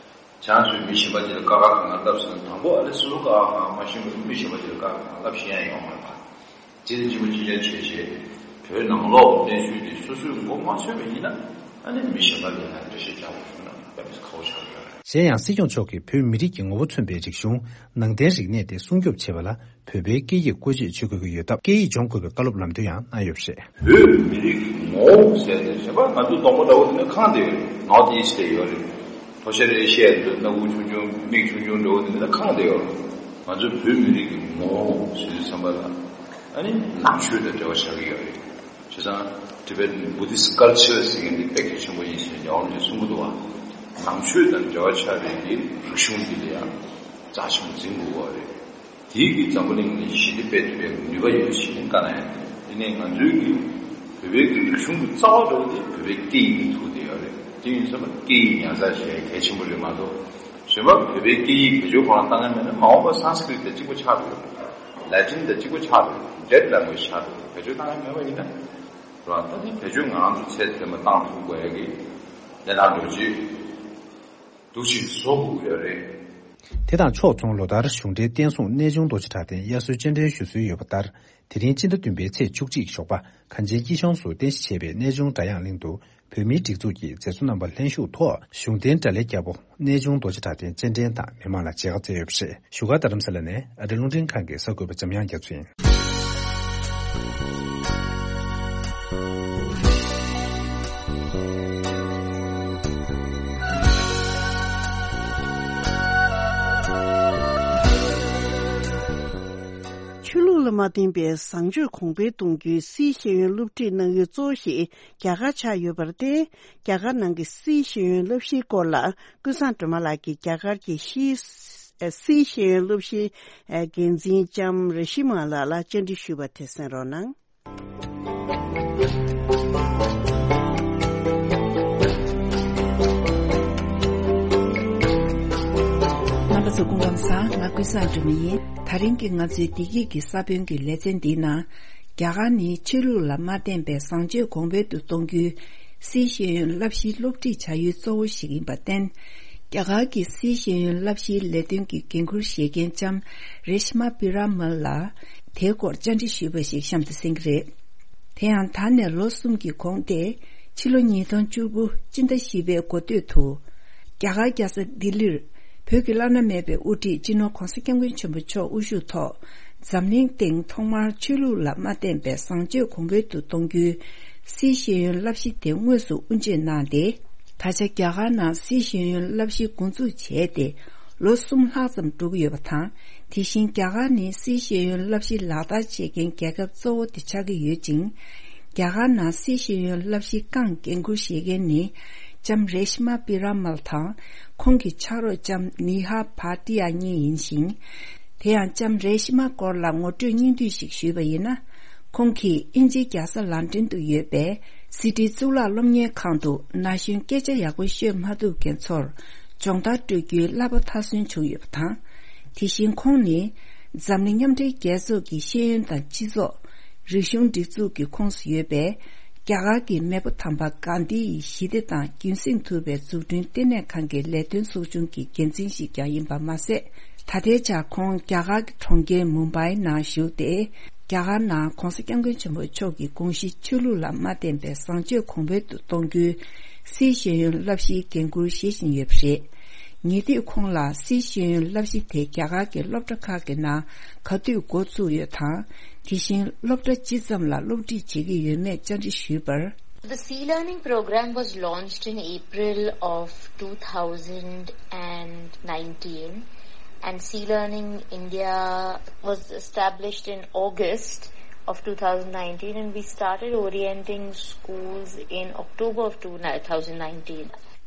ཁྱེད་རང་ཚོས་མི་གཞན་པ་ཅིག་ལ་དཀའ་ཁག་གང་ག་བསླབ་ཟིན་ན་དང་པོ་ཨ་ལས་སོ་སོ་དཀའ་ཁག་གང་ག་མ་ཤེས་པ་ཡིན་མི་གཞན་པ་ཅིག་ལ་དཀའ་ཁག་གང་ག་བསླབ་ཤེས་ཡ་ཡོང་མ་རེད་པ། དེ་ནི་གཅིག་པ་གཅིག་རྐྱང་བྱས་བྱས་བོད་ནང་ལོགས་གནས་ཚུལ་དེ་སོ་སོས་མགོ་མ་ཚོས་པ་ཡིན་ན་ཨ་ནི་མི་གཞན་པ་ལ་ཡང་འགྲེལ་བཤད་རྒྱག་དགོས་བྱུང་ན་དཔེ་མི་སྲིད་ཁག་པོ་ཆགས་ཀྱི་ཡོད་རེད། གཞན་ཡང་སྲིད་སྐྱོང་མཆོག་གིས་བོད་མི་རིགས་ཀྱི་ངོ་བོ་མཚོན་པའི་རིག་གཞུང་ནང་བསྟན་རིག་གནས་དེ་སྲུང་སྐྱོབ་བྱེད་པ་ལ་བོད་པའི་སྐད་ཡིག་བཀོལ་སྤྱོད་བྱེད་དགོས་ཀྱི་ཡོད་སྟབས་སྐད་ཡིག་སྦྱོང་དགོས་པའི་བཀའ་སློབ་ལམ་སྟོན་ཡང་གནང་ཡོད་པ་རེད། བོད་མི་རིགས་ཀྱི་ངོ་བོ་ཟེར་ཏེ་བྱས་པ་ང་ཚོ་གདོང་པ་འདྲ་བོ་དེ་ནི་ཁེངས་བསྡད་ཡོད་རེད། North East་ལ་ཡོད་རེད། ལྷོ་ཤར་ཨེ་ཤི་ཡའི་སྣ་ཁུག་ཆུང་ཆུང་མིག་ཆུང་ཆུང་འདྲ་བོ་དེ་ནི་ཁེངས་བསྡད་ཡོད་རེད། ང་ཚོ་བོད་མི་རིགས་ཀྱི་ངོ་བོ་ཟེར་དུས་ཙམ་པ་ལ་ཨ་ནི་ནང་ཆོས་དང་འབྲེལ་བ་ཆགས་ཀྱི་ཡོད་རེད། བྱས་ཙང་Tibetan Buddhist culture་ཟེར་མཁན་འདི་དཔེ་གལ་ཆེན་པོ་ཡིན་ཟེར་རྒྱལ་བ་རིན་པོ་ཆེས་གསུང་གི་འདུག་བ། ནང་ཆོས་དང་འབྲེལ་བ་ཆགས་པའི་གི་རིག་གཞུང་འདི་ལ་ཡང་རྩ་ཆེན་པོ་འཛིན་དགོས་པ་རེད། དེའི་གི་འཛམ་བུ་གླིང་ནས་ཞི་བདེ་སྤེལ་ཐུབ་པའི་ནུས་པ་ཡོད་ཞེས་བཀའ་གནང་ཡོད། ཡིན་ནའི་ང་ཚོའི་གི་བོད་པའི་གི་རིག་གཞུང་གི་རྩ་བ་འདྲ་བོ་དེ་བོད་པའི་སྐད་ཡིག་ནས་ཐུག་བསྡད་ཡོད་རེད། དེ་ཡིན་ཙང་སྐད་ཡིག་ཉར་ཚགས་བྱེད་ཡ་གལ་ཆེན་པོ་རེད་མ་གཏོགས། གཞན་པ་བོད་པའི་སྐད་ཡིག་བེད་སྤྱོད་ཁོ་རང་བཏང་མཁན་མེད་ན་མ་འོངས་པ་Sanskrit་དང་གཅིག་པ་ཆགས་འགྲོ་གི་རེད། Latin་དང་གཅིག་པ་ཆགས་འགྲོ་གི་རེད། Dead language་ཆགས་འགྲོ་གི་རེད། བེད་སྤྱོད་བཏང་མཁན་མེད་པ་ཡིན་ན། རེད་བ། ད་དེ་བེད་སྤྱོད་ང་རང་ཚོ་ཚད་དེ་མ་བཏང་ཐུབ་དགོས་ཡ་གི་གནས་སྟངས་འགྲོ་ཅིག་འདུག་ཅིག་བཟོ་དགོས་ཀྱི་ཡོད་རེད། དེ་དང་ཕྱོགས་མཚུངས་ལོ་ལྟར་གཞུང་འབྲེལ་བསྟན་སྲུང་གནས་ཆུང་རྡོ་རྗེ་གྲགས་ལྡན་དབྱར་གསོལ་སྤྱན་འདྲེན་ཞུ་སྲོལ་ཡོད་པ་ལྟར། དེ་རིང་སྤྱི་ཟླ་བདུན་པའི་ཚེས་བཅུ་གཅིག་ཞོགས་པ་གངས་ཅན་སྐྱིད་གཤོངས་སུ་རྟེན་གཞི་བྱས་པའི་གནས་ཆུང་སྒྲ་དབྱངས་གླིང་དུ་བོད་མིའི་སྒྲིག་འཛུགས་ཀྱི་མཛད་གཙོ་རྣམ་པ་ལྷན་ཞུགས་ཐོག་གཞུང་བསྟེན་དགྲ་ལྷའི་རྒྱལ་པོ་གནས་ཆུང་རྡོ་རྗེ་གྲགས་ལྡན་སྤྱན་འདྲེན་དང་མི་མང་ལ་མཇལ་ཁ་བསྩལ་ཡོད་པ་རེད། བཞུགས་སྒར་རྡ་རམ་ས་ལ་ནས་ཨ་རི་རླུང་འཕྲིན་ཁང་གི་གསར་འགོད་པ་འཇམ་དབྱངས་རྒྱ་མཚོ་ཡིན། ཆོས་ལུགས་ལ་མ་བརྟེན་པའི་བཟང་སྤྱོད་གོང་འཕེལ་གཏོང་རྒྱུའི་སིའི་ཤེས་ཡོན་སློབ་ཁྲིད་གནང་ཡུལ་གཙོ་བོ་ཞིག་རྒྱ་གར་ཆགས་ཡོད་པར་བརྟེན། རྒྱ་གར་ནང་གི་སིའི་ཤེས་ཡོན་བསླབ་གཞིའི་སྐོར་ལ་ཀུན་བཟང་སྒྲོལ་མ་ལགས་ཀྱིས་རྒྱ་གར་གྱི་ཤེས་ཨ་སིའི་ཤེས་ཡོན་སློབ་གཞིའི་ཨ་འགན་འཛིན་ལྕམ་རེ་ཤི་མ་ལགས་ལ་བཅར་འདྲི་ཞུས་པ་དེ་གསན་རོགས་གནང་། རྣམ་པ་ཚོ་སྐུ་ཁམས་བཟང་། ང་ཀུན་བཟང་སྒྲོལ་མ་ཡིན། ད་རིང་གི་ང་ཚོའི་བདེ་སྐྱིད་ཀྱི་ས་བོན་གྱི་ལེ་ཚན་འདིའི་ནང་། རྒྱ་གར་ནི་ཆོས་ལུགས་ལ་མ་བརྟེན་པའི་བཟང་སྤྱོད་གོང་འཕེལ་དུ་གཏོང་རྒྱུའི་སིའི་ཤེས་ཡོན་བསླབ་གཞིའི་སློབ་ཁྲིད་བྱ་ཡུལ་གཙོ་བོ་ཞིག་ཡིན་པར་བརྟེན། རྒྱ་གར་གྱི་སིའི་ཤེས་ཡོན་བསླབ་གཞིའི་ལས་དོན་གྱི་འགན་འཁུར་བཞེས་མཁན་ལྕམ་རེ་ཤི་མ་པི་ར་མལ་ལ་དེའི་སྐོར་བཅར་འདྲི་ཞུས་པ་ཞིག་གཤམ་དུ་གསན་གྱི་རེད། དེ་ཡང་ད་ནས་ལོ་གསུམ་གྱི་གོང་སྟེ་ཕྱི་ལོ་ཉིས་སྟོང་བཅུ་དགུ་སྤྱི་ཟླ་བཞི་པའི་འགོ་སྟོད་དུ་རྒྱ་གར་རྒྱལ་ས་ལྡི་ལིར་ བོད་ཀྱི་བླ་ན་མེད་པའི་དབུ་ཁྲིད་སྤྱི་ནོར་༧གོང་ས་༧སྐྱབས་མགོན་ཆེན་པོ་མཆོག་དབུ་བཞུགས་ཐོག་འཛམ་གླིང་སྟེང་ཐོག་མར་ཆོས་ལུགས་ལ་མ་བརྟེན་པའི་བཟང་སྤྱོད་གོང་འཕེལ་དུ་གཏོང་རྒྱུའི་སིའི་ཤེས་ཡོན་བསླབ་གཞི་དེ་དངོས་སུ་དབུ་འབྱེད་གནང་སྟེ། ད་ཆ་རྒྱ་གར་ནང་སིའི་ཤེས་ཡོན་བསླབ་གཞི་འགོ་འཛུགས་བྱས་ཏེ་ལོ་གསུམ་ལྷག་ཙམ་འགྲོ་གི་ཡོད་པ་དང་། དེ་བཞིན་རྒྱ་གར་ནི་སིའི་ཤེས་ཡོན་བསླབ་གཞི་ལག་བསྟར་བྱེད་མཁན་རྒྱལ་ཁབ་གཙོ་བོ་དེ་ཆགས་ཀྱི་ཡོད་ཅིང་། རྒྱ་གར་ནང་སིའི་ཤེས་ཡོན་བསླབ་གཞི་རྐང་འགན་འཁུར་བཞེས་མཁན་ནི་ལྕམ་རེ་ཤི་མ་པི་ར་མལ་དང་། ཁོང་གི་ཕྱག་རོགས་ལྕམ་ནི་ཧ་བྷ་ཏི་ཡ་གཉིས་ཡིན་ཞིང་། དེ་ཡང་ལྕམ་རེ་ཤི་མ་སྐོར་ལ་ངོ་སྤྲོད་སྙིང་བསྡུས་ཤིག་ཞུས་པ་ཡིན་ན། ཁོང་གིས་དབྱིན་ཇིའི་རྒྱལ་ས་ལན་ཀྲན་དུ་ཡོད་པའི་སི་ཏི་གཙུག་ལག་སློབ་གཉེར་ཁང་དུ་ན་གཞོན་སྐད་ཆ་ཡག་པོ་ཤོད་མ་ཐུབ་མཁན་ཚོར་སྦྱོང་བརྡར་སྤྲོད་རྒྱུའི་བསླབ་པ་མཐར་སོན་བྱུང་ཡོད་པ་དང་། དེ་བཞིན་ཁོང་ནི་འཛམ་གླིང་མཉམ་འབྲེལ་རྒྱལ་ཚོགས་ཀྱི་ཤེས་ཡོན་དང་སྤྱི་ཚོགས། རིག་གཞུང་སྒྲིག་འཛུགས་ཀྱི་ཁོངས་སུ་ཡོད་པའི་རྒྱ་གར་གྱི་མེས་པོ་དམ་པ་གྷན་དྷི་ཡི་ཞི་བདེ་དང་རྒྱུན་སྲིང་ཐུབ་པའི་འཛུགས་སྐྲུན་ལྟེ་གནས་ཁང་གི་ལས་དོན་ཚོགས་ཆུང་གི་འགན་འཛིན་ཞིག་ཀྱང་ཡིན་པ་མ་ཟད། ད་ལྟའི་ཆར་ཁོང་རྒྱ་གར་གྱི་གྲོང་ཁྱེར་མུམ་བྷའི་ནང་བཞུགས་ཏེ། རྒྱ་གར་ནང་༧གོང་ས་༧སྐྱབས་མགོན་ཆེན་པོ་མཆོག་གི་དགོངས་གཞི་ཆོས་ལུགས་ལ་མ་བརྟེན་པའི་བཟང་སྤྱོད་གོང་འཕེལ་དུ་གཏོང་རྒྱུའི་སིའི་ཤེས་ཡོན་བསླབ་གཞིའི་འགན་འཁུར་བཞེས་བཞིན་ཡོད་པ་རེད། ཉེ་དུས་ཁོང་ལ་སིའི་ཤེས་ཡོན་བསླབ་གཞི་དེ་རྒྱ་གར་གྱི་སློབ་གྲྭ་ཁག་གི་ནང་ག་དུས་འགོ་བཙུགས་ཡོད་དང་། དེ་བཞིན་སློབ་གྲྭ་ཇི་ཙམ་ལ་སློབ་ཁྲིད་བྱེད་ཀྱི་ཡོད་མེད་བཅར་འདྲི་ཞུས་པར། The Sea Learning program was launched in April of two thousand and nineteen, and Sea Learning India was established in August of two thousand nineteen, and we started orienting schools in October of two thousand nineteen.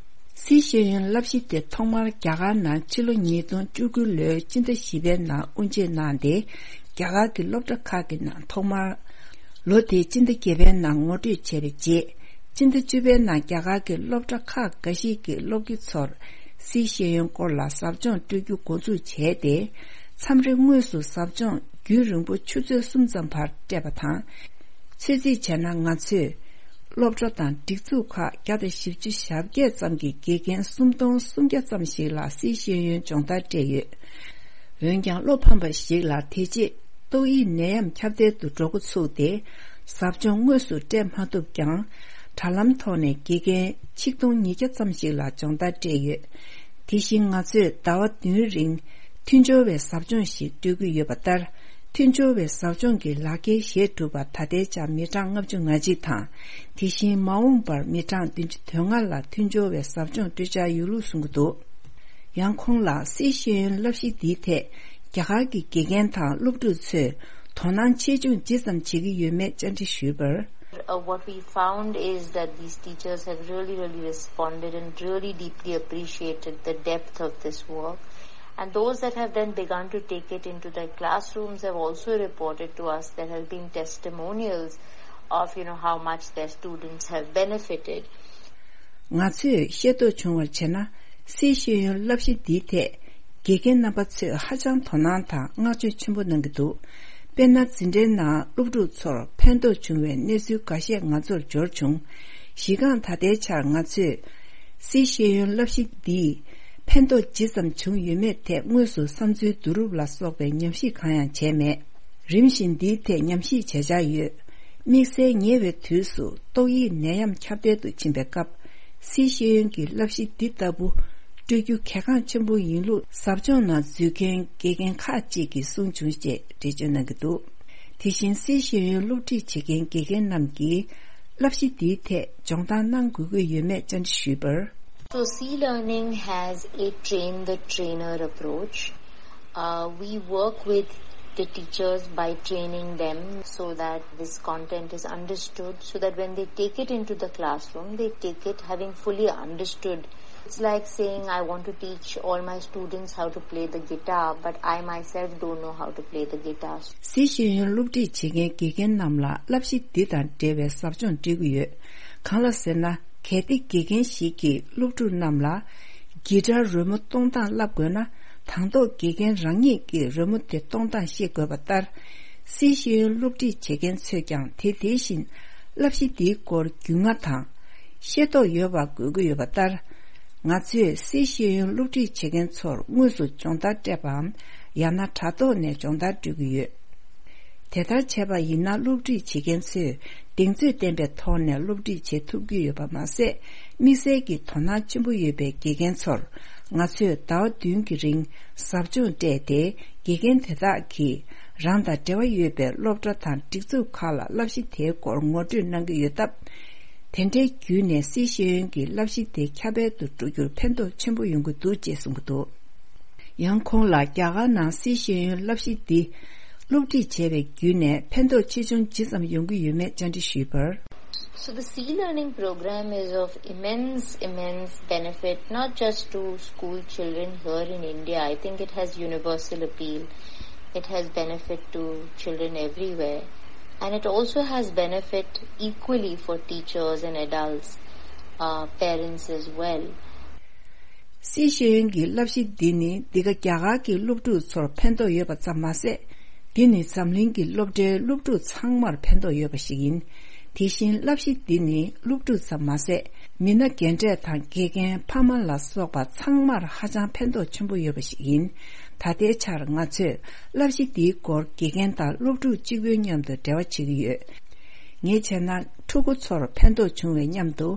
སིའི་ཤེས་ཡོན་བསླབ་གཞི་དེ་ཐོག་མར་རྒྱ་གར་ནང་ཕྱི་ལོ་ཉིས་སྟོང་བཅུ་དགུ་ལོའི་སྤྱི་ཟླ་བཞི་པའི་ནང་དབུ་འབྱེད་གནང་སྟེ། རྒྱ་གར་གྱི་སློབ་གྲྭ་ཁག་གི་ནང་ཐོག་མར། ལོ་དེའི་སྤྱི་ཟླ་བརྒྱད་པའི་ནང་ངོ་སྤྲོད་བྱས་པའི་རྗེས། སྤྱི་ཟླ་བཅུ་པའི་ནང་རྒྱ་གར་གྱི་སློབ་གྲྭ་ཁག་འགའ་ཞིག་གི་སློབ་དགེ་ཚོར་སིའི་ཤེས་ཡོན་སྐོར་ལ་ཟབ་སྦྱོང་སྤྲོད་རྒྱུ་འགོ་འཛུགས་བྱས་ཏེ། མཚམས་རེ་དངོས་སུ་ཟབ་སྦྱོང་རྒྱུན་རིང་པོ་ཆུ་ཚོད་གསུམ་ཙམ་བར་སྤྲད་པ་དང་། ཚོད་རྩིས་བྱས་ན་ང་ཚོས་སློབ་གྲྭ་དང་སྒྲིག་འཛུགས་ཁག་བརྒྱ་དང་བཞི་བཅུ་ཞེ་བརྒྱད་ཙམ་གྱི་དགེ་རྒན་སུམ་སྟོང་སུམ་བརྒྱ་ཙམ་ཞིག་ལ་སིའི་ཤེས་ཡོན་སྦྱོང་བརྡར་སྤྲད་ཡོད། འོན་ཀྱང་བློ་ཕམ་པ་ཞིག་ལ་དེ་རྗེས་ཏོག་དབྱིབས་ནད་ཡམས་ཁྱབ་གདལ་དུ་འགྲོ་འགོ་ཚུགས་ཏེ། ཟབ་སྦྱོང་དངོས་སུ་སྤྲད་མ་ཐུབ་ཀྱང་། དྲ་ལམ་ཐོག་ནས་དགེ་རྒན་ཆིག་སྟོང་ཉིས་བརྒྱ་ཙམ་ཞིག་ལ་སྦྱོང་བརྡར་སྤྲད་ཡོད། དེ་བཞིན་ང་ཚོས་ཟླ་བ་བདུན་རིང་མཐུན་སྦྱོར་བའི་ཟབ་སྦྱོང་ཞིག་སྤྲོད་ཀྱི་ཡོད་པ་ལྟར། མཐུན་སྦྱོར་བའི་ཟབ་སྦྱོང་གི་ལག་འཁྱེར་བཞེས་གྲུབ་པ་ད་ལྟའི་ཆར་མི་གྲངས་ལྔ་བཅུ་ང་གཅིག་དང་། དེ་བཞིན་མ་འོངས་པར་མི་གྲངས་བདུན་ཅུ་དོན་ལྔ་ལ་མཐུན་སྦྱོར་བའི་ཟབ་སྦྱོང་སྤྲོད་འཆར་ཡོད་ལུགས་གསུང་གི་འདུག། ཡང་ཁོང་ལ་སིའི་ཤེས་ཡོན་བསླབ་གཞི་འདིའི་ཐད་རྒྱ་གར་གྱི་དགེ་རྒན་དང་སློབ་ཕྲུག་ཚོས་དོ་སྣང་ཆེ་ཆུང་ཇི་ཙམ་བྱེད་ཀྱི་ཡོད་མེད་བཅར་འདྲི་ཞུས་པར། Uh, what we found is that these teachers have really, really responded and really deeply appreciated the depth of this work. And those that have then begun to take it into their classrooms have also reported to us there have been testimonials of, you know, how much their students have benefited. ང་ཚོས་ཤེས་རྟོགས་བྱུང་བར་བྱས་ན། སིའི་ཤེས་ཡོན་བསླབ་གཞི་འདིའི་ཐད་དགེ་རྒན་རྣམ་པ་ཚོས་ཧ་ཅང་དོ་སྣང་དང་བསྔགས་བརྗོད་ཆེན་པོ་གནང་གི་འདུག། དཔེར་ན། འཛིན་གྲྭའི་ནང་སློབ་ཕྲུག་ཚོར་ཕན་ཐོགས་བྱུང་བའི་གནས་ཚུལ་འགའ་ཤས་ང་ཚོར་འབྱོར་བྱུང་། གཞི་རྐང་ད་ལྟའི་ཆར་ང་ཚོས་སིའི་ཤེས་ཡོན་བསླབ་གཞི་འདིས་ཕན་ཐོགས་ཇི་ཙམ་བྱུང་ཡོད་མེད་ཐད་དངོས་སུ་བསམ་ཚུལ་བསྡུ་རུབ་ལ་སོགས་པའི་ཉམས་ཞིབ་གང་ཡང་བྱས་མེད། རིམ་བཞིན་འདིའི་ཐད་ཉམས་ཞིབ་བྱེད་འཆར་ཡོད། དམིགས་བསལ་ཉེ་བའི་དུས་སུ་ཏོག་དབྱིབས་ནད་ཡམས་ཁྱབ་གདལ་དུ་ཕྱིན་པའི་སྐབས། སིའི་ཤེས་ཡོན་གྱི་བསླབ་གཞི་འདི་ལྟ་བུ་སྤྲོད་རྒྱུ་གལ་འགངས་ཆེན་པོ་ཡིན་ལུགས་ཟབ་སྦྱོང་ནང་འཛུལ་མཁན་དགེ་རྒན་ཁག་ཅིག་གིས་གསུངས་བྱུང་ཞེས་འགྲེལ་བརྗོད་གནང་གི་འདུག། དེ་བཞིན་སིའི་ཤེས་ཡོན་སློབ་ཁྲིད་བྱེད་མཁན་དགེ་རྒན་རྣམས་ཀྱིས་བསླབ་གཞི་འདིའི་ཐད་སྦྱོང་བརྡར་གནང་དགོས་ཀྱི་ཡོད་མེད་བཅར་འདྲི་ཞུས་པར། So, Sea Learning has a train the trainer approach. Uh, we work with the teachers by training them so that this content is understood, so that when they take it into the classroom, they take it having fully understood. It's like saying, I want to teach all my students how to play the guitar, but I myself don't know how to play the guitar. སིའི་ཤེས་ཡོན་སློབ་ཁྲིད་བྱེད་མཁན་དགེ་རྒན་རྣམས་ལ་བསླབ་གཞི་འདི་དང་འབྲེལ་བའི་ཟབ་སྦྱོང་སྤྲད་ཀྱི་ཡོད། གང་ལ་ཟེར་ན། གལ་ཏེ་དགེ་རྒན་ཞིག་གིས་སློབ་ཕྲུག་རྣམས་ལ་གི་ཊར་རོལ་མོ་གཏོང་སྟངས་བསླབ་དགོས་ན། དང་ཐོག་དགེ་རྒན་རང་ཉིད་ཀྱིས་རོལ་མོ་དེ་གཏོང་སྟངས་ཤེས་དགོས་པ་ལྟར། སིའི་ཤེས་ཡོན་སློབ་ཁྲིད་བྱེད་མཁན་ཚོས་ཀྱང་དེ་དེ་བཞིན་བསླབ་གཞི་འདིའི་སྐོར་རྒྱུས་མངའ་དང་ཤེས་རྟོགས་ཡོད་པ་དགོས་ཀྱི་ཡོད་པ་ལྟར། ང་ཚོས་སིའི་ཤེས་ཡོན་སློབ་ཁྲིད་བྱེད་མཁན་ཚོར་དངོས་སུ་སྦྱོང་བརྡར་སྤྲད་པའམ། ཡང་ན་དྲ་ཐོག་ནས་སྦྱོང་བརྡར་སྤྲོད་ཀྱི་ཡོད། དེ་ལྟར་བྱས་པ་ཡིན་ན། སློབ་ཁྲིད་བྱེད་མཁན་ཚོས་གདེང་ཚོད་ལྡན་པའི་ཐོག་ནས་སློབ་ཁྲིད་བྱེད་ཐུབ་ཀྱི་ཡོད་པ་མ་ཟད། དམིགས་བསལ་གྱི་དོ་སྣང་ཆེན་པོ་ཡོད་པའི་དགེ་རྒན་ཚོར་ ང་ཚོས་ཟླ་བ་བདུན་གྱི་རིང་ཟབ་སྦྱོང་སྤྲད་དེ། དགེ་རྒན་དེ་དག་གིས་རང་དང་འབྲེལ་བ་ཡོད་པའི་སློབ་གྲྭ་དང་སྒྲིག་འཛུགས་ཁག་ལ་བསླབ་གཞི་དེའི་སྐོར་ངོ་སྤྲོད་གནང་གི་ཡོད་སྟབས། དེ་འདྲའི་བརྒྱུད་ནས་སི་ཤེས་ཡོན་གྱི་བསླབ་གཞི་དེ་ཁྱབ་སྤེལ་དུ་འགྲོ་རྒྱུར་ཕན་ཐོགས་ཆེན་པོ་ཡོང་གི་འདུག་ཅེས་གསུངས་ཀྱི་འདུག། ཡང་ཁོང་ལ་རྒྱ་གར་ནང་སི་ཤེས་ཡོན་བསླབ་གཞི་འདི་སློབ་ཁྲིད་བྱས་པའི་བརྒྱུད་ནས་ཕན་ཐོགས་ཆེ་ཆུང་ཇི་ཙམ་ཡོང་གི་ཡོད་མེད་བཅར་འདྲི་ཞུས་པར། So the C learning program is of immense, immense benefit, not just to school children here in India. I think it has universal appeal. It has benefit to children everywhere. And it also has benefit equally for teachers and adults, uh, parents as well. སི་ཤེས་ཡོན་གྱི་བསླབ་གཞི་འདི་ནི་འདི་ག་རྒྱ་གར་གྱི་སློབ་ཕྲུག་ཚོར་ཕན་ཐོགས་ཡོད་པ་ཙམ་མ་ཟད། འདི་ནི་འཛམ་གླིང་གི་སློབ་གྲྭའི་སློབ་ཕྲུག་ཚང་མར་ཕན་ཐོགས་ཡོད་པ་ཞིག་ཡིན། དེ་བཞིན་བསླབ་གཞི་འདི་ནི་སློབ་ཕྲུག་ཙམ་མ་ཟད། མི་སྣ་རྒན་གྲས་དང་དགེ་རྒན། ཕ་མ་ལ་སོགས་པ་ཚང་མར་ཧ་ཅང་ཕན་ཐོགས་ཆེན་པོ་ཡོད་པ་ཞིག་ཡིན། ད་ལྟའི་ཆར་ང་ཚོས་བསླབ་གཞི་འདིའི་སྐོར་དགེ་རྒན་དང་སློབ་ཕྲུག་གཅིག་པུའི་མཉམ་དུ་འབྲེལ་བ་བྱེད་ཀྱི་ཡོད། ངས་བྱས་ན་ཕྲུ་གུ་ཚོར་ཕན་ཐོགས་བྱུང་བའི་མཉམ་དུ།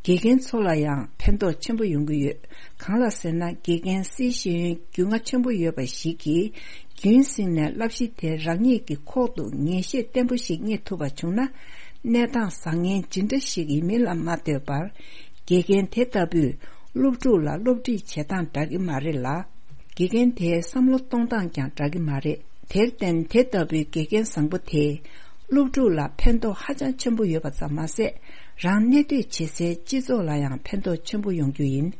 དགེ་རྒན་ཚོ་ལ་ཡང་ཕན་ཐོགས་ཆེན་པོ་ཡོང་གི་ཡོད། གང་ལགས་ཟེར་ན། དགེ་རྒན་སི་ཤེས་ཡོན་རྒྱུས་མངའ་ཆེན་པོ་ཡོད་པ་ཞིག་གིས། རྒྱུན་བསྲིངས་ནས་བསླབ་གཞི་དེ་རང་ཉིད་ཀྱི་ཁོག་ཏུ་ངེས་ཤེས་བརྟན་པོ་ཞིག་རྙེད་ཐུབ་པ་བྱུང་ན། གནས་སྟངས་བཟང་ངན་ཇི་འདྲ་ཞིག་ཡིན་མིན་ལ་མ་ལྟོས་པར། དགེ་རྒན་དེ་ལྟ་བུས་སློབ་ཕྲུག་ལ་སློབ་ཁྲིད་བྱེད་སྟངས་འདྲ་གི་མ་རེད་ལ། དགེ་རྒན་དེའི་བསམ་བློ་གཏོང་སྟངས་ཀྱང་འདྲ་གི་མ་རེད། དེར་བརྟེན། དེ་ལྟ་བུའི་དགེ་རྒན་བཟང་པོ་དེས་སློབ་ཕྲུག་ལ་ཕན་ཐོགས་ཧ་ཅང་ཆེན་པོ་ཡོད་པ་ཙམ་མ་ཟད། རང་གནས་སྡོད་བྱེད་སའི་སྤྱི་ཚོགས་ལ་ཡང་ཕན་ཐོགས་ཆེན་པོ་ཡོང་རྒྱུ་ཡིན།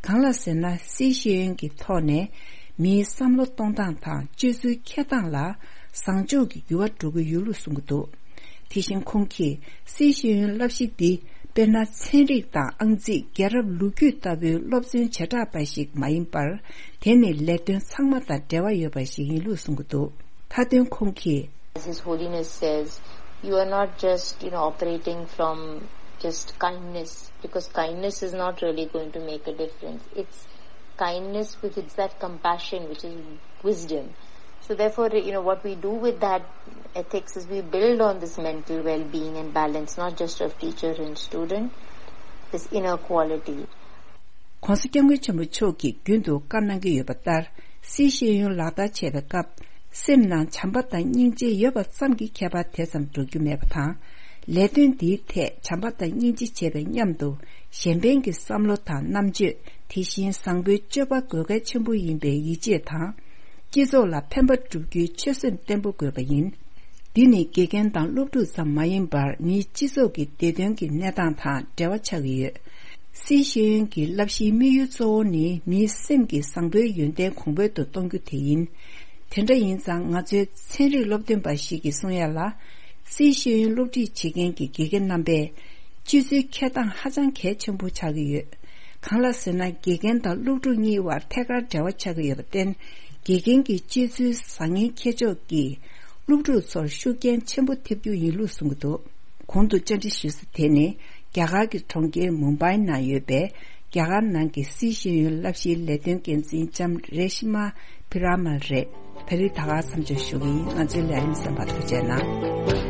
གང་ལགས་ཟེར་ན། སི་ཤེས་ཡོན་གྱི་ཐོག་ནས་མིའི་བསམ་བློ་གཏོང་སྟངས་དང་སྤྱོད་ཚུལ་འཁྱེར་སྟངས་ལ་བཟང་ཕྱོགས་ཀྱི་འགྱུར་བ་འགྲོ་གི་ཡོད་ལུགས་གསུངས་ཀྱི་འདུག། དེ་བཞིན་ཁོང་གིས། སི་ཤེས་ཡོན་བསླབ་གཞི་འདི་དཔེར་ན་ཚན་རིག་དང་ཨང་རྩིས། རྒྱལ་རབས་ལོ་རྒྱུས་ལྟ་བུའི་སློབ་ཚན་བྱེ་བྲག་པ་ཞིག་མ་ཡིན་པར། དེ་ནི་ལས་དོན་ཚང་མ་དང་འབྲེལ་བ་ཡོད་པ་ཞིག་ཡིན་ལུགས་གསུངས་ཀྱི་འདུག། མཐའ་དོན་ཁོང་གིས། As His Holiness says, you are not just, you know, operating from just kindness, because kindness is not really going to make a difference. It's kindness with, it's that compassion which is wisdom. So therefore, you know, what we do with that ethics is we build on this mental well-being and balance, not just of teacher and student, this inner quality. ༸གོང་ས་༸སྐྱབས་མགོན་ཆེན་པོ་མཆོག་གིས་རྒྱུན་དུ་བཀའ་གནང་གི་ཡོད་པ་ལྟར། སི་ཤེས་ཡོན་ལག་བསྟར་བྱེད་པའི་སྐབས། སེམས་ནང་བྱམས་པ་དང་སྙིང་རྗེ་ཡོད་པ་ཙམ་གྱིས་ཁྱད་པར་དེ་ཙམ་འགྲོ་རྒྱུ་མེད་པ་དང་། ལས་དོན་འདིའི་ཐད་བྱམས་པ་དང་སྙིང་རྗེ་བྱེད་པའི་མཉམ་དུ། གཞན་ཕན་གྱི་བསམ་བློ་དང་རྣམ་དཔྱོད། དེ་བཞིན་བཟང་པོའི་སྤྱོད་པ་དགོས་གལ་ཆེན་པོ་ཡིན་པའི་ཡིད་ཆེས་དང་། སྤྱི་ཚོགས་ལ་ཕན་པ་བསྒྲུབ་རྒྱུའི་ཆོད་སེམས་བརྟན་པོ་དགོས་པ་ཡིན། འདི་ནི་དགེ་རྒན་དང་སློབ་ཕྲུག་ཙམ་མ་ཡིན་པར། མིའི་སྤྱི་ཚོགས་ཀྱི་བདེ་དོན་གྱི་གནས་སྟངས་དང་འབྲེལ་བ་ཆགས་ཀྱི་ཡོད། སི་ཤེས་ཡོན་གྱི་བསླབ་གཞིའི་དམིགས་ཡུལ་གཙོ་བོ་ནི། མིའི་སེམས་ཀྱི་བཟང་པོའི་ཡོན་ཏན་གོང་འཕེལ་དུ་གཏོང་རྒྱུ་དེ་ཡིན། དེ་འདྲ་ཡིན་ཙང་། ང་ཚོའི་ཚན་རིག་སློབ་སྟོན་པ་ཞིག་གིས་གསུང་ཡ་ལ། སི་ཤེས་ཡོན་སློབ་ཁྲིད་བྱེད་མཁན་གྱི་དགེ་རྒན་རྣམ་པས། སྤྱོད་ཚུལ་འཁྱེར་སྟངས་ཧ་ཅང་གལ་ཆེན་པོ་ཆགས་ཀྱི་ཡོད། གང་ལགས་ཟེར་ན། དགེ་རྒན་དང་སློབ་ཕྲུག་གཉིས་བར་ཐད་ཀར་འབྲེལ་བ་ཆགས་ཀྱི་ཡོད་པར་བརྟེན། དགེ་རྒན་གྱི་སྤྱོད་ཚུལ་བཟང་ངན་འཁྱེར་ཕྱོགས་ཀྱིས། སློབ་ཕྲུག་ཚོར་ཤུགས་རྐྱེན་ཆེན་པོ་ཐེབས་རྒྱུ་ཡིན་ལུགས་གསུངས་ཀྱི་འདུག། གོང་དུ་བཅར་འདྲི་ཞུས་ས་དེ་ནི། རྒྱ་གར་གྱི་གྲོང་ཁྱེར་མུམ་བྷའི་ནང་ཡོད་པའི། རྒྱ་གར་ནང་གི་སི་ཤེས་ཡོན་བསླབ་གཞིའི་ལས་དོན་འགན་འཛིན་ལྕམ་རེ་ཤི་མ་བྷི་ར་མལ་རེད། ད་རེས་ད་ག་མཚམས་འཇོག་ཞུ་གི་ཡིན། ང་ཚོའི་ལས་རིམ་གསན་པར་ཐུགས་རྗེ་གནང་།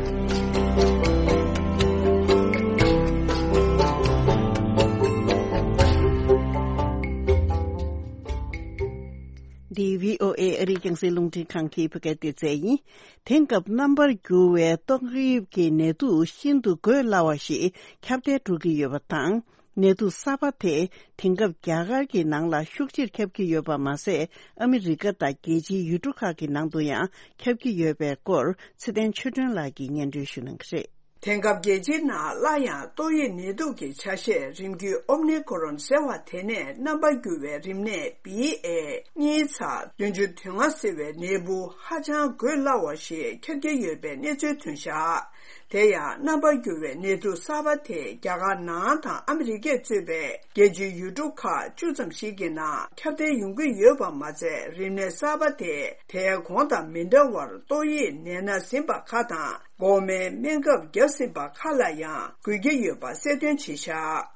འདི་བྷི་ཨོ་ཨེ་ཨ་རིའི་རྒྱང་སྲིང་རླུང་འཕྲིན་ཁང་གི་བོད་སྐད་སྡེ་ཚན་ཡིན། དེང་སྐབས་རྣམ་པར་འགྱུར་བའི་ཏོག་དབྱིབས་ཀྱི་ནད་དུག་ཤིན་ཏུ་འགོས་སླ་བ་ཞིག་ཁྱབ་གདལ་འགྲོ་གི་ཡོད་པ་དང་། ནད་དུག་གསར་པ་དེ་དེང་སྐབས་རྒྱ་གར་གྱི་ནང་ལ་ཤུགས་ཆེར་ཁྱབ་ཀྱི་ཡོད་པ་མ་ཟད། ཨ་མི་རི་ཀ་དང་རྒྱལ་སྤྱིའི་ཡུལ་གྲུ་ཁག་གི་ནང་དུ་ཡང་ཁྱབ་ཀྱི་ཡོད་པའི་སྐོར། ཚེ་བརྟན་ཆོས་སྒྲོན་ལགས་ཀྱིས་སྙན་སྒྲོན་ཞུ་གནང་གི་རེད། དེང་སྐབས་རྒྱལ་སྤྱིའི་ནང་སླར་ཡང་ཏོག་དབྱིབས་ནད་དུག་གི་ཆ་ཤས་རིམ་བརྒྱུད་ཨོ་མི་ཀོ་རོན་ཟེར་བ་དེ་ནས་རྣམ་པ་འགྱུར་བའི་རིམས་ནད་བྷི་ཨེ་གཉིས་ཚེག་བདུན་ཅུ་དོན་ལྔ་ཟེར་བའི་ནད་འབུ་ཧ་ཅང་འགོས་སླ་བ་ཞིག་ཁྱབ་ཀྱི་ཡོད་པའི་གནས་ཚུལ་ཐོན་བཞག། དེ་ཡང་རྣམ་པ་འགྱུར་བའི་ནད་དུག་གསར་པ་དེ་རྒྱ་གར་ནང་དང་ཨ་མི་རི་ཀས་གཙོས་པའི་རྒྱལ་སྤྱིའི་ཡུལ་གྲུ་ཁག་བཅུ་ཙམ་ཞིག་གི་ནང་ཁྱབ་གདལ་ཡོང་གི་ཡོད་པ་མ་ཚད། རིམས་ནད་གསར་པ་དེ་དེའི་གོང་དང་མི་འདྲ་བར་ཏོག་དབྱིབས་ནད་ན་ཟིན་པ་ཁག་དང་། འགོག་སྨན་སྨན་ཁབ་བརྒྱབ་ཟིན་པ་ཁག་ལ་ཡང་འགོས་ཀྱི་ཡོད་པ་གསལ་སྟོན་བྱས་བཞག།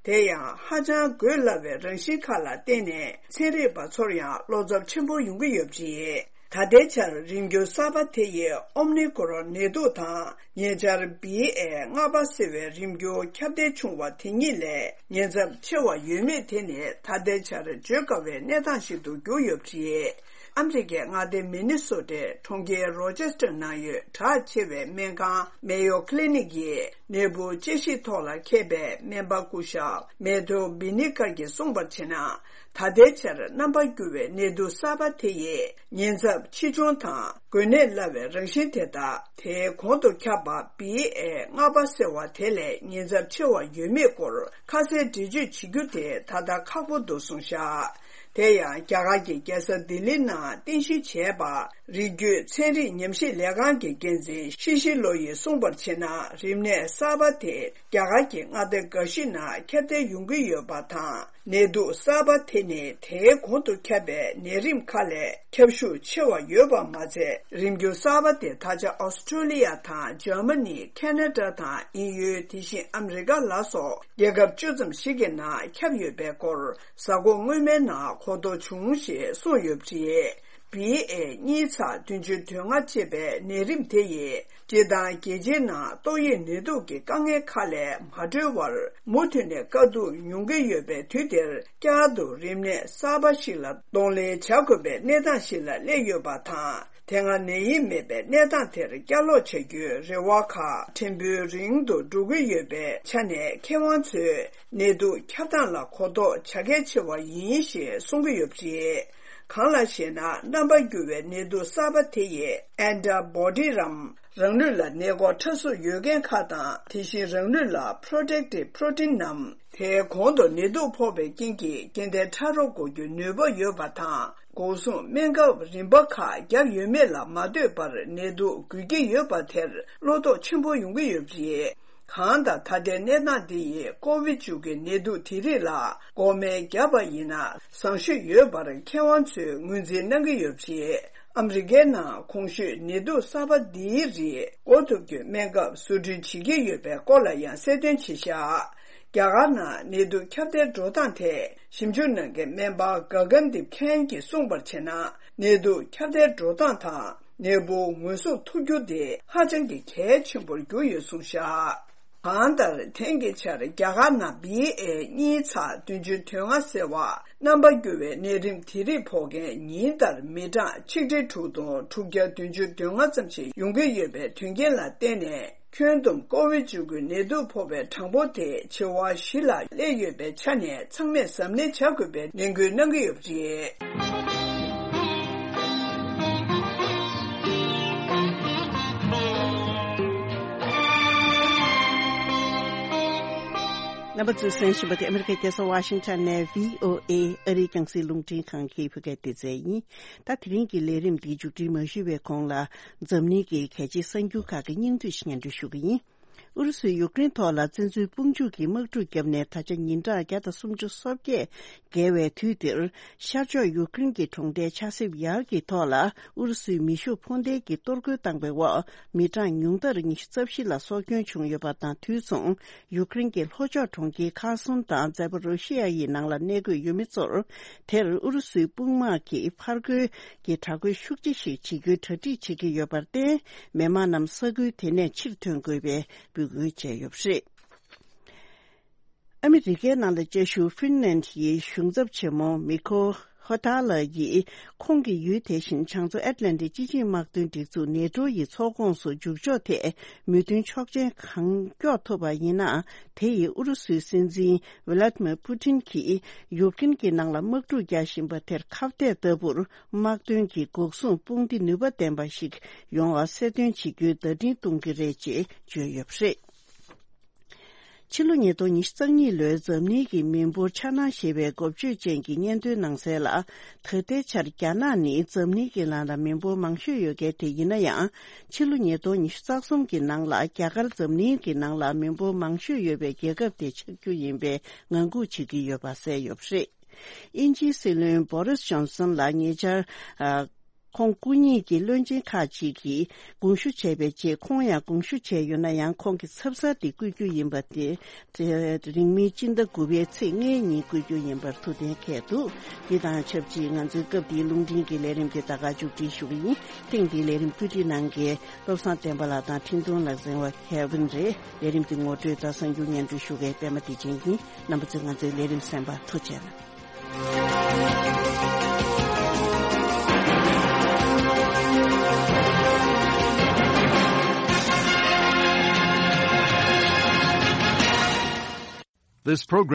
དེ་ཡང་ཧ་ཅང་འགོས་སླ་བའི་རང་བཞིན་ཁག་ལ་བརྟེན་ནས་ཚན་རིག་པ་ཚོར་ཡང་བློ་འཚབ་ཆེན་པོ་ཡོང་གི་ཡོད་པ་རེད། ད་ལྟའི་ཆར་རིམས་འགྱུར་གསར་པ་དེ་ཡི་ཨོམ་ནི་ཀོ་རོན་ནད་དུག་དང་ཉེ་ཆར་བི་ཨེ་ལྔ་པ་ཟེར་བའི་རིམས་འགྱུར་ཁྱབ་གདལ་བྱུང་བ་དེ་གཉིས་ལས་ཉེན་ཚབས་ཆེ་བ་ཡོད་མེད་དེ་ནི་ད་ལྟའི་ཆར་བརྗོད་དཀའ་བའི་གནས་སྟངས་ཤིག་ཏུ་གྱུར་ཡོད་པ་རེད། ཨ་མི་རི་ཀའི་མངའ་སྡེ་མི་ནི་སོ་ཊའི་གྲོང་ཁྱེར་རོ་ཅེ་སི་ཊར་ནང་ཡོད་གྲགས་ཆེ་བའི་སྨན་ཁང་མེ་ཡོ་ཁི་ལི་ནིག་གིས་ནད་འབུ་དཔྱད་ཞིབ་ཐོག་ལ་མཁས་པའི་སྨན་པ་སྐུ་ཞབས་མེ་ཐོ་བི་ནི་ཀར་གྱིས་གསུངས་པར་བྱས་ན། ད་ལྟའི་ཆར་རྣམ་པ་འགྱུར་བའི་ནད་དུག་གསར་པ་དེ་ཡིས་ཉེན་ཚབས་ཆེ་ཆུང་དང་འགོས་ནད་སླ་བའི་རང་བཞིན་དེ་དག་དེའི་གོང་དུ་ཁྱབ་པ་བི་ཨེ་ལྔ་པ་ཟེར་བ་དེ་ལས་ཉེན་ཚབས་ཆེ་བ་ཡོད་མེད་སྐོར་ཁ་གསལ་འགྲེལ་བརྗོད་བྱེད་རྒྱུ་དེ་ད་ལྟ་ཁག་པོ་འདུག་གསུངས་བཞག་དེ་ཡང་རྒྱ་གར་གྱི་རྒྱལ་ས་ལྡི་ལི་ནང་རྟེན་གཞི་བྱས་པ་རིགས་རྒྱུད་ཚན་རིག་ཉམས་ཞིབ་ལས་ཁང་གི་འགན་འཛིན་ཤི་ཤི་ལོ་ཡིས་གསུངས་པར་བྱས་ན། རིམས་ནད་གསར་པ་དེ་རྒྱ་གར་གྱི་མངའ་སྡེ་འགའ་ཞིག་ནང་ཁྱབ་གདལ་ཡོང་གི་ཡོད་པ་དང་། ནད་དུག་གསར་པ་དེ་ནི་དེའི་གོང་དུ་ཁྱབ་པའི་ནད་རིམས་ཁག་ལས་ཁྱབ་ཤུགས་ཆེ་བ་ཡོད་པ་མ་ཚད། རིམས་འགྱུར་གསར་པ་དེ་ད་ཆ་ཨོ་སི་ཀྲོ་ལི་ཡ་དང་འཇར་མ་ནི། ཁེ་ན་ཌ་དང་དབྱིན་ཡུལ། དེ་བཞིན་ཨ་མི་རི་ཀ་ལ་སོགས་རྒྱལ་ཁབ་བཅུ་ཙམ་ཞིག་གི་ནང་ཁྱབ་ཡོད་པའི་སྐོར་གཟའ་འཁོར་སྔོན་མའི་ནང་གོ་རྟོགས་བྱུང་ཞེས་གསུངས་ཡོད་པ་རེད། བི་ཨེ་གཉིས་ཚེག་བདུན་ཅུ་དོན་ལྔ་ཅེས་པའི་ནད་རིམས་དེ་ཡིས་སྤྱིར་བཏང་རྒྱལ་སྤྱིའི་ནང་ཏོག་དབྱིབས་ནད་དུག་གི་དཀའ་ངལ་ཁག་ལས་མ་གྲོལ་བར་མུ་མཐུད་ནས་དཀའ་སྡུག་མྱོང་གི་ཡོད་པའི་དུས་འདིར། བསྐྱར་དུ་རིམས་ནད་གསར་པ་ཞིག་ལ་གདོང་ལེན་བྱ་དགོས་པའི་གནས་སྟངས་ཤིག་ལ་སླེབས་ཡོད་པ་དང་། དེ་སྔ་ནད་ཡམས་མེད་པའི་གནས་སྟངས་དེར་བསྐྱར་ལོག་བྱ་རྒྱུའི་རེ་བ་ཁག་ཕྲན་བུ་རིང་དུ་འགྲོ་གི་ཡོད་པའི་ཆ་ནས། མཁས་དབང་ཚོས་ནད་དུག་ཁྱབ་སྟངས་ལ་གོ་རྟོགས་བྱ་གལ་ཆེ་བ་ཡིན་ཞེས་གསུང་གི་ཡོད་པ་རེད། གང་ལགས་ཤེ་ན། རྣམ་པ་འགྱུར་བའི་ནད་དུག་གསར་པ་དེ་ཡི་ཨན་ཊི་བྷོ་ཌི་རམ། རང་ལུས་ལ་ནད་འགོག་ཕྲ་གཟུགས་ཡོད་མཁན་ཁག་དང་། དེ་བཞིན་རང་ལུས་ལ་པྲོ་ཊེག་ཊིབ་པྲོ་ཊིན་ནམ། དེའི་གོང་དུ་ནད་དུག་ཕོག་པའི་རྐྱེན་གྱིས་རྐྱེན་ལྡན་ཕྲ་རོལ་འགོག་རྒྱུའི་ནུས་པ་ཡོད་པ་དང་། འགོག་སྲུང་སྨན་ཁབ་རིམ་པ་ཁག་བརྒྱབ་ཡོད་མེད་ལ་མ་ལྟོས་པར་ནད་དུག་འགོས་ཀྱི་ཡོད་པ་དེར་བློ་དོགས་ཆེན་པོ་ཡོང་གི་ཡོད་པ་རེད། གང་ལྟར་ད་ལྟའི་གནས་སྟངས་འདི་ཡིས་ཀོ་བིཌ་བཅུ་དགུ་ནད་དུག་དེ་རིགས་ལ་འགོག་སྨན་བརྒྱབ་པ་ཡིན་ན་བཟང་ཤོས་ཡོད་པར་མཁས་དབང་ཚོས་ངོས་འཛིན་གནང་གི་ཡོད་པ་རེད། ཨ་མི་རི་ཀའི་ནང་གོང་ཞུས་ནད་དུག་གསར་པ་འདིའི་རིགས་འགོག་ཐུབ་རྒྱུའི་སྨན་ཁབ་བཟོ་སྐྲུན་བྱེད་ཀྱི་ཡོད་པའི་སྐོར་ལ་ཡང་གསལ་སྟོན་བྱས་བཞག་རྒྱ་གར་ནང་ནད་དུག་ཁྱབ་གདལ་འགྲོ་སྟངས་ཐད་ཞིབ་འཇུག་གནང་མཁན་སྨན་པ་ག་གན་དིབ་ཁན་གྱིས་གསུངས་པར་བྱས་ན། ནད་དུག་ཁྱབ་གདལ་འགྲོ་སྟངས་དང་ནད་འབུ་ངོས་བཟུང་ཐུབ་རྒྱུ་དེ་ཧ་ཅང་གི་གལ་ཆེན་པོར་གྱུར་ཡོད་གསུངས་བཞག་གང་ལྟར་དེང་གི་ཆར་རྒྱ་གར་ནང་བི་ཨེ་གཉིས་ཚེག་བདུན་ཅུ་དོན་ལྔ་ཟེར་བ་རྣམ་པ་འགྱུར་བའི་ནད་རིམས་དེ་རིགས་ཕོག་མཁན་ཉིན་ལྟར་མི་གྲངས་ཆིག་ཁྲི་དྲུག་སྟོང་དྲུག་བརྒྱ་བདུན་ཅུ་དོན་ལྔ་ཙམ་ཞིག་ཡོང་གི་ཡོད་པའི་དོན་རྐྱེན་ལ་བརྟེན་ནས། ཁྱོན་བསྡོམས་ཀོ་བིཌ་བཅུ་དགུ་ནད་དུག་ཕོག་པའི་གྲངས་འབོར་དེ་བྱེ་བ་བཞི་ལ་སླེབས་ཡོད་པའི་ཆ་ནས་ཚང་མས་གཟབ་ནན་བྱ་དགོས་པའི་ནན་སྐུལ་གནང་གི་ཡོད་པ་རེད། རྣམ་པ་ཚོས་གསན་བཞིན་པ་དེ་ཨ་མི་རི་ཀའི་རྒྱལ་ས་ཝ་ཤིང་ཊོན་ནས་བྷི་ཨོ་ཨེ་ཨ་རིའི་རྒྱང་སྲིང་རླུང་འཕྲིན་ཁང་གི་བོད་སྐད་སྡེ་ཚན་ཡིན། ད་དེ་རིང་གི་ལས་རིམ་འདི་མཇུག་སྒྲིལ་མ་ཞུས་པའི་གོང་ལ། འཛམ་གླིང་གི་གལ་ཆེའི་གསར་འགྱུར་ཁག་གི་སྙིང་བསྡུས་ཤིག་སྙན་སྒྲོན་ཞུ་གི་ཡིན། ཨུ་རུ་སུས་ཡུཀ་རེན་ཐོག་ལ་བཙན་འཛུལ་དཔུང་འཇུག་གི་དམག་འཁྲུག་བརྒྱབ་ནས་ད་ཆ་ཉིན་གྲངས་བརྒྱ་དང་སུམ་ཅུ་སོ་བརྒྱད་བརྒལ་བའི་དུས་འདིར། ཤར་ཕྱོགས་ཡུཀ་རེན་གྱི་གྲོང་རྡལ་ཆ་སེབ་ཡར་གྱི་ཐོག་ལ་ཨུ་རུ་སུའི་མེ་ཤུགས་འཕུར་མདེལ་གྱིས་གཏོར་རྒོལ་བཏང་པའི་འོག་མི་གྲངས་ཉུང་མཐར་ཉི་ཤུ་རྩ་བཞི་ལ་སྲོག་སྐྱོན་བྱུང་ཡོད་པ་དང་། དུས་མཚུངས་ཡུཀ་རེན་གྱི་ལྷོ་ཕྱོགས་གྲོང་ཁྱེར་ཁར་སོན་དང་ཛེ་པོ་རོ་ཤི་ཡ་ཡི་ནང་ལ་གནས་འཁོད་ཡོད་མི་ཚོར། དེར་ཨུ་རུ་སུའི་དཔུང་དམག་གིས་ཕར་རྒོལ་གྱི་དྲག་རྒོལ་ཤུགས་ཆེ་ཞིག་བྱེད་རྒྱུའི་གྲ་སྒྲིག་བྱེད་ཀྱི་ཡོད་པར་བརྟེན། མི་མང་རྣམས་ས་ཁུལ་དེ་ནས་ཕྱིར་ཐོན་དགོས་པའི་འབོད་སྐུལ་བྱས་ཡོད་པ་རེད། ཨ་མི་རི་ཀའི་ནང་ལ་བཅའ་བཞུགས་ཧྥིན་ལན་ཡི་གཞུང་ཚབ་ཆེན་མོ་མི་ཁོ་ཧོ་ཐ་ལ་ཡིས། ཁོང་གི་ཡུལ་དེ་བཞིན་བྱང་མཚོ་ཨེཊ་ལན་ཏིག་སྤྱི་ཆིངས་དམག་དོན་སྒྲིག་འཛུགས་ནེ་ཊོ་ཡི་ཚོགས་ཁོངས་སུ་འཇུག་ཕྱོགས་ཐད་མོས་མཐུན་ཆོག་མཆན་གང་མགྱོགས་ཐོབ་པ་ཡིན་ན། དེ་ཡིས་ཨུ་རུ་སུའི་སྲིད་འཛིན་ཝི་ལ་ཏི་མིར་པུ་ཏིན་གྱིས་ཡུཀ་རེན་གྱི་ནང་ལ་དམག་འཁྲུག་རྒྱག་བཞིན་པ་དེར་ཁ་གཏད་ལྟ་བུར། དམག་དོན་གྱི་འགོག་སྲུང་དཔུང་སྡེ་ནུས་པ་ལྡན་པ་ཞིག་ཡོང་བ་གསལ་སྟོན་བྱེད་རྒྱུའི་བརྡ་འཕྲིན་གཏོང་གི་རེད་ཅེས་བརྗོད་ཡོད་པ་རེད། ཕྱི་ལོ་ཉིས་སྟོང་ཉི་ཤུ་རྩ་གཉིས་ལོའི་འཛམ་གླིང་གི་མི་འབོར་འཆར་སྣང་ཞེས་པའི་འགོ་བརྗོད་ཅན་གྱི་སྙན་ཐོའི་ནང་གསལ་ལ། ད་ལྟའི་ཆར་རྒྱ་ནག་ནི་འཛམ་གླིང་གི་ནང་ལ་མི་འབོར་མང་ཤོས་ཡོད་མཁན་དེ་ཡིན་ན་ཡང་། ཕྱི་ལོ་ཉིས་སྟོང་ཉི་ཤུ་རྩ་གསུམ་གྱི་ནང་ལ་རྒྱ་གར་འཛམ་གླིང་གི་ནང་ལ་མི་འབོར་མང་ཤོས་ཡོད་པའི་རྒྱལ་ཁབ་དེ་ཆགས་རྒྱུ་ཡིན་པའི་ངང་སྒུག་བྱེད་ཀྱི་ཡོད་པ་གསལ་ཡོད་པ་རེད། དབྱིན་ཇིའི་སྲིད་བློན་བོ་རིས་ཇོན་སན་ལ་ཉེ་ཆར། ཨ། ཁོང་སྐུ་ཉིད་ཀྱི་བློན་ཆེན་ཁག་ཅིག་གིས་དགོངས་ཞུ་བྱས་པའི་རྗེས། ཁོང་ཡང་དགོངས་ཞུ་བྱས་ཡོད་ན་ཡང་། ཁོང་གིས་ཚབ་གསར་དེ་བསྐུལ་རྒྱུ་ཡིན་པ་དེ། དེ་རིང་མིན་སྤྱི་ཟླ་དགུ་པའི་ཚེས་ལྔའི་ཉིན་བསྐུལ་རྒྱུ་ཡིན་པར་ཐུགས་གཏན་འཁེལ་འདུག་འདི་དང་ཆབས་ཅིག་ང་ཚོའི་སྐབས་འདིའི་རླུང་འཕྲིན་གྱི་ལས་རིམ་དེ་ད་ག་མཇུག་སྒྲིལ་ཞུ་གི་ཡིན། ཐེངས་འདིའི་ལས་རིམ་བཀོད་སྒྲིག་གནང་མཁན་བློ་བཟང་བསྟན་པ་ལགས་དང་། འཕྲིན་གཏོང་ལག་འཛིན་པ་ཁེ་ཝིན་རེད། ལས་རིམ་འདི་ངོ་སྤྲོད་དང་གསར་འགྱུར་སྙན་སྒྲོན་ཞུ་མཁན་པད་མ་བདེ་ཆེན་ཡིན། རྣམ་པ་ཚོས་ང་ཚོའི་ལས་རིམ་གསན་པར་ཐུགས་རྗེ་གནང་། This program